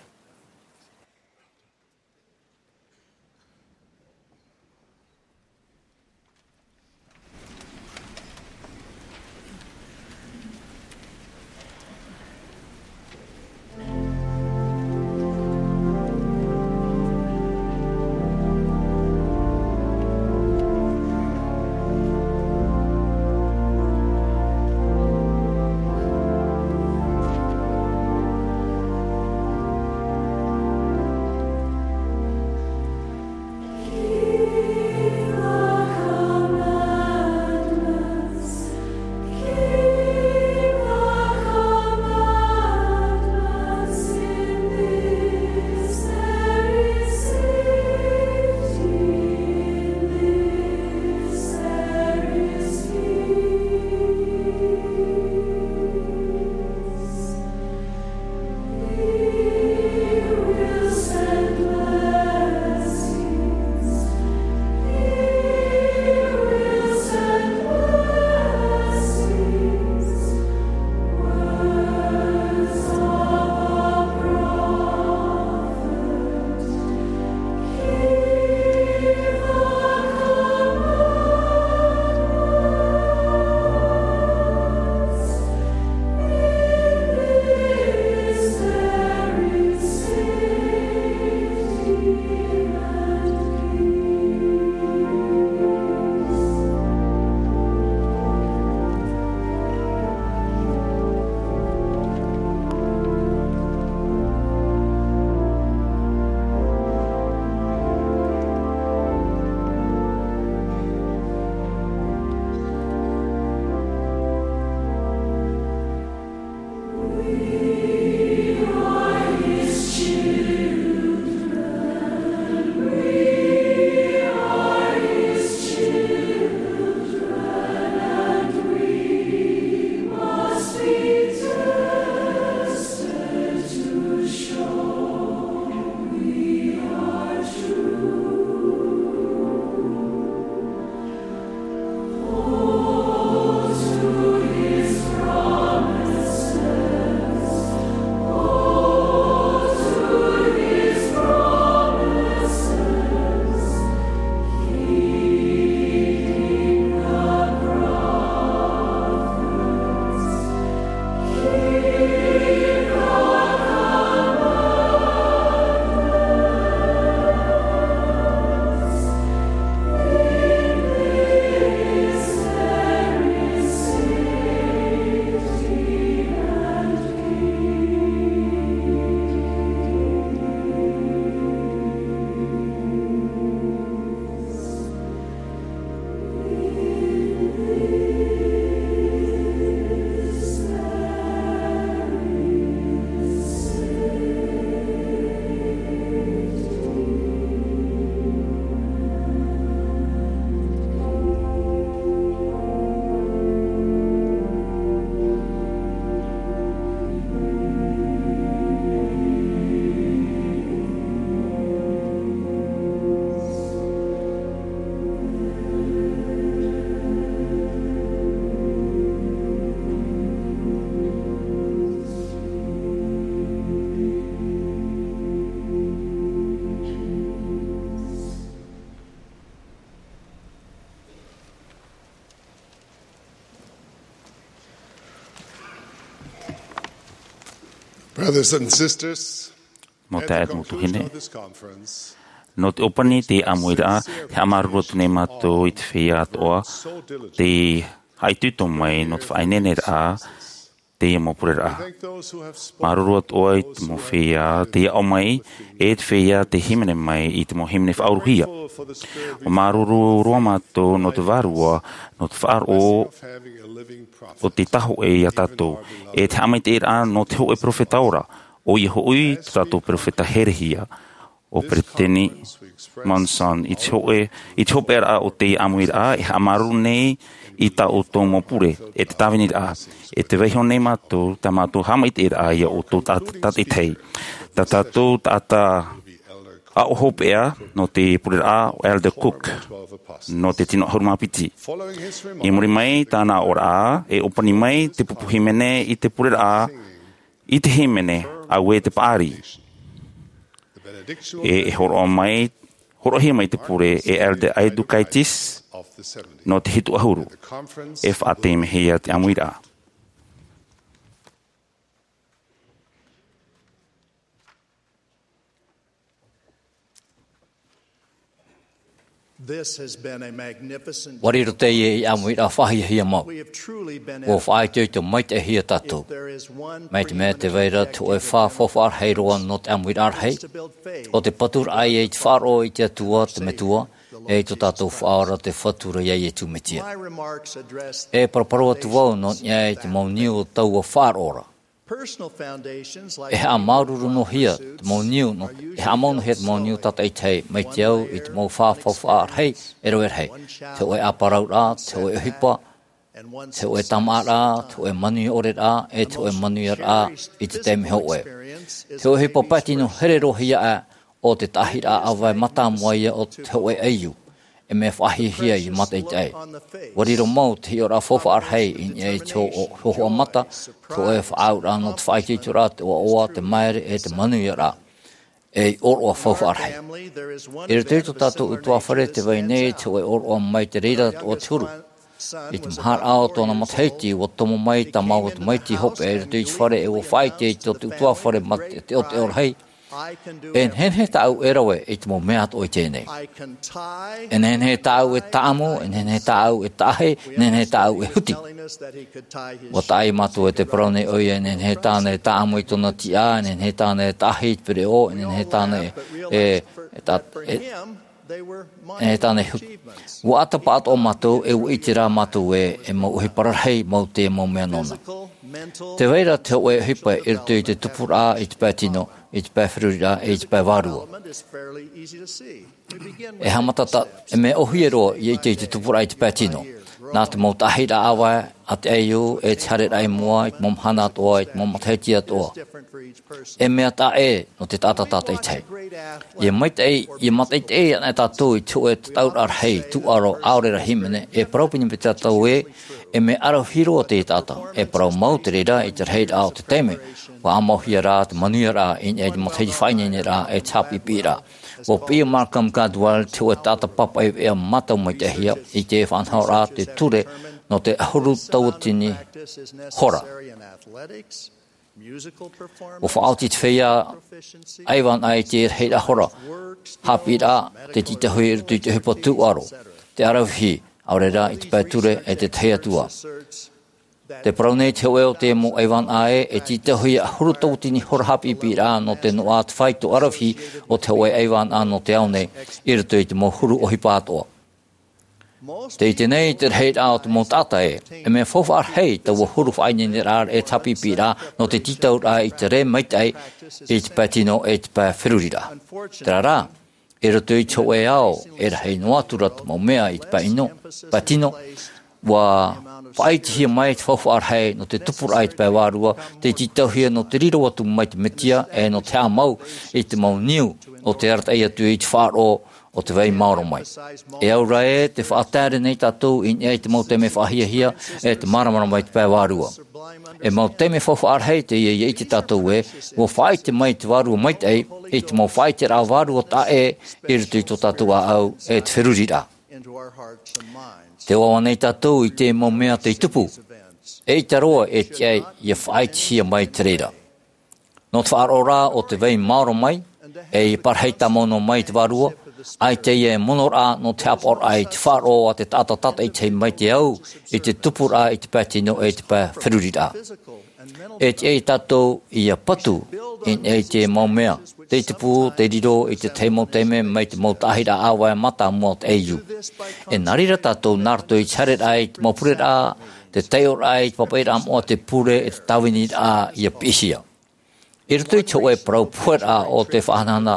Brothers and sisters, nō te ʻaita mau tuahine, nō te ʻōpani i te ʻāmuiraʻa, e haʻamāuruuru atu nei mātou i te feiā atoʻa, tei haʻaitoito mai nō te faʻaineineraʻa, teie mau pureraʻa. Māuruuru atoʻa i te mau feiā tei aʻo mai, e te feiā tei hīmene mai i te mau hīmene faʻauruhia. ʻUa māuruuru roa mātou nō te vārua, nō te faʻaroʻo o te Tahi Hōʻē ia tātou, e te haʻamaitaʻiraʻa nō te hōʻē peropheta ora, ʻoia hoʻi tō tātou peropheta herehia, ʻo Peresideni Monson, i te hōʻē, i te hopeʻaraʻa o te ʻāmuiraʻa, e haʻamāuruuru nei i tā ʻoutou mau pure, e te tāviniraʻa, e te vaiiho nei mātou, tā mātou haʻamaitaʻiraʻa ia ʻoutou tā, tātaʻitahi. Tā tātou taʻata aʻo hopeʻa nō te pureraʻa ʻo Elder Cook, nō te tino ʻahuru mā piti. I muri mai tāna aʻoraʻa, e ʻōpani mai te pupu hīmene i te pureraʻa, i te hīmene, Auē te Paʻari. E, e hōroʻa mai, hōroʻahia mai te pure e Elder Aidukaitis, nō te hitu ʻahuru. E faʻateimehia te ʻāmuiraʻa. This has been a magnificent ʻUa riro teie ei ʻāmuiraʻa faʻahiahia mau. We have truly been ʻUa faʻaitoito maitaʻihia tātou. If there is one Mai te mea tē vai ra te hōʻē fā faufaʻa rahi roa nō te ʻāmuiraʻa rahi, ʻo te paturaʻa ia i te faʻaroʻo i te Atua, te Metua, e i tō tātou Faʻaora, te Fatu ra ia Iesu Mesia. My remarks address E paraparau atu vau nō niʻa i te mau niu o taua faʻaroʻo ra. E haʻamāuruuru noa hia te mau niu, nō, e haʻamau noa hia te mau niu tātaʻitahi, mai te au i te mau fā faufaʻa rahi, e rave rahi. Te hōʻē ʻāparauraʻa, te hōʻē ʻohipa, te hōʻē tāmāʻaraʻa, te hōʻē manuia ʻore ra, e te hōʻē manuiaraʻa i te taime hōʻē. Te hōʻē ʻohipa pae tino here roa hia aʻe, ʻo te taʻahiraʻa ʻāvae mātāmua ia o te hōʻē ʻaiū, e mea faʻahiahia i te mātaʻitaʻi. ʻUa riro mau te hiʻoraʻa faufaʻa rahi i niʻa i te hō-, hōhoʻa mata, te hōʻē faʻaauraʻa nō te faʻaitoitoraʻa, te ʻoaʻoa, te māere, e te manuiaraʻa, ei ʻōroʻa faufaʻa rahi. I roto i tō tātou ʻutuāfare tē vai nei te hōʻē ʻōroʻa mai te reira atoʻa te huru. I te maharaʻa o tōna matahiti, ʻua tomo mai tā māua tamaiti hopeʻa i roto i te fare, e ʻua faʻaʻite i tō te ʻutuāfare ma te teʻoteʻo rahi. E nehenehe tāʻu e rave i te mau mea atoʻa i teie nei. E nehenehe tāʻu e tāʻamu, e nehenehe tāʻu e taʻahi, e nehenehe tāʻu e huti. ʻUa taʻa ia mātou e tē parau nei ʻoia, e nehenehe tāna e tāʻamu i tōna tiʻa, e nehenehe tāna e taʻahi i te pereʻoʻo, e nehenehe tāna e, e, e ta-, e, e nehenehe tāna e huti. ʻUa ʻata paʻatoʻa mātou, e ʻua ʻite rā mātou ē, e mau ʻohipa rarahi mau te mau mea nōna. Tē vai ra te hōʻē ʻohipa i roto i te tupuraʻa i te pae tino, i te pae feruriraʻa, e i te pae vārua. E haʻamata tā, e mea ʻōhie roa ʻia ʻite i te tupuraʻa i te pae tino. Nā te mau taʻahiraʻa ʻāvae a te ʻaiū, e te haereraʻa i mua, i te mau mahana atoʻa, i te mau matahiti atoʻa. E mea taʻa ʻē nō te taʻata tātaʻitahi. ʻIa maitaʻi, ʻia mātaʻitaʻi ana tātou i te hōʻē tataʻuraʻa rahi, tūʻaro, ʻaore rā hīmene, e parau pīhaʻi tātou ē, e mea ʻaravihi roa te taʻata, e parau mau te reira i te rahiraʻa o te taime, ʻua ʻāmauhia rā te manuiaraʻa, i niʻa i te matahiti faʻaineineraʻa, e te haʻapiʻipiʻiraʻa. ʻUa piʻi Malcolm Gladwell, te hōʻē taʻata pāpaʻi veʻa mātau maitaʻihia, i te faʻanahoraʻa te ture nō te ʻahuru tauatini hora. ʻUa faʻaoti te feiā ʻaivānaʻa i te rahiraʻa hora, haʻapiʻiraʻa, te tītauhia i roto i te ʻohipa tūʻaro, te ʻaravihi, ʻaore rā i te pae ture e te tahi atu ā. Tē parau nei te hōʻē o te mau ʻaivānaʻa ē, e tītauhia ʻahuru tauatini hora haʻapiʻipiʻiraʻa nō te noaʻa, te fāito, ʻaravihi o te hōʻē ʻaivānaʻa nō te ao nei, i roto i te mau huru ʻohipa atoʻa. Tē ʻite nei te rahiraʻa o te mau taʻata ē, e mea faufaʻa rahi taua huru faʻaineineraʻa e te haʻapiʻipiʻiraʻa nō te tītauraʻa i te rē maitaʻi i te pae tino e te pae feruriraʻa. Terā rā, i roto i te hōʻē ao, e rahi noa atu rā te mau mea i te pae ino, pae tino, ʻua faʻaʻitehia mai te faufaʻa rahi nō te tupuraʻa i te pae vārua, tē tītauhia nō te riro atu mai te Mesia, e nō te haʻamau i te mau niu, nō te arataʻi atu i te faʻaroʻo o te vai maoro mai. E au rā ē, tē faʻataere nei tātou i niʻa i te mau taime faʻahiahia, e te māramarama i te pae vārua. E mau taime faufaʻa rahi teie ʻia ʻite tātou ē, ʻua faʻaʻite mai te Vārua Maitaʻi, i te mau faʻaʻiteraʻa vārua taʻa ʻē, i roto i tō tātou ʻāʻau, e te feruriraʻa. Tē ʻoaʻoa nei tātou i te mau mea tei tupu. ʻEita roa e tiʻa ai ʻia faʻaʻitehia mai te reira. Nō te faʻaroʻo rā o te vai maoro mai, e i parahi tāmau noa mai te vārua, ʻaita ia e mono rā nō te haʻapaʻoraʻa i te faʻaroʻo a te taʻata tātaʻitahi mai te au, i te tupuraʻa i te pae tino e te pae feruriraʻa. E tiʻa ia tātou ia patu i niʻa i te mau mea, tei tupu, tei riro i te tahi mau taime mai te mau taʻahiraʻa ʻāvae mātāmua o te ʻeiū. E nā reira tātou nā roto i te haereraʻa i te mau pureraʻa, te taiʻoraʻa i te pāpaʻiraʻa moʻa, te pure e te tāviniraʻa ia piʻihia. I roto i te hōʻē parau poheraʻa o te faʻahanahana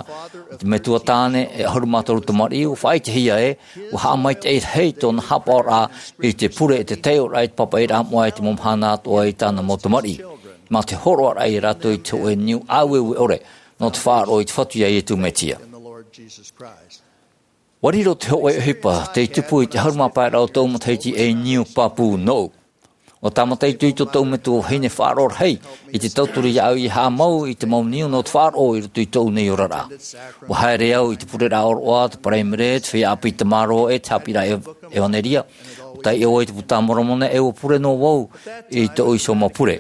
i te metua tāne e ʻahuru mā toru tamariʻi, ʻua faʻaʻitehia ē, ʻua haʻamaitaʻi rahi tōna haʻapaʻoraʻa i te pure e te taiʻoraʻa i te pāpaʻiraʻa moʻa i te mau mahana atoʻa i tāna mau tamariʻi, mā te hōroʻaraʻa ia rātou i te hōʻē niu ʻāueue ʻore nō te faʻaroʻo i te Fatu ia Iesu Mesia. ʻUa riro te hōʻē ʻohipa tei tupu i te ʻahuru mā pae ra o tōʻu matahiti ei niu pāpū nōʻu. ʻUa tāmata ʻite tōʻu metua vahine faʻaroʻo rahi i te tauturu iāʻu ia haʻamau i te mau niu nō te faʻaroʻo i roto i tōʻu nei oraraʻa. ʻUa haere au i te pureraʻa ʻōroʻa, te paraimere, te feiā ʻāpī tamaroa e te haʻapiʻiraʻa ev-, ʻevanelia. ʻUa taiʻo i te Buka a Moromona e ʻua pure noa vau i tōʻu iho mau pure.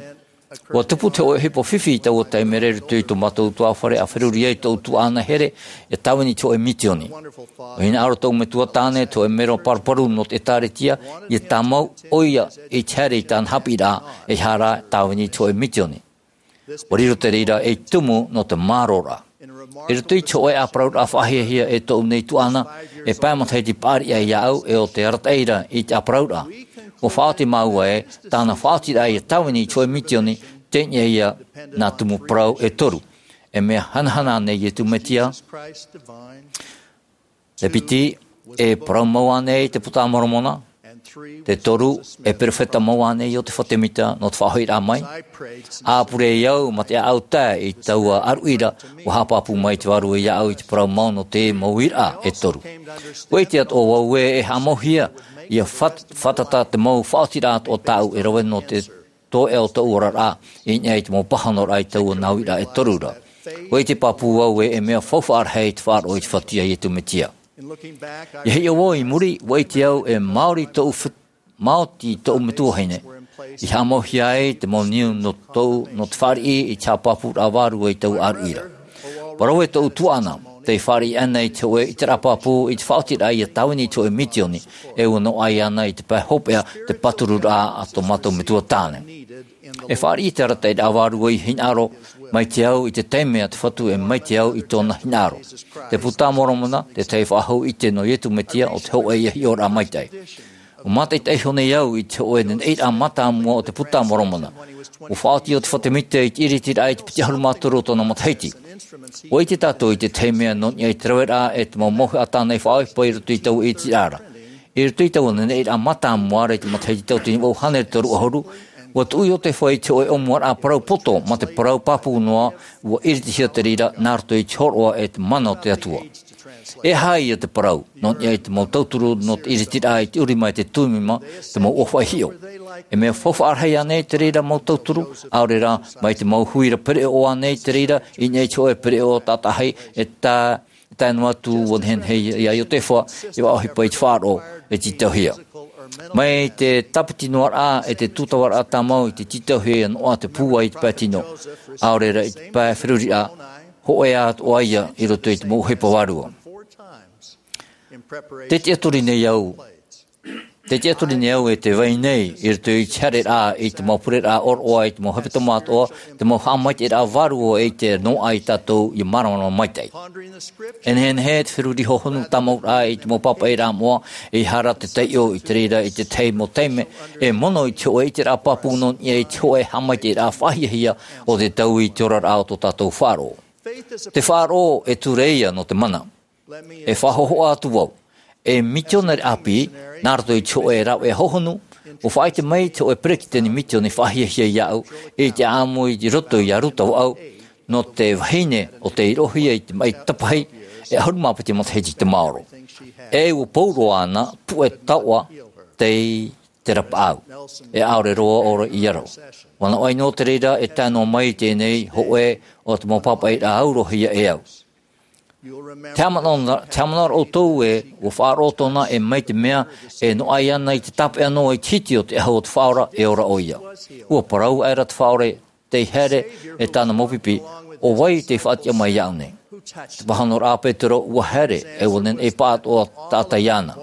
ʻUa tupu te hōʻē ʻohipa fifi i taua taime ra i roto i tō mātou ʻutuāfare, ʻa feruri ai tōʻu tuaʻana here e tāvini i te hōʻē misioni. ʻUa hinaʻaro tōʻu metua tāne, te hōʻē mero paruparu nō te ʻĒtārētia, ia tāmau ʻoia i te haere i tāna haʻapiʻiraʻa, e ʻere tāvini i te hōʻē misioni. ʻUa riro te reira ei tumu nō te mārōraʻa. I roto i te hōʻē ʻāparauraʻa faʻahiahia e tōʻu nei tuaʻana, e pae matahiti paʻari aʻe iāʻu e ʻo te arataʻi ra i te ʻāparauraʻa. ʻUa faʻaoti māua ē, tāna faʻaotiraʻa ia tāvini i te hōʻē misioni, teie ia nā tumu parau e toru. E mea hanahana nei Iesu Mesia, te piti, e parau mau ānei te Buka a Moromona? Te toru, e perofeta mau ānei ʻo Iosefa Sāmita nō te faʻahoʻiraʻa mai? ʻA pure au mā te ʻāʻau tae i taua ʻāruʻi ra, ʻua haʻapāpū mai te Vārua iāʻu i te parau mau nō te mau uiraʻa e toru. ʻUa ʻite atoʻa vau ē e haʻamauhia, ia fat-, fātata te mau faʻaotiraʻa atoʻa tāʻu e rave nō te toeʻa o tōʻu oraraʻa, i niʻa i te mau pāhonoraʻa i taua nā uiraʻa e toru ra. ʻUa ʻite pāpū vau ē e mea faufaʻa rahi te faʻaroʻo i te Fatu ia Iesu Mesia. ʻIa hiʻo vau i muri, ʻua ʻite au e maori tōʻu fit-, maoti tōʻu metua vahine i haʻamauhia ai te mau niu nō tōʻu, nō te fāriʻi i te haʻapāpūraʻa vārua i taua ʻāruʻi ra. Parau e tōʻu tuaʻana, tē fāriʻi ana i te hōʻē ʻiteraʻa pāpū i te faʻaotiraʻa ia tāvini i te hōʻē misioni, e ʻua noaʻa iāna i te pae hopeʻa te pātururaʻa a tō mātou metua tāne. E fāriʻi te arataʻiraʻa vārua i hinaʻaro mai te au i te taime a te Fatu e mai te au i tōna hinaʻaro. Te Buka a Moromona, te tahi faʻahou ʻite nō Iesu Mesia ʻo te hōʻē ia hiʻoraʻa maitaʻi. ʻUa mātaʻitaʻi iho nei au i te hōʻē neneʻiraʻa mātāmua o te Buka a Moromona. ʻUa faʻaoti Iosefa Sāmita i te ʻiritiraʻa i te piti ʻahuru mā toru o tōna matahiti. ʻUa ʻite tātou i te tahi mea nō niʻa i te raveraʻa e te mau mauhaʻa tāna i faʻaʻohipa i roto i taua ʻiritiraʻa ra. I roto i taua neneʻiraʻa mātāmua ra i te matahiti tauatini vaʻu hānere toru ʻahuru, ʻua tuʻu Iosefa i te hōʻē ʻōmuaraʻa parau poto mā te parau pāpū noa, ʻua ʻiritihia te reira nā roto i te hōroʻa e te mana o te Atua. E aha ia te parau nō niʻa i te mau tauturu nō te ʻiritiraʻa i te ʻurima e te tumima, te mau ʻōfaʻi hiʻo? E mea faufaʻa rahi ānei te reira mau tauturu, ʻaore rā, mai te mau huira pereʻoʻo ānei te reira i niʻa i te hōʻē pereʻoʻo tātaʻahi e tā, e tae noa atu ʻua nehenehe iā Iosefa e faʻaʻohipa i te faʻaroʻo e tītauhia? Mai te tāpiti noa raʻa e te tūtavaraʻa tāmau i te tītauhia ia noaʻa te pūai i te pae tino, ʻaore rā i te pae feruriraʻa, hōʻē atoʻa ia i roto i te mau ʻohipa vārua. Tē tiʻaturi nei au, tē tiʻaturi nei au e te vai nei i roto i te haereraʻa i te mau pureraʻa ʻōroʻa, i te mau hepetoma atoʻa, te mau haʻamaitaʻiraʻa vārua e ʻite noa ai tātou ia māramarama maitaʻi. E nehenehe te feruri hohonu tāmauraʻa i te mau pāpaʻiraʻa moʻa, e ʻere te taiʻo i te reira i te tahi mau taime e mono i te hōʻē ʻiteraʻa pāpū nō niʻa i te hōʻē haʻamaitaʻiraʻa faʻahiahia o te taui i te oraraʻa o tō tātou faʻaroʻo. Te faʻaroʻo e ture ia nō te mana. E faʻahohoʻa atu vau. E mitionare ʻāpī, nā roto i te hōʻē rāveʻa hohonu, ʻua faʻaʻite mai te hōʻē peretiteni mitioni faʻahiahia iāʻu, i te ʻāʻamu i roto iā Rutherford, nō te vahine ʻo tei roʻohia i te maʻi tapahi, e ʻahuru mā piti matahiti te maoro. E ʻua pauroa āna puʻe taoʻa tei te rapaʻau, e ʻaore roa ʻō ra i aro. ʻUa naʻo ʻaita te reira e tae noa mai i teie nei hōʻē o te mau pāpaʻiraʻa aurohia e au. Te haʻamanaʻo, te haʻamanaʻo ra ʻoutou ē, ʻua faʻaroʻo tōna e mai te mea, e noaʻa iāna i te tāpeʻa noa i te hiti o te ʻahu o te Faʻaora, e ora ʻoia. ʻUa parau aʻera te Faʻaora, tei haere e tāna mau pipi, ʻo vai tei faʻatiʻa mai iāʻu nei? Te pāhonoraʻa a Petero, ʻua haere, e ʻua nehenehe e paʻatoʻa taʻata iāna.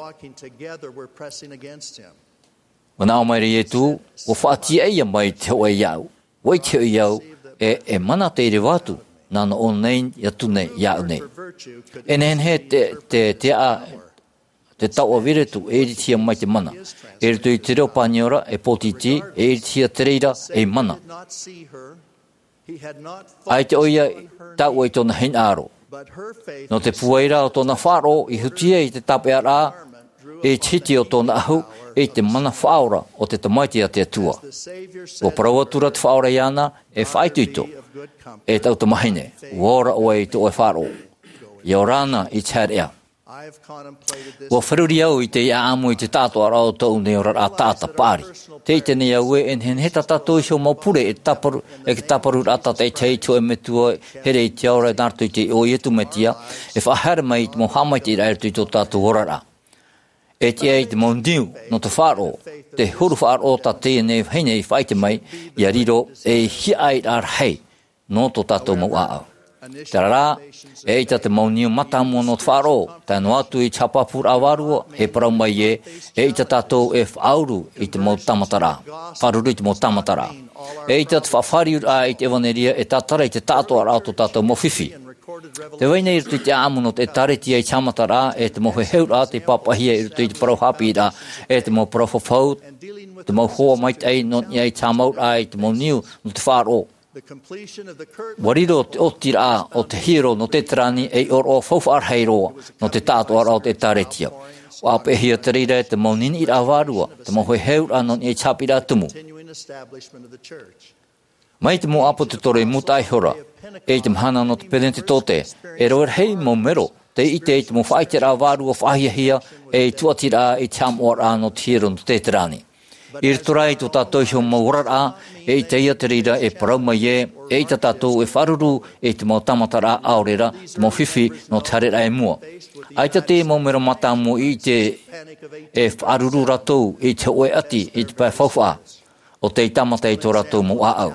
ʻUa nā ʻō mai ra Ietu, ʻua faʻatiʻa ʻia mai te hōʻē iāʻu. ʻUa ʻite hoʻi au, e, e mana tei reva atu, nā ʻō nei atu nei iāʻu nei. E nehenehe te, te, te aʻa, te taoʻa vīretu, e iritihia mai te mana. I roto i te reo Paniora, e pōtiti, e iritihia te reira, ei mana. ʻAita ʻoia i tae i tōna hinaʻaro. Nō te pūai ra o tōna faʻaroʻo i huti ai i te tāpeʻaraʻa, i te hiti o tōna ʻahu, i te mana faʻaora o te Tamaiti a te Atua. ʻUa parau atu ra te Faʻaora iāna, e faʻaitoito, e taʻu tamahine, ʻua ora ʻoe i tō ʻoe faʻaroʻo. ʻIa ora na i te haereʻa. ʻUa feruri au i te ʻāʻamu i te taʻatoʻaraʻa o tōʻu nei oraraʻa taʻata paʻari. Tē ʻite nei au ē, e nehenehe tā tātou iho mau pure e tāparu, e te tāparuraʻa tātaʻitahi i te hōʻē metua here i te ao ra nā roto i te iʻoa o Ietu Metia, e faʻahaere mai i te mau haʻamaitaʻiraʻa i roto i tō tātou oraraʻa. E tiʻa i te mau niu nō te faʻaroʻo, te huru faʻaroʻo tā teie nei vahine i faʻaʻite mai, ʻia riro ei hiaʻairaʻa rahi nō tō tātou mau ʻāʻau. Terā rā, eʻita te mau niu mātāmua nō te faʻaroʻo, tae noa atu i te haʻapāpūraʻa vārua, e parau mai ē, eʻita tātou e faʻauru i te mau tāmataraʻa, faʻaruru i te mau tāmataraʻa. Eʻita te faʻafāriuraʻa i te ʻevanelia e tātara i te taʻatoʻaraʻa o tō tātou mau fifi. Tē vai nei i roto i te ʻāʻamu nō te ʻĒtārētia i te haʻamataraʻa, e te mau heheuraʻa tei pāpaʻihia i roto i te parau haʻapiʻiraʻa, e te mau parau fafau, te mau hoa maitaʻi nō niʻa i te haʻamauraʻa i te mau niu nō te faʻaroʻo. ʻUa riro te ʻotiraʻa o te hiero nō Teterani ei ʻōroʻa faufaʻa rahi roa nō te taʻatoʻaraʻa o te ʻĒtārētia. ʻUa ʻāpeʻehia te reira e te mau niniʻiraʻa vārua, te mau heheuraʻa nō niʻa i te haʻapiʻiraʻa tumu. Mai te mau ʻāpōsetolo i mūtaʻa ihora, e i te mahana nō te Penetetote, e rave rahi mau mero, tei ʻite i te mau faʻaʻiteraʻa vārua faʻahiahia, e i tuatiraʻa i te haʻamoʻaraʻa nō te hiero nō Teterani. I roto rā i tō tātou iho mau oraraʻa, eʻita ïa te reira e parau mai ē, eʻita tātou e faʻaruru i te mau tāmataraʻa ʻaore rā, te mau fifi nō te haereraʻa i mua. ʻAita te mau mero mātāmua i ʻite e faʻaruru rātou i te hōʻē ʻati i te pae faufaʻa, ʻo tei tāmata i tō rātou mau ʻāʻau.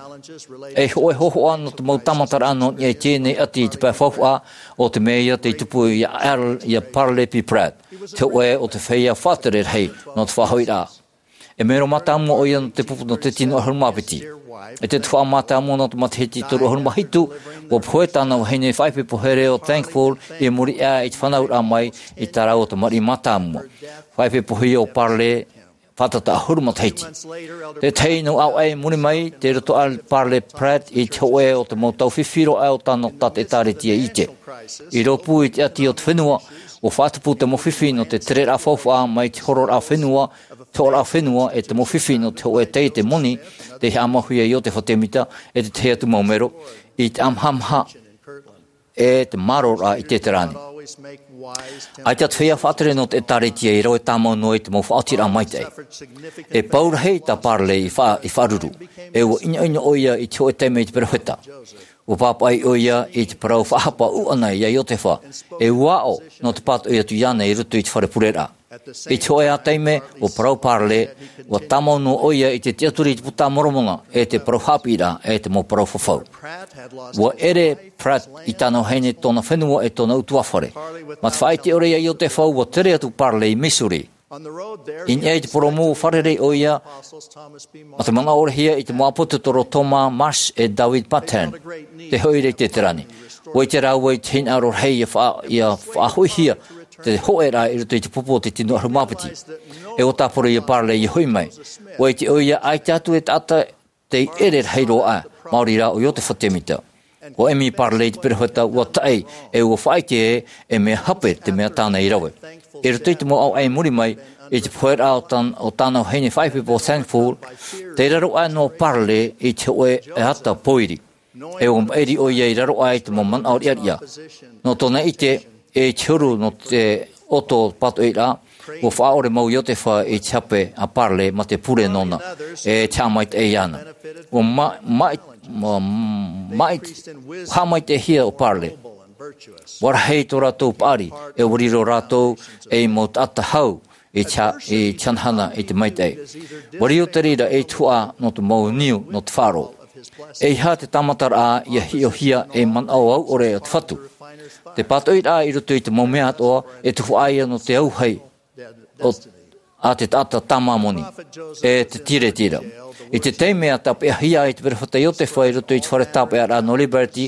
Ei hōʻē hōhoʻa nō te mau tāmataraʻa nō niʻa i teie nei ʻati i te pae faufaʻa, ʻo te mea ïa tei tupu ia Al, ia Parley B. Pratt, te hōʻē o te feiā faʻatere rahi nō te faʻahoʻiraʻa. E mero mātāmua ʻoia nō te pupu nō te tino ʻahuru mā piti. E te tuhaʻa mātāmua nō te matahiti toru ʻahuru mā hitu, ʻua pohe tāna vahine faʻaipoipo here ʻo Thankful i muri aʻe i te fānauraʻa mai i tā rāua tamariʻi mātāmua. Faʻaipoipohia ʻo Parley, fātata ʻahuru matahiti. Te tahi nō ʻāvaʻe i muri mai, tei roto aʻe Parley Pratt i te hōʻē o te mau tau fifi roa aʻe o tāna, tā te ʻĒtārētia i ʻite. I rōpū i te ʻati o te fenua, ʻua faʻatupu te mau fifi nō te tereraʻa faufaʻa mai te hororaʻa fenua, te hororaʻa fenua e te mau fifi nō te hōʻē taiete moni, tei haʻamauhia e Iotefa Temita, e te tahi atu mau mero, i te ʻamahamaha, e te māroraʻa i Teterani. ʻAita te feiā faʻatere nō te ʻĒtārētia i rave tāmau noa i te mau faʻaotiraʻa maitaʻi. E pau rahi tā Parley i fa-, i faʻaruru. E ʻua ʻinoʻino ʻoia i te hōʻē taime i te perofeta. ʻUa pāpaʻi ʻoia i te parau faʻahapa ʻuʻana ia Iotefa. E ʻua aʻo nō te pātoʻi atu iāna i roto i te fare pureraʻa. I te hōʻē ā taime, ʻua parau Parley, ʻua tāmau noa ʻoia i te tiʻaturi i te Buka a Moromona, e te parau haʻapiʻiraʻa, e te mau parau fafau. ʻUa ʻere Pratt i tāna vahine, tōna fenua, e tōna ʻutuāfare. Mā te faʻaʻite ʻore ia Iotefa, ʻua tere atu Parley i Missouri. I niʻa i te porōmu, ʻua fārerei ʻoia, mā te manaʻo ʻore hia i te mau ʻāpōsetolo Thomas Marsh e David Patton, tei hoʻi ra i Teterani. ʻUa ʻite rāua i te hinaʻaro rahi ʻia fa-, ʻia faʻahoʻihia te hōʻēraʻa i roto i te pupu o te tino ʻahuru mā piti. E ʻua tāparu ia Parley ʻia hoʻi mai. ʻUa ʻite ʻoia ʻaita atu e taʻata tei ʻere rahi roa aʻe, maori rā ʻo Iotefa Temita. ʻUa ʻimi Parley i te perofeta, ʻua taʻi, e ʻua faʻaʻite ē, e mea hape te mea tāna i rave. I roto i te mau ʻāvaʻe i muri mai, i te poheraʻa o tān-, o tāna vahine faʻaipoipo Thankful, tei raro aʻe noa Parley i te hōʻē ʻata pōiri. E ʻua maʻiri ʻoia i raro aʻe i te mau manaʻo riʻariʻa. Nō tōna ʻite, e te huru nō te ʻoto pātoʻiraʻa, ʻua faʻaʻore mau Iotefa i te hape a Parley mā te pure nōna, e te haʻamaitaʻi iāna. ʻUa ma-, ma-, ma-, ma-, haʻamaitaʻihia ʻo Parley. ʻUa rahi tō rātou paʻari, e ʻua riro rātou ei mau taʻata hau i te ha-, i te hanahana i te maitaʻi. ʻUa riro te reira ei tuhaʻa nō te mau niu nō te faʻaroʻo. E aha te tāmataraʻa ia hiʻohia e manaʻo auʻore o te Fatu? Te pātoʻiraʻa i roto i te mau mea atoʻa e tuhaʻa ia nō te auahi o, a te taʻata tāmāmoni, e te tiretira. I te taime a tāpeʻahia ai te perofeta Iotefa i roto i te fare tāpeʻaraʻa nō Liberty,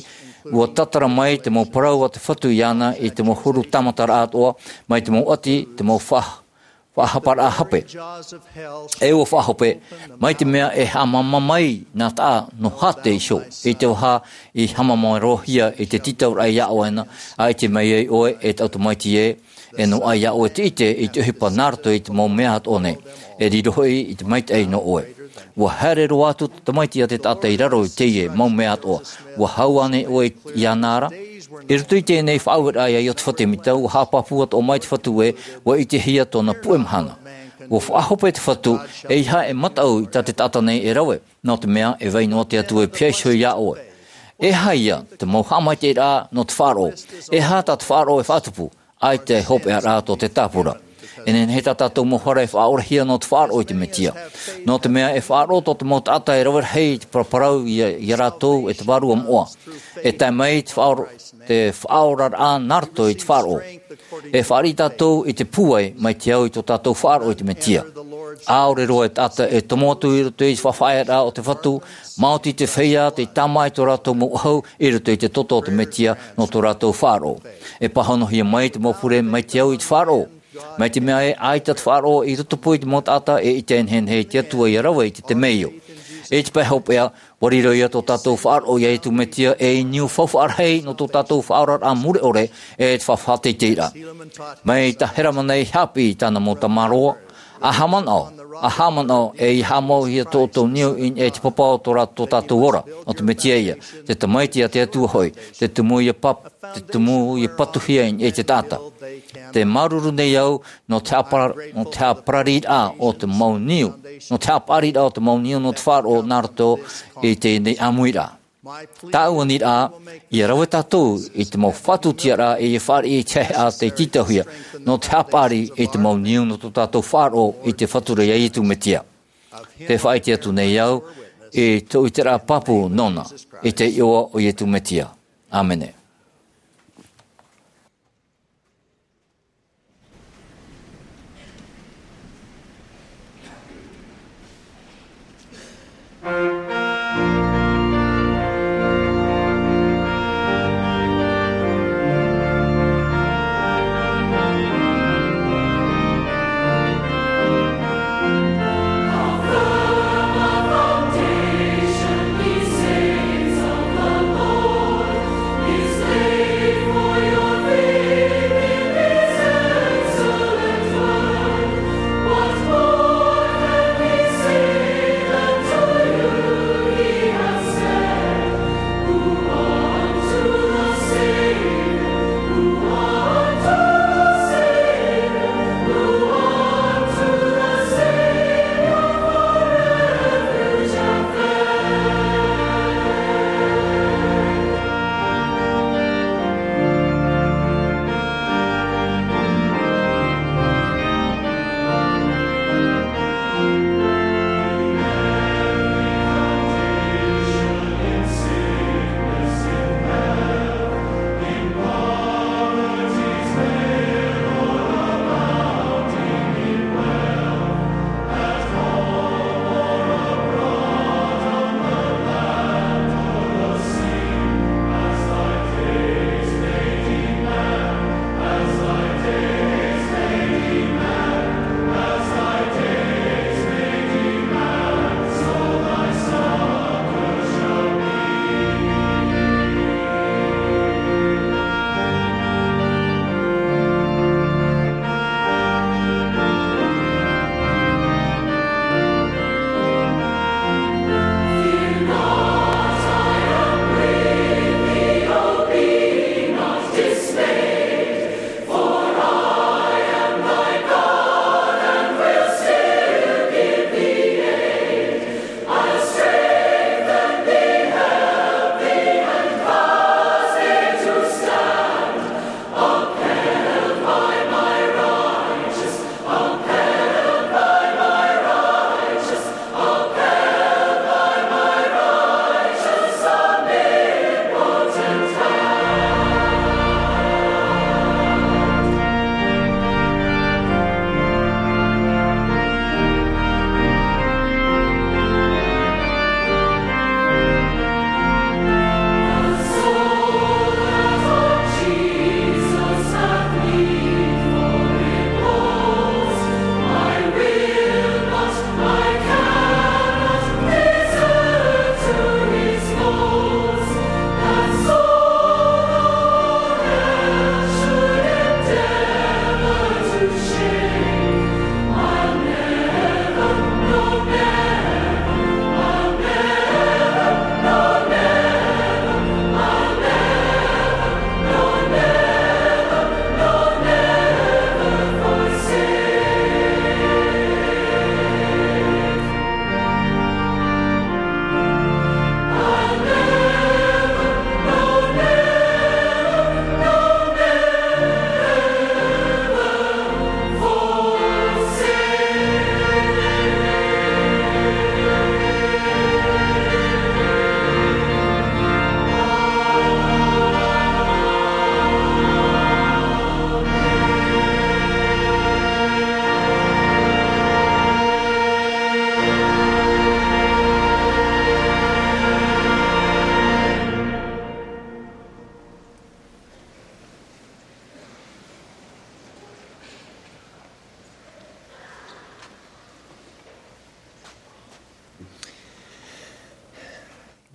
ua tātara mai te mau parau a te Fatu iāna i te mau huru tāmataraʻa atoʻa, mai te mau ʻati, te mau faʻa-, faʻahaparaʻa hape. E ua faʻahope, mai te mea e haʻamāmā mai nā taʻa nō hāte iho, i te vaha i haʻamāmārohia i te tītauraʻa iā ʻoe na, ʻaita mai ai ʻoe e taʻu tamaiti ē, e noaʻa iā ʻoe te ʻite i te ʻohipa nā roto i te mau mea atoʻa nei, e riro hoʻi i te maitaʻi nō ʻoe. Ua haere roa atu te tamaiti a te taʻata i raro i teie mau mea atoʻa, ua hau ānei ʻoe iāna ra? I roto i teie nei faʻaueraʻa iā Iotefa Tēmita, ua haʻapāpū atoʻa mai te Fatu ē, ua ʻitehia tōna puʻe mahana. Ua faʻahope te Fatu, e aha e mataʻu i tā te taʻata nei e rave, nō te mea e vai noa te Atua e pihaʻi iho iā ʻoe. E aha ia te mau haʻamaitaʻiraʻa nō te faʻaroʻo? E aha tā te faʻaroʻo e faʻatupu? ʻAita e hopeʻa ra tō te tāpura. E nehenehe tā tātou mau hara e faʻaorahia nō te faʻaroʻo i te Metia. Nō te mea e faʻaroʻo tō te mau taʻata e rave rahi i te paraparau iā, iā rātou e te Vārua Moʻa. E tae mai te faʻaora-, te faʻaoraraʻa nā roto i te faʻaroʻo. E fāriʻi tātou i te pūai mai te au i tō tātou faʻaroʻo i te Metia. ʻAore roa e taʻata e tomo atu i roto i te faʻafaʻaearaʻa o te Fatu, maoti te feiā tei tāmā i tō rātou mau ʻahu i roto i te toto o te Metia nō tō rātou faʻaroʻo. E pāhonohia mai te mau pure mai te au i te faʻaroʻo. Mai te mea ē, ʻaita te faʻaroʻo i rotopū i te mau taʻata e ʻite e nehenehe i te Atua ʻia rave i te temeio. I te pae hopeʻa, ʻua riro ia tō tātou faʻaroʻo iā Iesu Metia ei niu faufaʻa rahi nō tō tātou faʻaoraraʻa mure ʻore e te faʻateiteiraʻa. Mai tā Herama nei haʻapiʻi i tāna mau tamaroa, ʻa haʻamanaʻo, ʻa haʻamanaʻo, e ʻia haʻamauhia tō ʻoutou niu i niʻa i te papa o tō rā-, tō tātou ora, o te Metia ïa, te Tamaiti a te Atua hoʻi, te tumu ïa pap-, te tumu ïa patuhia i niʻa i te taʻata. Tē māuruuru nei au nō te haʻapara-, nō te haʻaparariraʻa o te mau niu, nō te haʻapaʻariraʻa o te mau niu nō te faʻaroʻo nā roto i teie nei ʻāmuiraʻa. Tāʻu aniraʻa, ʻia rave tātou i te mau faʻatutiaraʻa e ʻia fāriʻi i te haʻehaʻa tei tītauhia, nō te haʻapaʻari i te mau niu nō tō tātou faʻaroʻo i te Fatu ra iā Iesu Metia. Tē faʻaʻite atu nei au i tōʻu ʻiteraʻa pāpū nōna, i te iʻoa o Iesu Metia. ʻĀmene.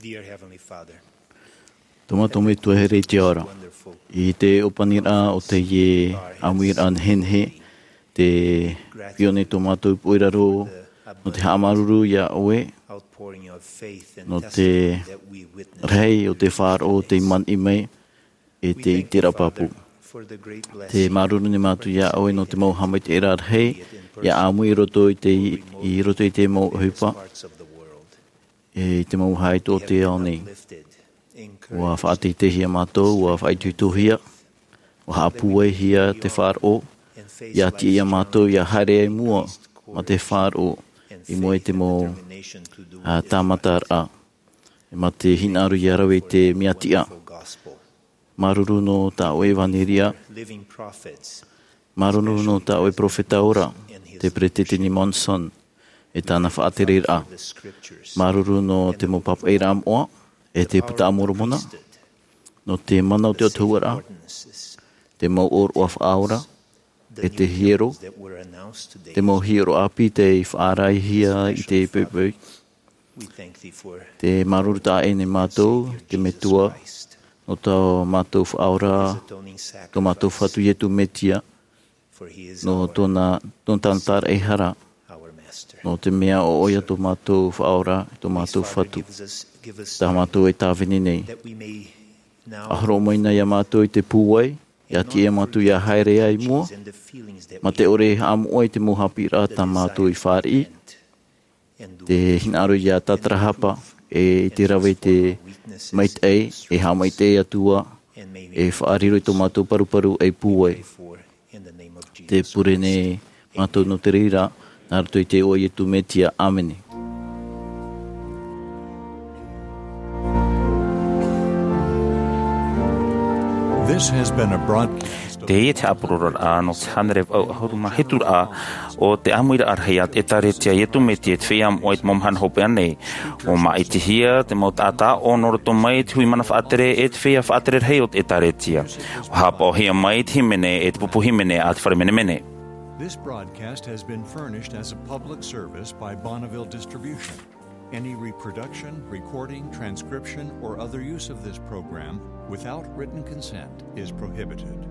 Dear Heavenly Father, Tō mātou Metua here i te ao ra. I te ʻōpaniraʻa o teie ʻāmuiraʻa nehenehe, te piʻo nei tō mātou ipu i raro, nō te haʻamāuruuru iā ʻoe, outpouring of faith and nō te testimony that we witnessed rahi o te faʻaroʻo tei manaʻo mai, e te ʻiteraʻa pāpū. Te māuruuru nei mātou iā ʻoe nō te mau haʻamaitaʻiraʻa rahi, ʻia ʻāmui i roto i te, i roto i te mau ʻohipa, e i te mau haʻaitoito o te ao nei. ʻUa faʻateiteihia mātou, ʻua faʻaitoitohia, ʻua haʻapūaihia te faʻaroʻo, ʻia tiʻa iā mātou, ʻia haere ai i mua, mā te faʻaroʻo, i mua i te mau, ā, tāmataraʻa, e mā te hinaʻaro ʻia rave i te mea tiʻa. Māuruuru nō tā ʻoe ʻevanelia. Māuruuru nō tā ʻoe peropheta ora, te Peresideni Monson, e tāna faʻatereraʻa. Māuruuru nō te mau pāpaʻiraʻa moʻa, e te Puta a Moromona, nō te mana o te autahuʻaraʻa, te mau ʻōroʻa faʻaora, e te hiero, te mau hiero ʻāpī tei faʻaarahia i te poʻipoʻi. Te māuruuru taʻa ʻē nei mātou, te Metua, nō tō mātou Faʻaora, tō mātou Fatu Iesu Mesia, nō tōna, nō tāna tāraʻehara, nō te mea ʻo ʻoia tō mātou Faʻaora, tō mātou Fatu. Tā mātou e tāvini nei. ʻA hōroʻa mai na iā mātou i te pūai, ʻia tiʻa iā mātou ʻia haere ai i mua, mā te ʻore e haʻamoʻa i te mau haʻapiʻiraʻa tā mātou i fāriʻi, te hinaʻaro ʻia tātarahapa, e i te rave i te maitaʻi, e haʻamaitaʻi atu ā, e faʻariro i tō mātou paruparu ei pūai. Te pure nei mātou nō te reira, nā roto i te iʻoa o Iesu Mesia, ʻāmene. This has been a broadcast of Teie te haʻapurororaʻa nō te hānere vaʻu ʻahuru mā hituraʻa o te ʻāmuiraʻa rahi a te ʻĒtārētia Iesu Mesia i te feiā moʻa i te mau mahana hopeʻa nei. ʻUa māʻitihia te mau taʻata ʻo nō roto mai te hui mana faʻatere e te feiā faʻatere rahi o te ʻĒtārētia. ʻUa haʻapaʻohia mai te hīmene e te pupu hīmene a te fare menemene. This broadcast has been furnished as a public service by Bonneville Distribution. Any reproduction, recording, transcription, or other use of this program without written consent is prohibited.